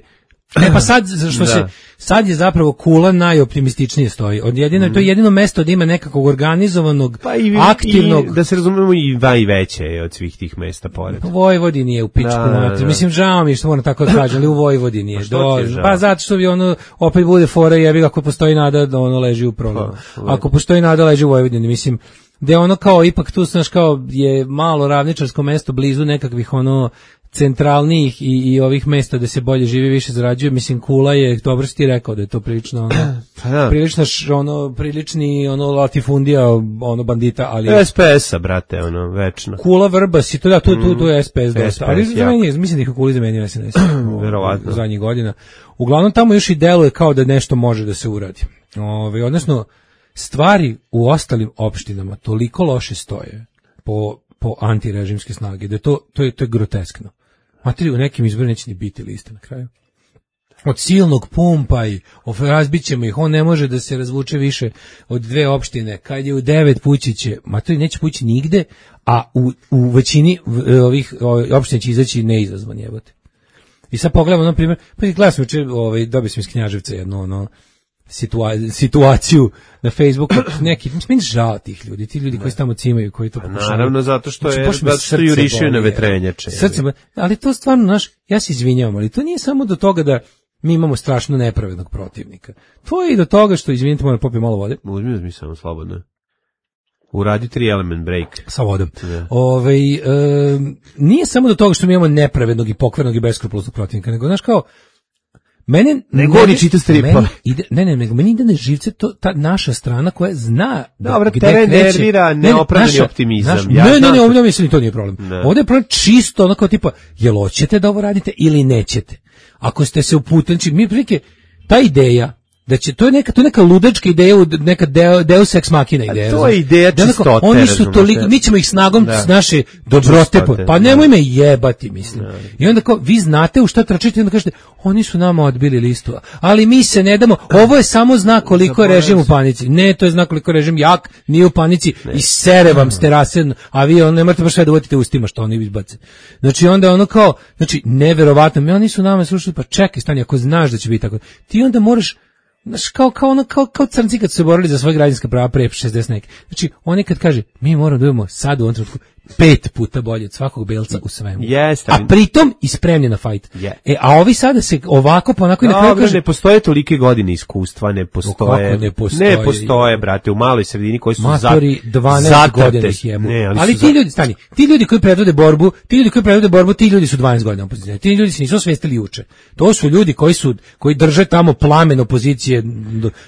E pa sad, što se, sad je zapravo Kula najoptimističnije stoji. Od jedino, mm. To je jedino mesto da ima nekakvog organizovanog, pa i, aktivnog... I, da se razumemo, i va i veće je od svih tih mesta pored. Vojvodini je u pičku. Da, da, da. Mislim, žao mi što moram tako da kažem, ali u Vojvodini je. Pa, Do, je pa zato što bi ono, opet bude fora, jebi ako postoji nada da ono leži u prologu. Ako postoji nada leži u Vojvodini, mislim, da je ono kao, ipak tu, znaš, kao je malo ravničarsko mesto blizu nekakvih ono centralnijih i, i ovih mesta da se bolje živi, više zarađuje. Mislim, Kula je, dobro si ti rekao da je to prilično ono, da. prilično ono, prilični ono latifundija, ono bandita, ali... S P S-a, brate, ono, večno. Kula, Vrbas i to da, tu, tu, tu je S P S dosta. S P S, ali zamenio, mislim da ih u Kuli zamenio S N S verovatno u zadnjih godina. Uglavnom tamo još i deluje kao da nešto može da se uradi. Ove, odnosno, stvari u ostalim opštinama toliko loše stoje po, po antirežimske snage, da to, to, je, to je groteskno. Materi, u nekim izborima neće ni biti liste na kraju. od silnog pumpa i razbit ćemo ih, on ne može da se razvuče više od dve opštine, kad je u devet pući će, ma to neće pući nigde, a u, u većini ovih opština će izaći neizazvan jebote. I sad pogledamo, na primjer, pa i gledam sam, ovaj, dobio sam iz Knjaževca jednu ono, situa, situaciju na Facebooku, neki, mislim, mi žao tih ljudi, ti ljudi koji se tamo cimaju, koji to pokušaju. Naravno, zato što je, zato što jurišaju na vetrenjače. Srce, ali to stvarno, znaš, ja se izvinjavam, ali to nije samo do toga da mi imamo strašno nepravednog protivnika. To je i do toga što, izvinite, moram popiti malo vode. Uzmi, uzmi samo slobodno. Uradi tri element break. Sa vodom. Yeah. Ove, e, nije samo do toga što mi imamo nepravednog i pokvarnog i beskrupuloznog protivnika, nego, znaš, kao, mene... Ne govori čita stripa. Ide, ne, ne, nego meni ide na živce to, ta naša strana koja zna Dobro, da teren nervira neopravdani ne, optimizam. Naš, ja ne, ne, ne, ovdje mislim, to nije problem. Ne. Ovdje je problem čisto onako tipa, jel hoćete da ovo radite ili nećete? Ako ste se uputili, znači, mi prilike, ta ideja, da će, to je neka, to je neka ludačka ideja, neka deo, deus ex machina ideja. A to je ideja čistote. Oni su toliko, mi ćemo ih snagom da. S naše dobrote, pa nemoj me jebati, mislim. Da. I onda kao, vi znate u šta tračite, i onda kažete, oni su nama odbili listu, ali mi se ne damo, ovo je samo znak koliko je režim u panici. Ne, to je znak koliko je režim jak, nije u panici, ne. I sere vam s terase, a vi on, ne morate baš sve da uvodite ustima što oni izbace. Znači onda ono kao, znači, neverovatno, mi oni su nama slušali, pa čekaj, stani, ako znaš da će biti tako, ti onda moraš, znaš, kao, kao, ono, kao, kao crnci kad su se borili za svoje građanska prava pre šezdeset neke. Znači, oni kad kaže, mi moramo da budemo sad u ovom trenutku pet puta bolje od svakog belca u svemu. Yes, a pritom i spremni na fajt. Yeah. E, a ovi sada se ovako, pa onako i na kraju kaže... Ne postoje tolike godine iskustva, ne postoje... Ne postoje? Ne postoje, brate, u maloj sredini koji su matori dvanaest godina ih jemu. Ne, ali ali ti za... ljudi, stani, ti ljudi koji predvode borbu, ti ljudi koji predvode borbu, ti ljudi su dvanaest godina opozicije. Ti ljudi se nisu osvestili juče. To su ljudi koji su, koji drže tamo plamen opozicije,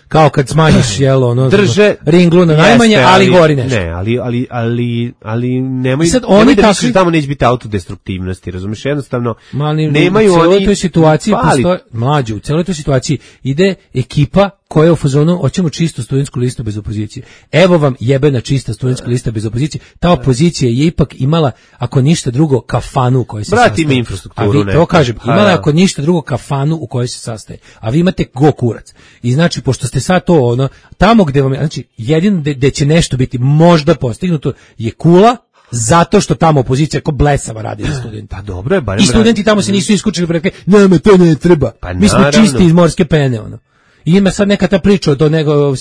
kao kad smanjiš, jelo, ono, drže ringlu na najmanje, jeste, ali, ali gori nešto. Ne, ali, ali, ali, ali nemoj, sad oni nemoj da misliš da tamo neće biti autodestruktivnosti, razumiješ, jednostavno mali, nemaju u celoj oni... toj situaciji postoje, mlađu, u celoj toj situaciji ide ekipa koja je u fazonu, hoćemo čistu studentsku listu bez opozicije. Evo vam jebena čista studentska lista bez opozicije. Ta opozicija je ipak imala, ako ništa drugo, kafanu u kojoj se Brati sastaje. Mi infrastrukturu. A vi, to kažem, imala je ako ništa drugo kafanu u kojoj se sastaje. A vi imate go kurac. I znači, pošto ste sad to, ono, tamo gde vam, znači, jedino gde će nešto biti možda postignuto je Kula, zato što tamo opozicija ko blesava radi za studenta. Pa dobro je, barem i studenti tamo se nisu iskučili pre ne, me to ne treba. Pa mi smo čisti iz morske pene, ono. I ima sad neka ta priča o to nego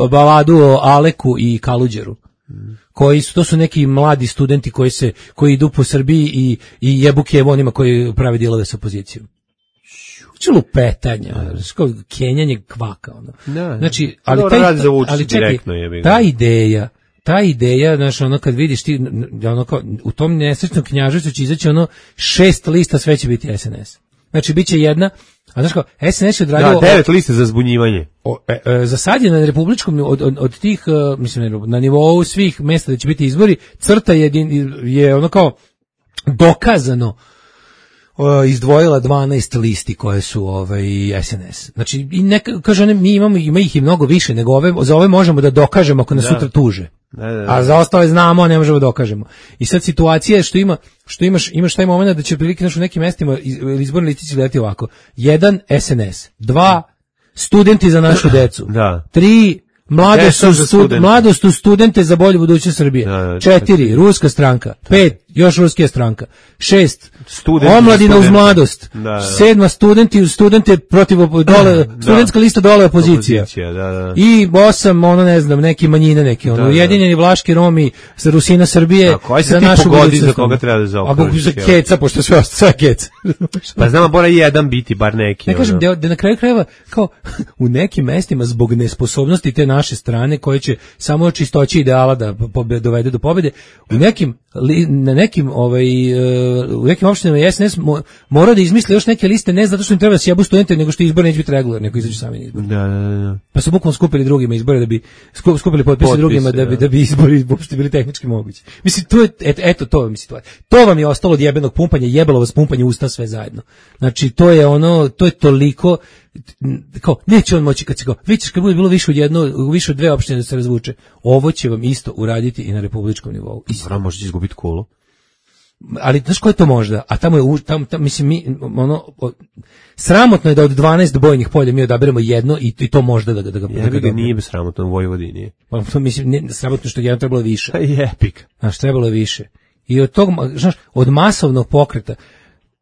baladu o Aleku i Kaluđeru. Koji su, to su neki mladi studenti koji se koji idu po Srbiji i i jebu kevo onima koji prave dilove sa opozicijom. Čelo petanja, kao kenjanje kvaka, ono. Znači, ali taj, ali čekaj, ta ideja ta ideja, znaš, ono, kad vidiš ti, ono, kao, u tom nesrećnom Knjaževcu će izaći, ono, šest lista, sve će biti S N S. Znači, bit će jedna, a znaš kao, S N S je odradio... Da, devet lista za zbunjivanje. O, e, e, za sad je na republičkom, od, od, od tih, uh, mislim, na nivou svih mjesta da će biti izbori, crta je, je ono kao, dokazano, izdvojila dvanaest listi koje su ovaj S N S. Znači i neka kaže one, mi imamo ima ih i mnogo više nego ove, za ove možemo da dokažemo ako nas da. Sutra tuže. Da, da, da. A za ostale znamo, a ne možemo da dokažemo. I sad situacija je što ima što imaš imaš taj momenat da će prilike naš u nekim mestima izborni listići gledati ovako. Jedan S N S, dva studenti za našu decu. Da. Tri Mladost su, stud, mladost u studente za bolju budućnost Srbije. Da, da, četiri, ruska stranka. Pet, još ruskija stranka. Šest, studenti omladina uz mladost. Da, da. Sedma, studenti uz studente protiv dole, da. Studentska lista dole opozicija. opozicija da, da. I osam, ono ne znam, neki manjine, neki ono, da, ujedinjeni Vlaški Romi za Rusina Srbije. Da, koji se ti pogodi za koga treba da zaokružiš? A za keca, pošto sve sve keca. Pa znamo, mora jedan biti, bar neki. Ne kažem, da, da na kraju krajeva, kao, u nekim mestima zbog nesposobnosti te naše strane koje će samo čistoći ideala da dovede do pobjede, u nekim na nekim ovaj u nekim opštinama S N S mora da izmisli još neke liste, ne zato što im treba da sjebu studente, nego što izbor neće biti regularni, nego izađu sami na izbor. Da, da, da. Pa su bukvalno skupili drugima izbore da bi skupili potpise Potpis, drugima da bi da bi izbori uopšte bili tehnički mogući. Mislim, to je et, eto to vam je situacija. To vam je ostalo od jebenog pumpanja, jebalo vas pumpanje usta sve zajedno. Znači to je ono, to je toliko kao, neće on moći kad se kao, vidite kad bude bilo više od jedno, više od dve opštine da se razvuče, ovo će vam isto uraditi i na republičkom nivou. Isto. Možete izgubiti Kulu. ali znaš ko je to možda? A tamo je, u- tamo, tamo mislim, mi, ono, o, sramotno je da od dvanaest bojnih polja mi odaberemo jedno i, i to možda da ga da ga, da ga Ja ga dobijemo. nije bez sramotno u Vojvodini. Pa, to mislim, ne, sramotno što je jedno trebalo više. Je epik. Znaš, trebalo je više. I od tog, znaš, od masovnog pokreta,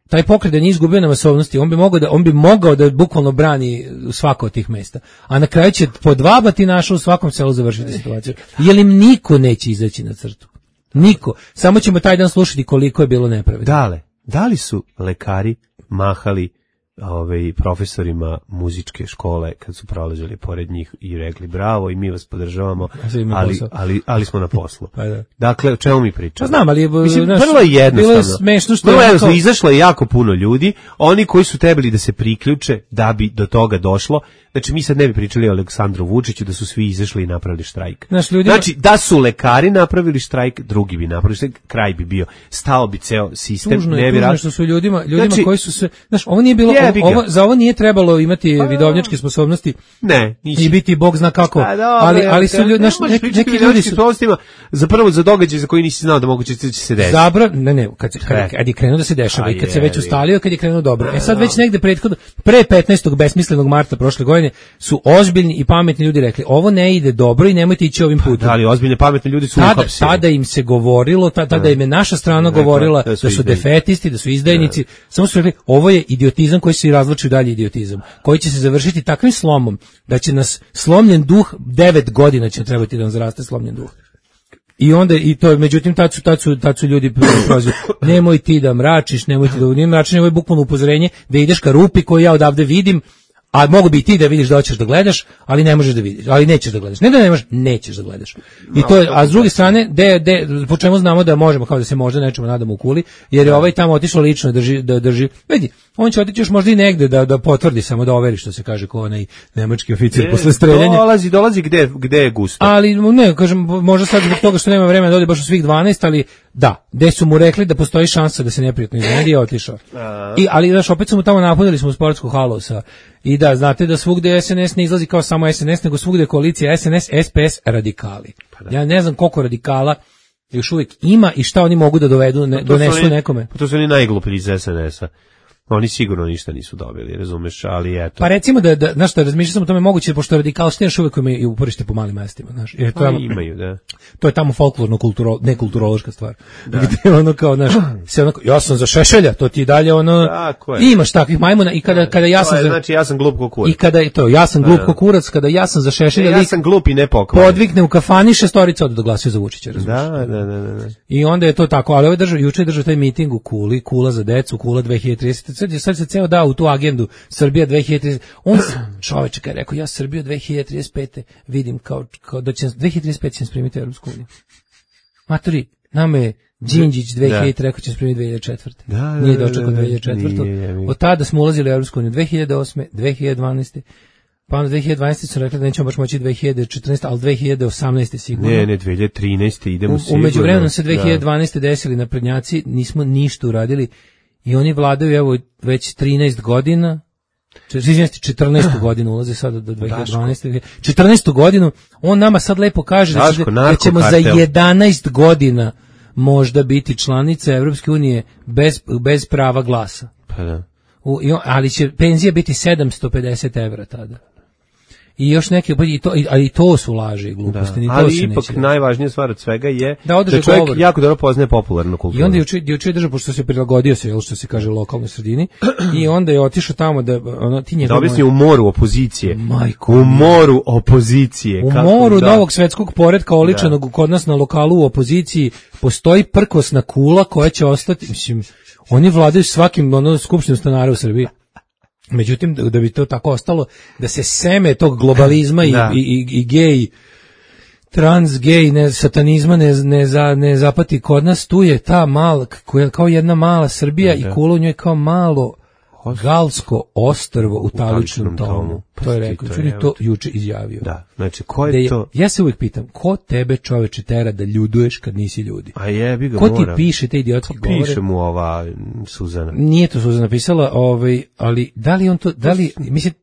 taj pokret da nije izgubio na masovnosti, on bi mogao da, on bi mogao da bukvalno brani svako od tih mesta. A na kraju će po dva batinaša u svakom selu završiti situaciju. Jer im niko neće izaći na crtu. Niko. Samo ćemo taj dan slušati koliko je bilo nepravedno. Dale, da li su lekari mahali ovaj, profesorima muzičke škole kad su prolazili pored njih i rekli bravo i mi vas podržavamo, sad imamo ali, posao. ali, ali smo na poslu. Pa da. Dakle, o čemu mi pričamo? Pa znam, ali je, Mislim, znaš, vrlo je jednostavno. bilo je smešno što Vrlo je je onako- jednostavno, izašlo je jako puno ljudi, oni koji su trebali da se priključe da bi do toga došlo. Znači, mi sad ne bi pričali o Aleksandru Vučiću da su svi izašli i napravili štrajk. Znaš, ljudima- Znači, da su lekari napravili štrajk, drugi bi napravili štrajk, kraj bi bio. Stao bi ceo sistem. Tužno ne je, bi tužno ra- je što su ljudima, ljudima Znači- koji su se, znaš, ovo nije bilo, Jebi ga. ovo, za ovo nije trebalo imati vidovnjačke sposobnosti Ne, nisi. i biti bog zna kako, Pa dobro, ali, ali su ne ljudi, znaš, možeš neki, pričati neki o ljudi ljudski su sposobnostima za prvo za događaj za koji nisi znao da moguće će se desiti. zabra, ne, ne, kad, se- kad, E. kad je krenuo da se dešava A i kad se već jebi. ustalio, kad je krenuo dobro. E sad već negde prethodno, pre petnaestog besmislenog marta prošle godine su ozbiljni i pametni ljudi rekli, ovo ne ide dobro i nemojte ići ovim putem. Da li ozbiljne pametni ljudi su Tada, uhapsili. tada im se govorilo, ta- tada im je naša strana govorila da da su su, izdajnici. defetisti, da su izdajnici. Samo su rekli, ovo je idiotizam koji se razvlači u dalje idiotizam, koji će se završiti takvim slomom da će nas slomljen duh, devet godina će trebati da nam zaraste slomljen duh. I onda, i to, međutim, tad su, tad su, tad su ljudi prozivali, nemoj ti da mračiš, nemoj ti da nije mračenje, ovo je bukvalno upozorenje da ideš ka rupi koju ja odavde vidim, a mogu bi i ti da vidiš da hoćeš da gledaš, ali ne možeš da vidiš, ali nećeš da gledaš. Ne da ne možeš, nećeš da gledaš. I to je, a s druge strane, de, de, po čemu znamo da možemo, kao da se možda nečemu nadamo u kuli, jer je ovaj tamo otišao lično da drži, da drži, vidi, on će otići još možda i negde da, da potvrdi, samo da overi što se kaže ko onaj nemački oficir posle streljanja. Dolazi, dolazi gde, gde je gusto. Ali ne, kažem, možda sad zbog toga što nema vremena da ode baš u svih dvanaest, ali da, gde su mu rekli da postoji šansa da se neprijatno iznenadi, je otišao. I, ali, znaš, opet su mu tamo napunili smo u sportsku halu sa, i da, znate da svugde S N S ne izlazi kao samo S N S, nego svugde je koalicija S N S, S P S, radikali. Ja ne znam koliko radikala još uvijek ima i šta oni mogu da dovedu, ne, To su donesu oni- nekome. To su oni najgluplji iz S N S-a. Oni sigurno ništa nisu dobili, razumeš, ali eto. Pa recimo da, da znaš šta, razmišljao sam o tome moguće, pošto radikalštine još uvijek imaju i uporište po malim mestima, znaš. Jer to, Pa je, imaju, da. to je tamo folklorno kulturo, ne kulturološka stvar. Gde ono kao, znaš, se onako, ja sam za Šešelja, to ti i dalje ono, Tako je. imaš takvih majmuna i kada, kada ja To sam je, za, znači ja sam glup ko kurac. i kada je to, ja sam glup ko kurac, kada ja sam za Šešelja, Ja lik sam glup i nepokvaran. podvikne u kafani, šestorica od da glasuje za Vučića, razumiješ? Da, da, da, da, da. I onda je to tako, ali ovaj držao, juče je držao taj miting u Kuli, Kula za decu, Kula dve hiljade tridesete. Sad, je- sad se ceo dao u tu agendu Srbija dve hiljade tridesete. On, čoveče, kad je rekao, ja Srbiju dve hiljade trideset pete vidim kao, kao da će, dve hiljade trideset pete će nas primiti u Europsku uniju. Matori, nama je Đinđić dve hiljade rekao će nas primiti dve hiljade četvrte. Da, da, Nije da, dočekao da, da, dve hiljade četvrte. nije, jebi ga. Od tada smo ulazili u Europsku uniju dve hiljade osme, dve hiljade dvanaeste. Pa onda dve hiljade dvanaeste su rekli da nećemo baš moći dve hiljade četrnaeste, ali dve hiljade osamnaeste sigurno. Ne, ne, dve hiljade trinaeste idemo U, sigurno. u međuvremenu se dve hiljade Da. dvanaeste desili naprednjaci, nismo ništa uradili i oni vladaju evo već trinaest godina, izvinite, četrnaestu godinu ulaze sada do dve hiljade dvanaeste. četrnaestu godinu, on nama sad lepo kaže da, će- Daško, da ćemo za narkokartel. jedanaest godina možda biti članica Evropske unije bez, bez prava glasa. Pa da. U, i on- ali će penzija biti sedamsto pedeset evra tada. I još neke, i to, i- ali i to su laži i gluposti, ni to Ali se ipak neće. najvažnija stvar od svega je Da održe čovjek govor. jako dobro poznaje popularnu kulturu. I onda je juče juče je držao, pošto se prilagodio se, jel, što se kaže, lokalnoj sredini, i onda je otišao tamo da ono ti da njegov objasni u moru opozicije. Majko u moru opozicije. u kako moru da. novog svetskog poretka oličenog kod nas na lokalu u opoziciji postoji prkosna kula koja će ostati, mislim, oni vladaju svakim ono skupštinom stanara u Srbiji. Međutim, da, da bi to tako ostalo, da se seme tog globalizma i, Da. i, i, i gej, trans, gej, ne, satanizma ne, ne, za, ne zapati kod nas, tu je ta mala, koja, kao jedna mala Srbija i kula u njoj kao malo galsko ostrvo u taličnom tomu. Pa To je ti rekao, to čuli je, to juče izjavio. Da, znači ko Da je je- to? ja se uvijek pitam, ko tebe čoveče tera da ljuduješ kad nisi ljudi? A jebi ga Ko ti mora. piše te idiotske govore? Piše mu ova mm, Suzana. Nije to Suzana napisala, ovaj, ali da li on to, da li, mislim,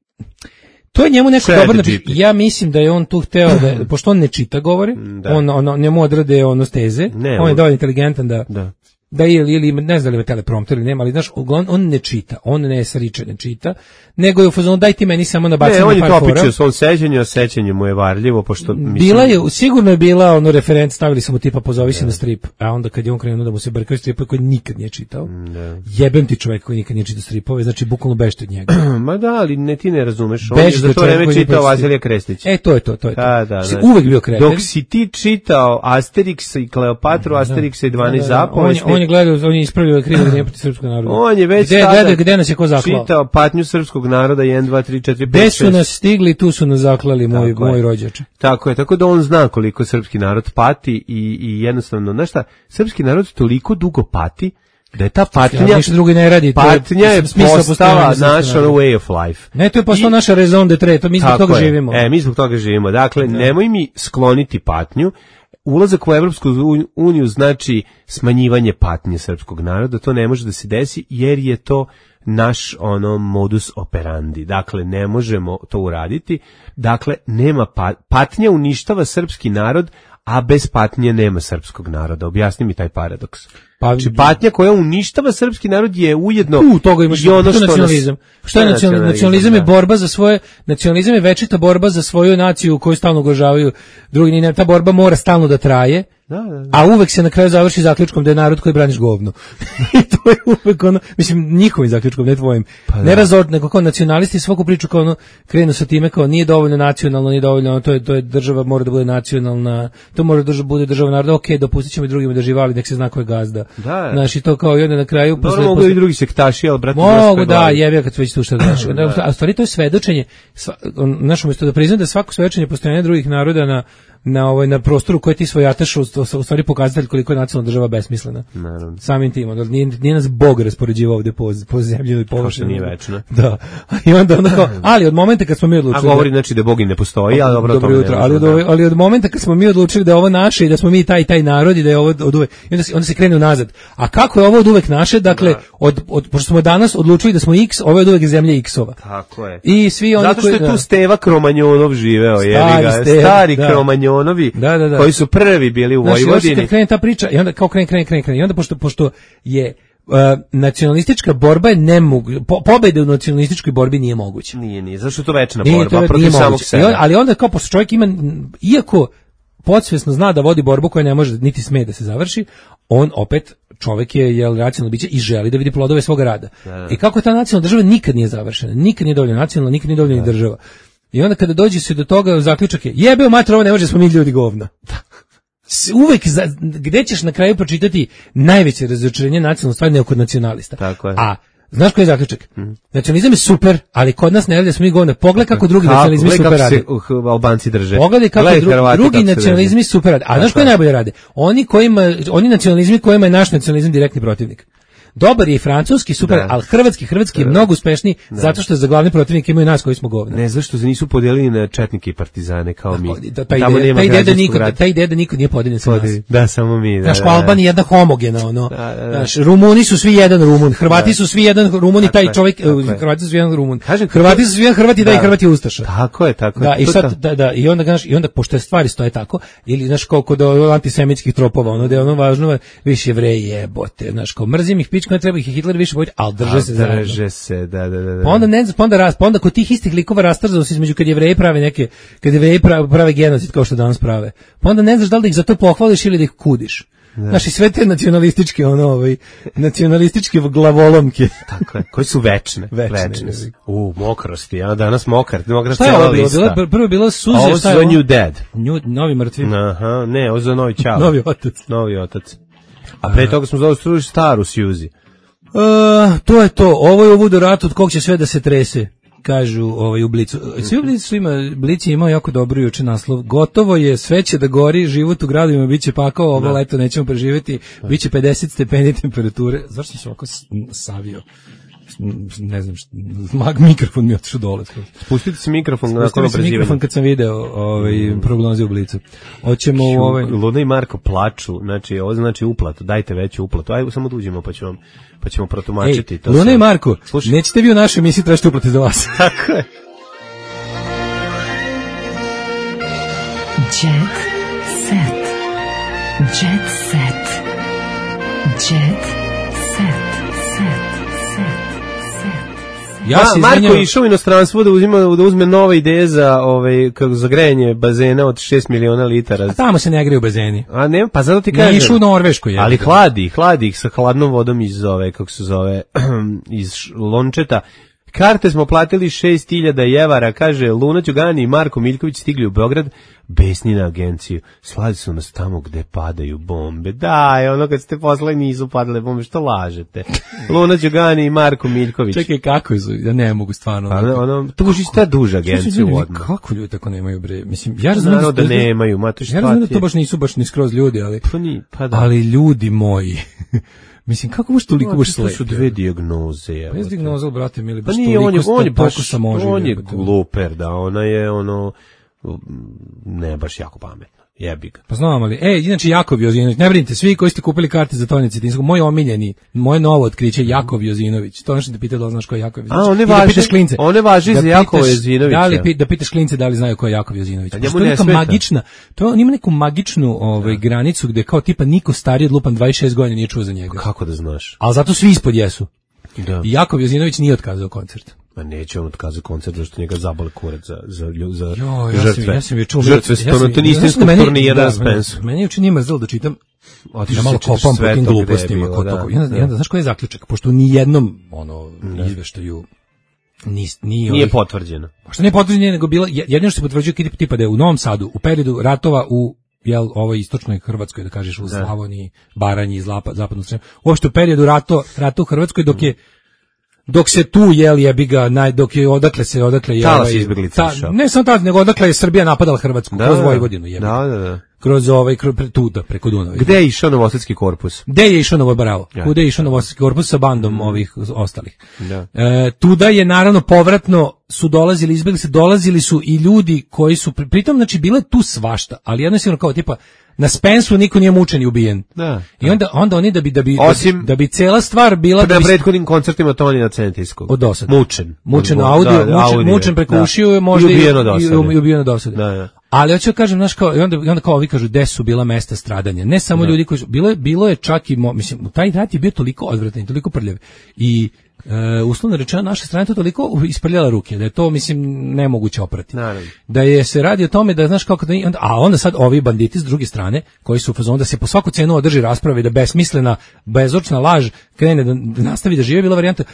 to je njemu neko Chat dobro G napisao. P T. Ja mislim da je on tu hteo da, pošto on ne čita govori, Da. on, on, njemu odrade ono steze, Ne, on je on- dovoljno inteligentan da, Da. da ili, ili ne znam da li ima teleprompter ili nema, ali znaš, on, on ne čita, on ne sariče, ne čita, nego je u fazonu daj ti meni samo nabacim ne, on je par to fora. opičio svom sećanju, a sećanje mu je varljivo, pošto mislim... Bila je, sigurno je bila ono referent, stavili smo tipa pozovi se na strip, a onda kad je on krenuo da mu se brkaju stripove koji nikad nije čitao, da. Jebem ti čovjek koji nikad nije čitao stripove, znači bukvalno bežte od njega. Ma da, ali ne, ti ne razumeš, on Bež je za to vreme čitao Vasilija Krestić. E, to je to, to je to. Da, da, si da. uvek bio kreten. Dok si ti čitao Asterixa i Kleopatru, Asterixa i dvanaest da, da, da. zapovesti... On, on je gledao, on je ispravio krivo da nije protiv srpskog naroda. On je već gde, tada gde, gde nas je ko zaklao? čitao patnju srpskog naroda jedan, dva, tri, četiri, pet, Gde šest. su nas stigli, tu su nas zaklali, moj, moj rođače. Tako je, tako da on zna koliko srpski narod pati i, i jednostavno, znaš šta, srpski narod toliko dugo pati da je ta patnja, ja, ništa drugo ne radi, patnja je postala naš ono way of life. Ne, to je postala naša raison d'etre, to mi zbog toga je. živimo. E, mi zbog toga živimo. Dakle, da. Nemoj mi skloniti patnju. Ulazak u Evropsku uniju znači smanjivanje patnje srpskog naroda, to ne može da se desi jer je to naš ono modus operandi. Dakle, ne možemo to uraditi. Dakle, nema pat, patnja uništava srpski narod, a bez patnje nema srpskog naroda. Objasni mi taj paradoks. Pa, znači, patnja koja uništava srpski narod je ujedno u toga imaš i ono što nacionalizam. Nas, što je nacionalizam? Nacionalizam je borba za svoje, nacionalizam je večita borba za svoju naciju koju stalno ugrožavaju drugi. Ta borba mora stalno da traje. Da, da, da. A uvek se na kraju završi zaključkom da je narod koji braniš govno. I to je uvek ono, mislim, njihovim zaključkom, ne tvojim. Pa ne razord, nego kao nacionalisti svaku priču kao ono, krenu sa time kao nije dovoljno nacionalno, nije dovoljno, ono, to je, to je država mora da bude nacionalna, to mora da bude država naroda, ok, dopustit ćemo i drugima da žive, ali nek se zna ko je gazda. Da. Znaš, i to kao i onda na kraju... Dobro, posle, mogu posle, i drugi sektaši, ali brate... Mogu, da, jebija kad se već tu šta znaš. A stvari to je svedočenje, znaš, umjesto da priznam da svako svedočenje postojanja drugih naroda na na ovaj na prostoru koji ti svojataš u, u stvari pokazatelj koliko je nacionalna država besmislena. Naravno. Samim tim, onda nije, nije nas Bog raspoređivao ovde po po zemlji i površini. Nije večno. Da. I onda onda kao, ali od momenta kad smo mi odlučili, a govori da, znači da Bog i ne postoji, ali dobro, dobro jutro, ali od, ali od momenta kad smo mi odlučili da je ovo naše i da smo mi taj taj narod i da je ovo od uvek, onda se onda se krene nazad. A kako je ovo od uvek naše? Dakle, da. od od pošto smo danas odlučili da smo X, ovo je od uvek zemlja X-ova. Tako je. I svi oni zato što koji, je tu Steva Kromanjonov živeo, je li ga, stari da. Kromanjonovi. Da, da, da. Koji su prvi bili u znači, Vojvodini. Znači, krene ta priča i onda kao krene, krene, krene, krene. I onda pošto, pošto je uh, nacionalistička borba je nemoguća, po, pobjede u nacionalističkoj borbi nije moguća. Nije, nije, zašto je to večna nije, borba, to, protiv samog sebe. On, ali onda kao pošto čovjek ima, iako podsvjesno zna da vodi borbu koja ne može niti sme da se završi, on opet čovjek je jel racionalno biće i želi da vidi plodove svog rada. Da, da. I kako ta nacionalna država nikad nije završena, nikad nije dovoljno nacionalna, nikad nije dovoljno da. Država. I onda kada dođe se do toga, zaključak je, jebeo mater, ovo ne može, smo mi ljudi govna. Uvek, za, gde ćeš na kraju pročitati najveće razočarenje nacionalne stvari nego kod nacionalista. Tako je. A, znaš koji je zaključak? Mm. Nacionalizam je super, ali kod nas ne radi da smo mi govna. Pogledaj kako drugi kako, nacionalizmi super rade. Kako se uh, Albanci drže. Pogledaj kako Gledaj, dru, Hrvati, drugi kako nacionalizmi super rade. A znaš koji najbolje rade? Oni, kojima, oni nacionalizmi kojima je naš nacionalizam direktni protivnik. Dobar je i francuski, super, da. Ali hrvatski, hrvatski je mnogo uspešniji da. Zato što za glavni protivnik imaju nas koji smo govna. Ne, zašto se nisu podijelili na četnike i partizane kao da, mi. Da, ta ideja, ta ideja da niko, ta ideja da niko nije podijeljen sa nas. Da, samo mi. Da, naš da, da. Albanija je jedna homogena, ono. Da, da, da. Naš Rumuni su svi jedan Rumun, Hrvati da. Su svi jedan Rumun i taj čovjek, Hrvati su svi jedan Rumun. Kažem, Hrvati su svi jedan Hrvati da i Hrvati ustaša. Tako je, tako je. Da, i sad da, da, i onda znaš, i onda pošto je stvari stoje tako, ili znaš koliko do antisemitskih tropova, ono da je ono važno, više Jevreji jebote, znaš, kao mrzim ih pička, treba ih Hitler više bojiti, al drže al se zajedno. Drže se, da, da, da. Pa onda ne znam, pa onda raz, pa onda kod tih istih likova rastrzao se između kad Jevreji prave neke, kad Jevreji prave, prave genocid kao što danas prave. Pa onda ne znaš da li da ih za to pohvališ ili da ih kudiš. Naši sve te nacionalističke, ono, ovaj, nacionalističke glavolomke. Tako je, koji su večne. Večne. večne su. U, mokrosti, ja danas mokar, mokra šta je cela ovo bilo? lista. Bilo, prvo je bilo suze, ovo šta je ovo? Ovo New Dead. New, novi mrtvi. Aha, ne, ovo za novi čao. Novi otac. Novi otac. A pre toga smo zaustruli staru Suzy. Uh, to je to, ovo je ovu rat od kog će sve da se trese, kažu ovaj u Blicu. Svi u Blicu ima, Blic je imao jako dobro juče naslov, gotovo je, sve će da gori, život u gradovima biće pakao, ovo da. Leto nećemo preživjeti, biće pedeset stepeni temperature. Zašto sam se ovako savio? Ne znam, šta, mag mikrofon mi je otišao dole. Spustite se mikrofon na Spustite se mikrofon kad sam video ovaj, mm. prognoze u Blicu. Hoćemo u ovaj... Luna i Marko plaču, znači ovo znači uplatu, dajte veću uplatu. Ajde samo da uđemo pa ćemo, pa ćemo protumačiti. Ej, to Luna sve. I Marko, slušaj. Nećete vi u našoj emisiji tražiti uplate za vas. Tako je. Jet set. Jet set. Jet set. Ja Ma, se Marko izvinjam. je išao u inostranstvo da, uzima, da uzme nove ideje za, ovaj, kako, za grejanje bazena od šest miliona litara. A tamo se ne greju bazeni. A ne, pa zato ti Ne kažem. išu u Norvešku. Je. Ali hladi, hladi ih sa hladnom vodom iz ove, kako se zove, iz lončeta. Karte smo platili šest hiljada evara, kaže Luna Đugani i Marko Miljković stigli u Beograd, besni na agenciju. Slali su nas tamo gde padaju bombe. Daj, ono kad ste poslali nisu padale bombe, što lažete? Luna Đugani i Marko Miljković. Čekaj, kako su? Ja ne mogu stvarno. Ono, ono, tuži sta duža agenciju odmah. Kako ljudi tako nemaju bre? Mislim, ja razumijem Naravno da nemaju, ma to šta ja razumijem ti da to baš nisu baš ni skroz ljudi, ali Pa ni, pa da. ali ljudi moji. Mislim, kako možeš toliko baš To slepi? su dve dijagnoze. Pa je dijagnoza, brate, mili, Pa baš nije, on je, toliko on je baš, sa može. on je gluper, da, ona je ono, ne baš jako pametna, jebi ga. Pa znam, ali, e, inače Jakov Jozinović, ne brinite, svi koji ste kupili karte za Tonje Cetinskog, moj omiljeni, moje novo otkriće Jakov Jozinović. To nešto da pitao da li znaš ko je Jakov Jozinović. A, on ne I da važi- pitaš klince. on ne važi Da za Jakova pitaš- Jozinovića. Da li pi- da pitaš klince da li znaju ko je Jakov Jozinović. A Pošto njemu to je ne neka smeta. magična, to je, on ima neku magičnu ovaj, granicu gde kao tipa niko stariji od lupan dvadeset šest godina nije čuo za njega. Kako da znaš? Ali zato svi ispod jesu. Da. I Jakov Jozinović nije otkazao koncert. Ma neće on otkazati koncert zašto njega zabole kurac za, za, lju- za Jo, ja žrtve. sam, ja sam je čuo. Žrtve ja sam- stonotonistinskog meni- turnira da, na Spensu. Meni je učin ima zelo da čitam, Otišao da malo si čitaš kopam po sve tim to gde je glupostima. bilo, Ko da, to, ja, da. ja, znaš koji je zaključak? Pošto u nijednom ono, izveštaju ni, ni Nije ovih- potvrđeno. Što nije potvrđeno, nego bila, jedino što se potvrđuje tipa, tipa da je u Novom Sadu, u periodu ratova u jel, ovoj istočnoj Hrvatskoj, da kažeš u Slavoniji, Baranji, Zlapa, zapadnu Sremu, uopšte u periodu rato, rata u Hrvatskoj, dok je dok se tu jel jebi ga naj dok je odakle se odakle je Talas ovaj- izbeglica ta- išao. ne samo tad nego odakle je Srbija napadala Hrvatsku Da, kroz da. Vojvodinu jebi ga. Da, da, da. Kroz ovaj kroz pre- tu da preko Dunava. Gde je išao Novosadski korpus? Gde je išao Novo Bravo? Ja. Kuda je išao Novosadski korpus sa bandom ovih ostalih? Da. E, tuda je naravno povratno su dolazili, izbjegli se, dolazili su i ljudi koji su, pri- pritom znači bilo je tu svašta, ali jednostavno kao tipa na Spensu niko nije mučen i ubijen. Da. I onda, onda oni da bi, da bi, Osim- da bi cela stvar bila da Na bi, prethodnim koncertima Tonija Centijskog. od dosade. Mučen. Mučen Od- audio, da, mučen, audio, mučen preko da. ušiju, možda I ubijen od i, dosade. i ubijen od dosade. Da, da. Ali hoću da kažem, znaš kao, i onda, i onda kao ovi kažu, gde su bila mesta stradanja. Ne samo ljudi koji su, bilo je, bilo je čak i, mo- mislim, taj rat je bio toliko odvratan, i toliko prljav. I e, uslovno rečeno, naša strana je to toliko isprljala ruke, da je to, mislim, nemoguće oprati. Naravno. Da je se radi o tome da, znaš kako da, onda, a onda sad ovi banditi s druge strane, koji su u fazonu da se po svaku cenu održi rasprava i da besmislena, bezočna laž krene da, da nastavi da žive, bila varijanta.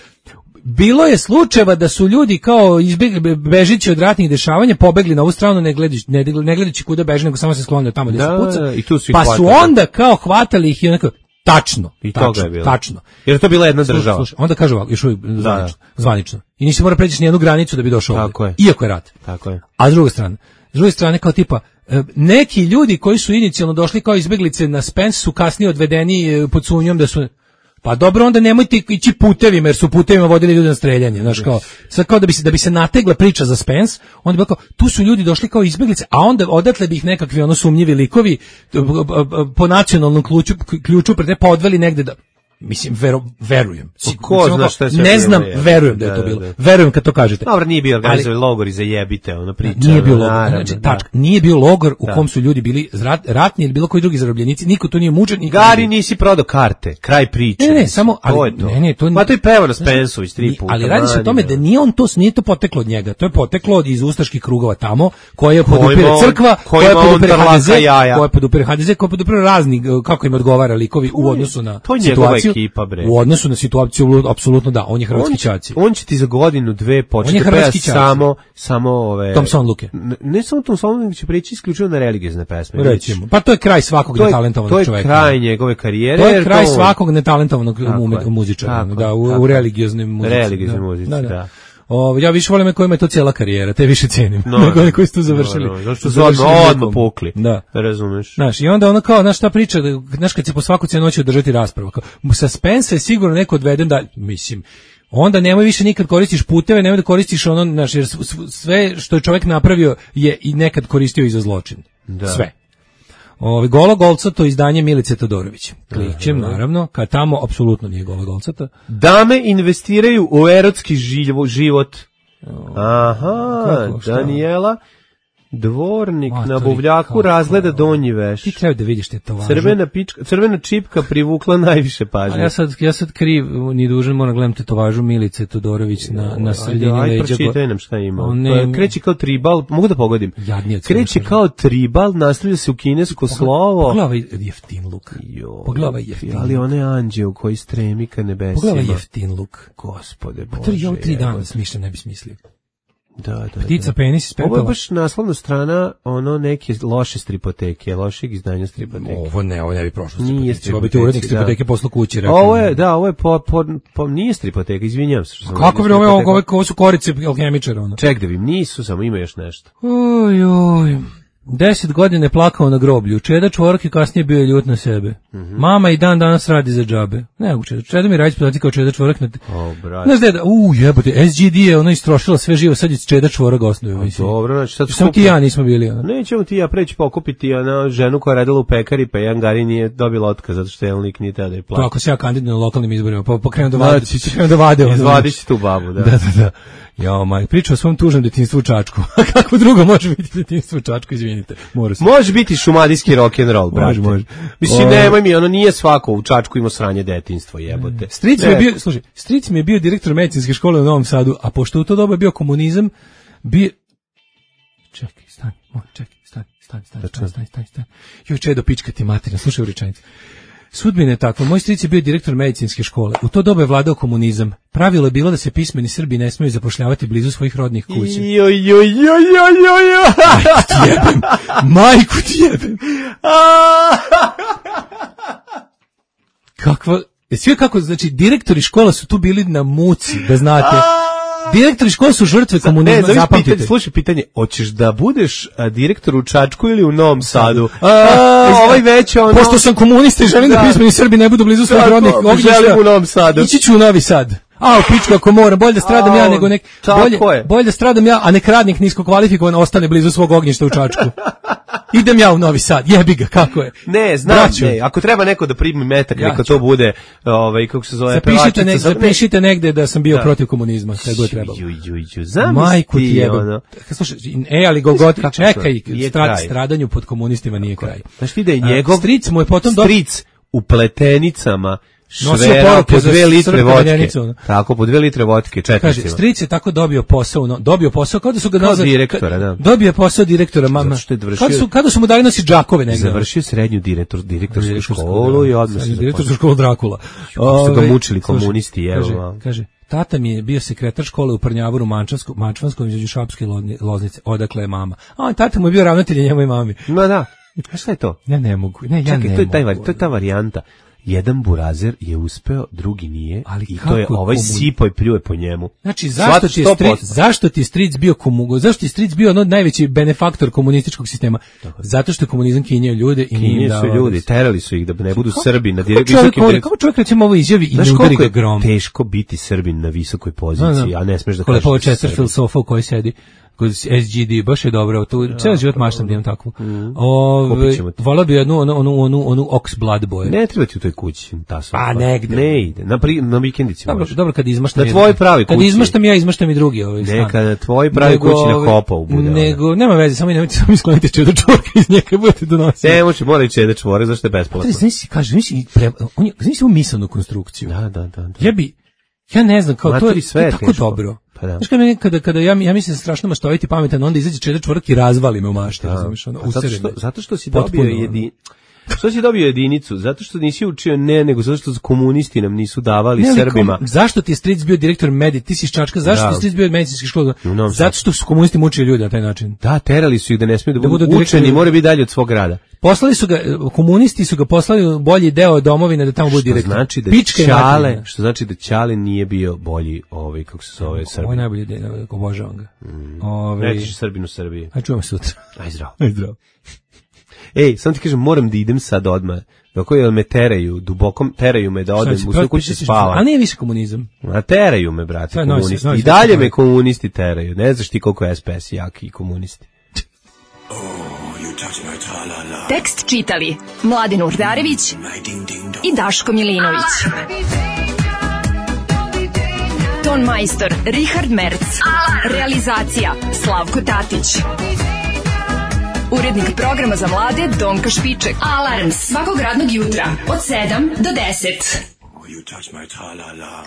Bilo je slučajeva da su ljudi kao izbjegli, bežići od ratnih dešavanja pobegli na ovu stranu ne gledajući, ne, ne gledajući kuda beže, nego samo se sklonili tamo gde Da, se puca. da, i tu su ih pa su hvatali. onda kao hvatali ih i onako, tačno, I tačno, toga je bilo. tačno. Jer je to bila jedna Slušaj, država. slušaj, onda kaže ovako, još uvijek zvanično, zvanično. I nisi mora preći ni jednu granicu da bi došao Tako ovdje. je. Iako je rat. Tako je. A s druge strane, s druge strane kao tipa, e, neki ljudi koji su inicijalno došli kao izbeglice na Spence su kasnije odvedeni e, pod sumnjom da su. Pa dobro, onda nemojte ići putevima, jer su putevima vodili ljudi na streljanje, znaš kao, sad kao da bi se da bi se nategla priča za Spence, onda bi bilo kao, tu su ljudi došli kao izbeglice, a onda odatle bi ih nekakvi ono sumnjivi likovi b- b- b- po nacionalnom ključu ključu pre pa odveli negde da mislim vero, verujem. Ko Mislim, zna kao, šta je sve ne bilo, znam, je. verujem da je Da, to da, bilo. da. Verujem kad to kažete. Dobro, nije bio organizovan Ali- logor i zajebite, ona priča. Nije bio logor, naravno, znači, da. tačka, nije bio logor u Da. kom su ljudi bili rat, ratni ili bilo koji drugi zarobljenici, niko tu nije mučen. niko Gari, nije- nisi prodao karte, kraj priče. Ne, ne, mislim, samo, ali, to je to. ne, ne, to Ma to je pevano Spensović tri Ni- puta. Ali radi se o mani tome me. da nije on to, nije to poteklo od njega, to je poteklo od iz ustaških krugova tamo, koje podupire ima on- crkva, ko koje ima on podupire trlaka ha de ze, jaja. koje podupire ha de ze, koje podupire razni, kako im odgovara likovi u odnosu na to je njegova situaciju. ekipa, bre. U odnosu na situaciju, apsolutno da, on je hrvatski on, će- ćaci. on će ti za godinu, dve početi On je da peva hrvatski ćaci. samo, samo ove... Thompson Luke. Ne, ne samo Thompson, nego će prići isključivo na religiozne pesme. Recimo. Pa to je kraj svakog to je, netalentovanog to je čoveka. kraj njegove karijere. To je jer kraj on- svakog netalentovanog Tako ume- je. muzičara, Tako da, je, u, tako u je. religioznim muzici. Religioznoj muzici, da. O, ja više volim kojima je to cijela karijera, te više cenim, No, nego oni koji su tu završili. No, no, zašto su završili odmah, odmah mukom. pukli. Da. Razumeš? Znaš, i onda ono kao, znaš šta priča, da, znaš kad se po svaku cijenu hoće održati rasprava, kao, sa Spensa je sigurno neko odveden da, mislim, onda nemoj više nikad koristiš puteve, nemoj da koristiš ono, znaš, jer s- s- sve što je čovjek napravio je i nekad koristio i za zločin. Da. Sve. Ovi Golo Golcato izdanje Milice Todorović. Kličem, naravno, kad tamo apsolutno nije Golo Golcato. Dame investiraju u erotski živo, život. Aha, Kako, šta? Daniela. Dvornik Matori, na buvljaku kako? razgleda donji veš. Ti treba da vidiš te to važno. Crvena, pička, crvena čipka privukla najviše pažnje. A ja sad, ja sad kriv, ni dužan, moram gledam tetovažu Milice Todorović na, na sredini leđa. Ajde, pročitaj nam šta ima. Ne, kreće kao tribal, mogu da pogodim. Kreće kao tribal, nastavlja se u kinesko slovo. Pogledaj ovaj jeftin luk. Pogledaj ovaj jeftin luk. Ali onaj anđeo koji stremi ka nebesima. Pogledaj ovaj jeftin luk. Gospode Bože. Pa to je ovo tri dana smišljam, ne bi smislio. Da, da, Ptica, da. penis iz pepela. Ovo je baš naslovna strana ono neke loše stripoteke, lošeg izdanja stripoteke. Ovo ne, ovo ne bi prošlo nije stripoteke. Ovo bi ti urednik stripoteke poslu kući. Rekao. Ovo je, da, ovo je po, po, po nije stripoteka, izvinjam se. Što sam kako bi ovo, ovo, ovo su korice alhemičara? Ono. Ček da vidim, nisu, samo ima još nešto. Oj, oj. Deset godine plakao na groblju. Čeda čvorak i kasnije bio je ljut na sebe. Mm-hmm. Mama i dan danas radi za džabe. Ne, Čeda, Čeda mi radi podaci kao Čeda čvorak. Na... O, brate. Znaš da, u jebote, S G D je ono istrošila sve živo, sad je Čeda čvorak osnovio. Dobro, znači sad samo ti ja nismo bili. Ono. Nećemo ti ja preći pokupiti ona ženu koja je radila u pekari, pa jedan gari nije dobila otkaz, zato što jedan lik nije tada je plaća. To ako se ja kandidujem na lokalnim izborima, pa pokrenem da vade. Pokrenem da vade. Izvadiš tu babu, da. Da, da, da. Ja, maj, priča o svom tužnom detinjstvu u Čačku. A kako drugo može biti detinjstvo u Čačku, izvinite. Mora se. Može biti šumadijski rock and roll, brate. Može, može. Mislim, nemoj mi, ono nije svako u Čačku ima sranje detinjstvo, jebote. Stric mi je bio, slušaj, stric mi je bio direktor medicinske škole u Novom Sadu, a pošto u to doba je bio komunizam, bio... Čekaj, stani, moj, čekaj, stani, stani, stani, stani, stani, stani, stani. Joj, Čedo, pička ti materina, slušaj u rečenicu. Sudbina je takva, moj stric je bio direktor medicinske škole. U to doba je vladao komunizam. Pravilo je bilo da se pismeni Srbi ne smiju zapošljavati blizu svojih rodnih kuća. Jo, jo, jo, jo, jo, jo. Majku ti jebem. Majku ti jebem. Kakva... Sve kako, znači, direktori škola su tu bili na muci, da znate. Direktori škola su žrtve komunizma, zapamtite. Pitanje, slušaj pitanje, hoćeš da budeš a, direktor u Čačku ili u Novom Sadu? A, a, ovaj već ono... Pošto sam komunista i želim da, da pismeni Srbi ne budu blizu svojih rodnih ognjišta. Želim u Novom Sadu. Ići ću u Novi Sad. A, u pičku ako moram, bolje da stradam a, ja nego nek... Bolje, bolje da stradam ja, a nek radnik nisko kvalifikovan ostane blizu svog ognjišta u Čačku. Idem ja u Novi Sad, jebi ga, kako je? Ne, znam, Braću. ne, ako treba neko da primi metak, ja neka to bude, ovaj, kako se zove, zapišite, ne, zapišite negde da sam bio da. protiv komunizma, sve god trebalo. Ju, ju, ju, Majku ti jebem. Ono. Slušaj, e, ali Golgoti, čekaj, strad, stradanju pod komunistima nije kraj. Znaš ti da je njegov stric mu je potom stric u pletenicama švera po dve litre vodke. Tako, po dve litre vodke, četnicima. Kaže, stric je tako dobio posao, no, dobio posao, kao da su ga nazad... Kao direktora, da. Dobio posao direktora, mama. Kada su, kada su mu dali nosi džakove negdje. Završio srednju direktor, direktorsku školu i odmah se direktorsku školu Drakula. Su ga mučili komunisti, kaže, kaže, tata mi je bio sekretar škole u Prnjavoru Mančanskom, Mančvanskom između Šapske i Loznice. Odakle je mama? A tata mu je bio ravnatelj njemu i mami. Ma da. A šta je to? Ja ne mogu. Ne, ja Čekaj, ne to je taj, mogu. To je ta varijanta. Jedan burazer je uspeo, drugi nije, ali i to je ovaj sipo i pljuje po njemu. Znači, zašto ti, je stric, zašto ti je stric bio komugo, zašto ti je stric bio ono najveći benefaktor komunističkog sistema? Tako. Zato što je komunizam kinjeo ljude i nije su ljudi, terali su ih da ne budu kako, Srbi na direkt, kako čovjek, direkt... kako čovjek recimo ovo izjavi i ne udari ga grom? Teško biti Srbin na visokoj poziciji, no, no. a ne smeš da kažeš. Koliko je Chesterfield sofa u kojoj sedi kod S G D, baš je dobro, tu ceo život maštam da imam takvu. Mm. Volao bi jednu onu, onu, onu, onu Ox Blood boju. Ne treba ti u toj kući, ta sofa. Pa negde. Ne ide, na, pri, na vikendici dobro, možeš. Dobro, kad izmaštam na tvoj pravi kući. Kad izmaštam ja, izmaštam i drugi ovaj stan. Ne, kada tvoj pravi nego, kući na Hopovu bude. Nego, nema veze, samo nemojte samo iskloniti čedo čvorka iz nje kad budete donositi. Ne, može, mora i čedo čvorka, zašto je besplatno. Znaš si, kaže, znaš si, on je, znaš si u misalnu konstrukciju. Da, da, da. Ja bi, ja ne znam, kao to je, to je tako dobro. Pa da. Znaš kada, kada, kada ja, ja mislim strašno maštoviti pametan, onda izađe čedo čvork i razvali me u mašte. Razumiješ, ono, zato, što, zato što si dobio jedin... Što si dobio jedinicu? Zato što nisi učio ne, nego zato što komunisti nam nisu davali ne, Srbima. Kom, zašto ti je stric bio direktor medij? Ti si iz Čačka, zašto da. ti je stric bio medicinski škola? No, zato što su komunisti mučili ljude na taj način. Da, terali su ih da ne smiju da, da budu, budu učeni, mora biti dalje od svog grada. Poslali su ga, komunisti su ga poslali u bolji deo domovine da tamo bude direktor. Znači da Ćale, što znači da Ćale nije bio bolji, ovaj, kako se zove, Srbin. Ovo je najbolji deo, obožavam ga. Mm. Ove... Nećeš Srbin u Srbiji. Aj čujemo sutra. Aj zdravo. Aj zdravo. Ej, sam ti kažem, moram da idem sad odmah. Dok je me teraju, dubokom teraju me da odem u svoju kuću spava. Ali nije više komunizam. A teraju me, brate, sve komunisti. Nosi, I dalje nosi. me komunisti teraju. Ne znaš ti koliko je S P S jaki i komunisti. Oh, tekst čitali Mladen Urdarević i Daško Milinović. Ton majstor Richard Merc. Realizacija Slavko Tatić. Urednik programa za mlade Donka Špiček. Alarms svakog radnog jutra od sedam do deset. Oh, you touch my tra-la-la.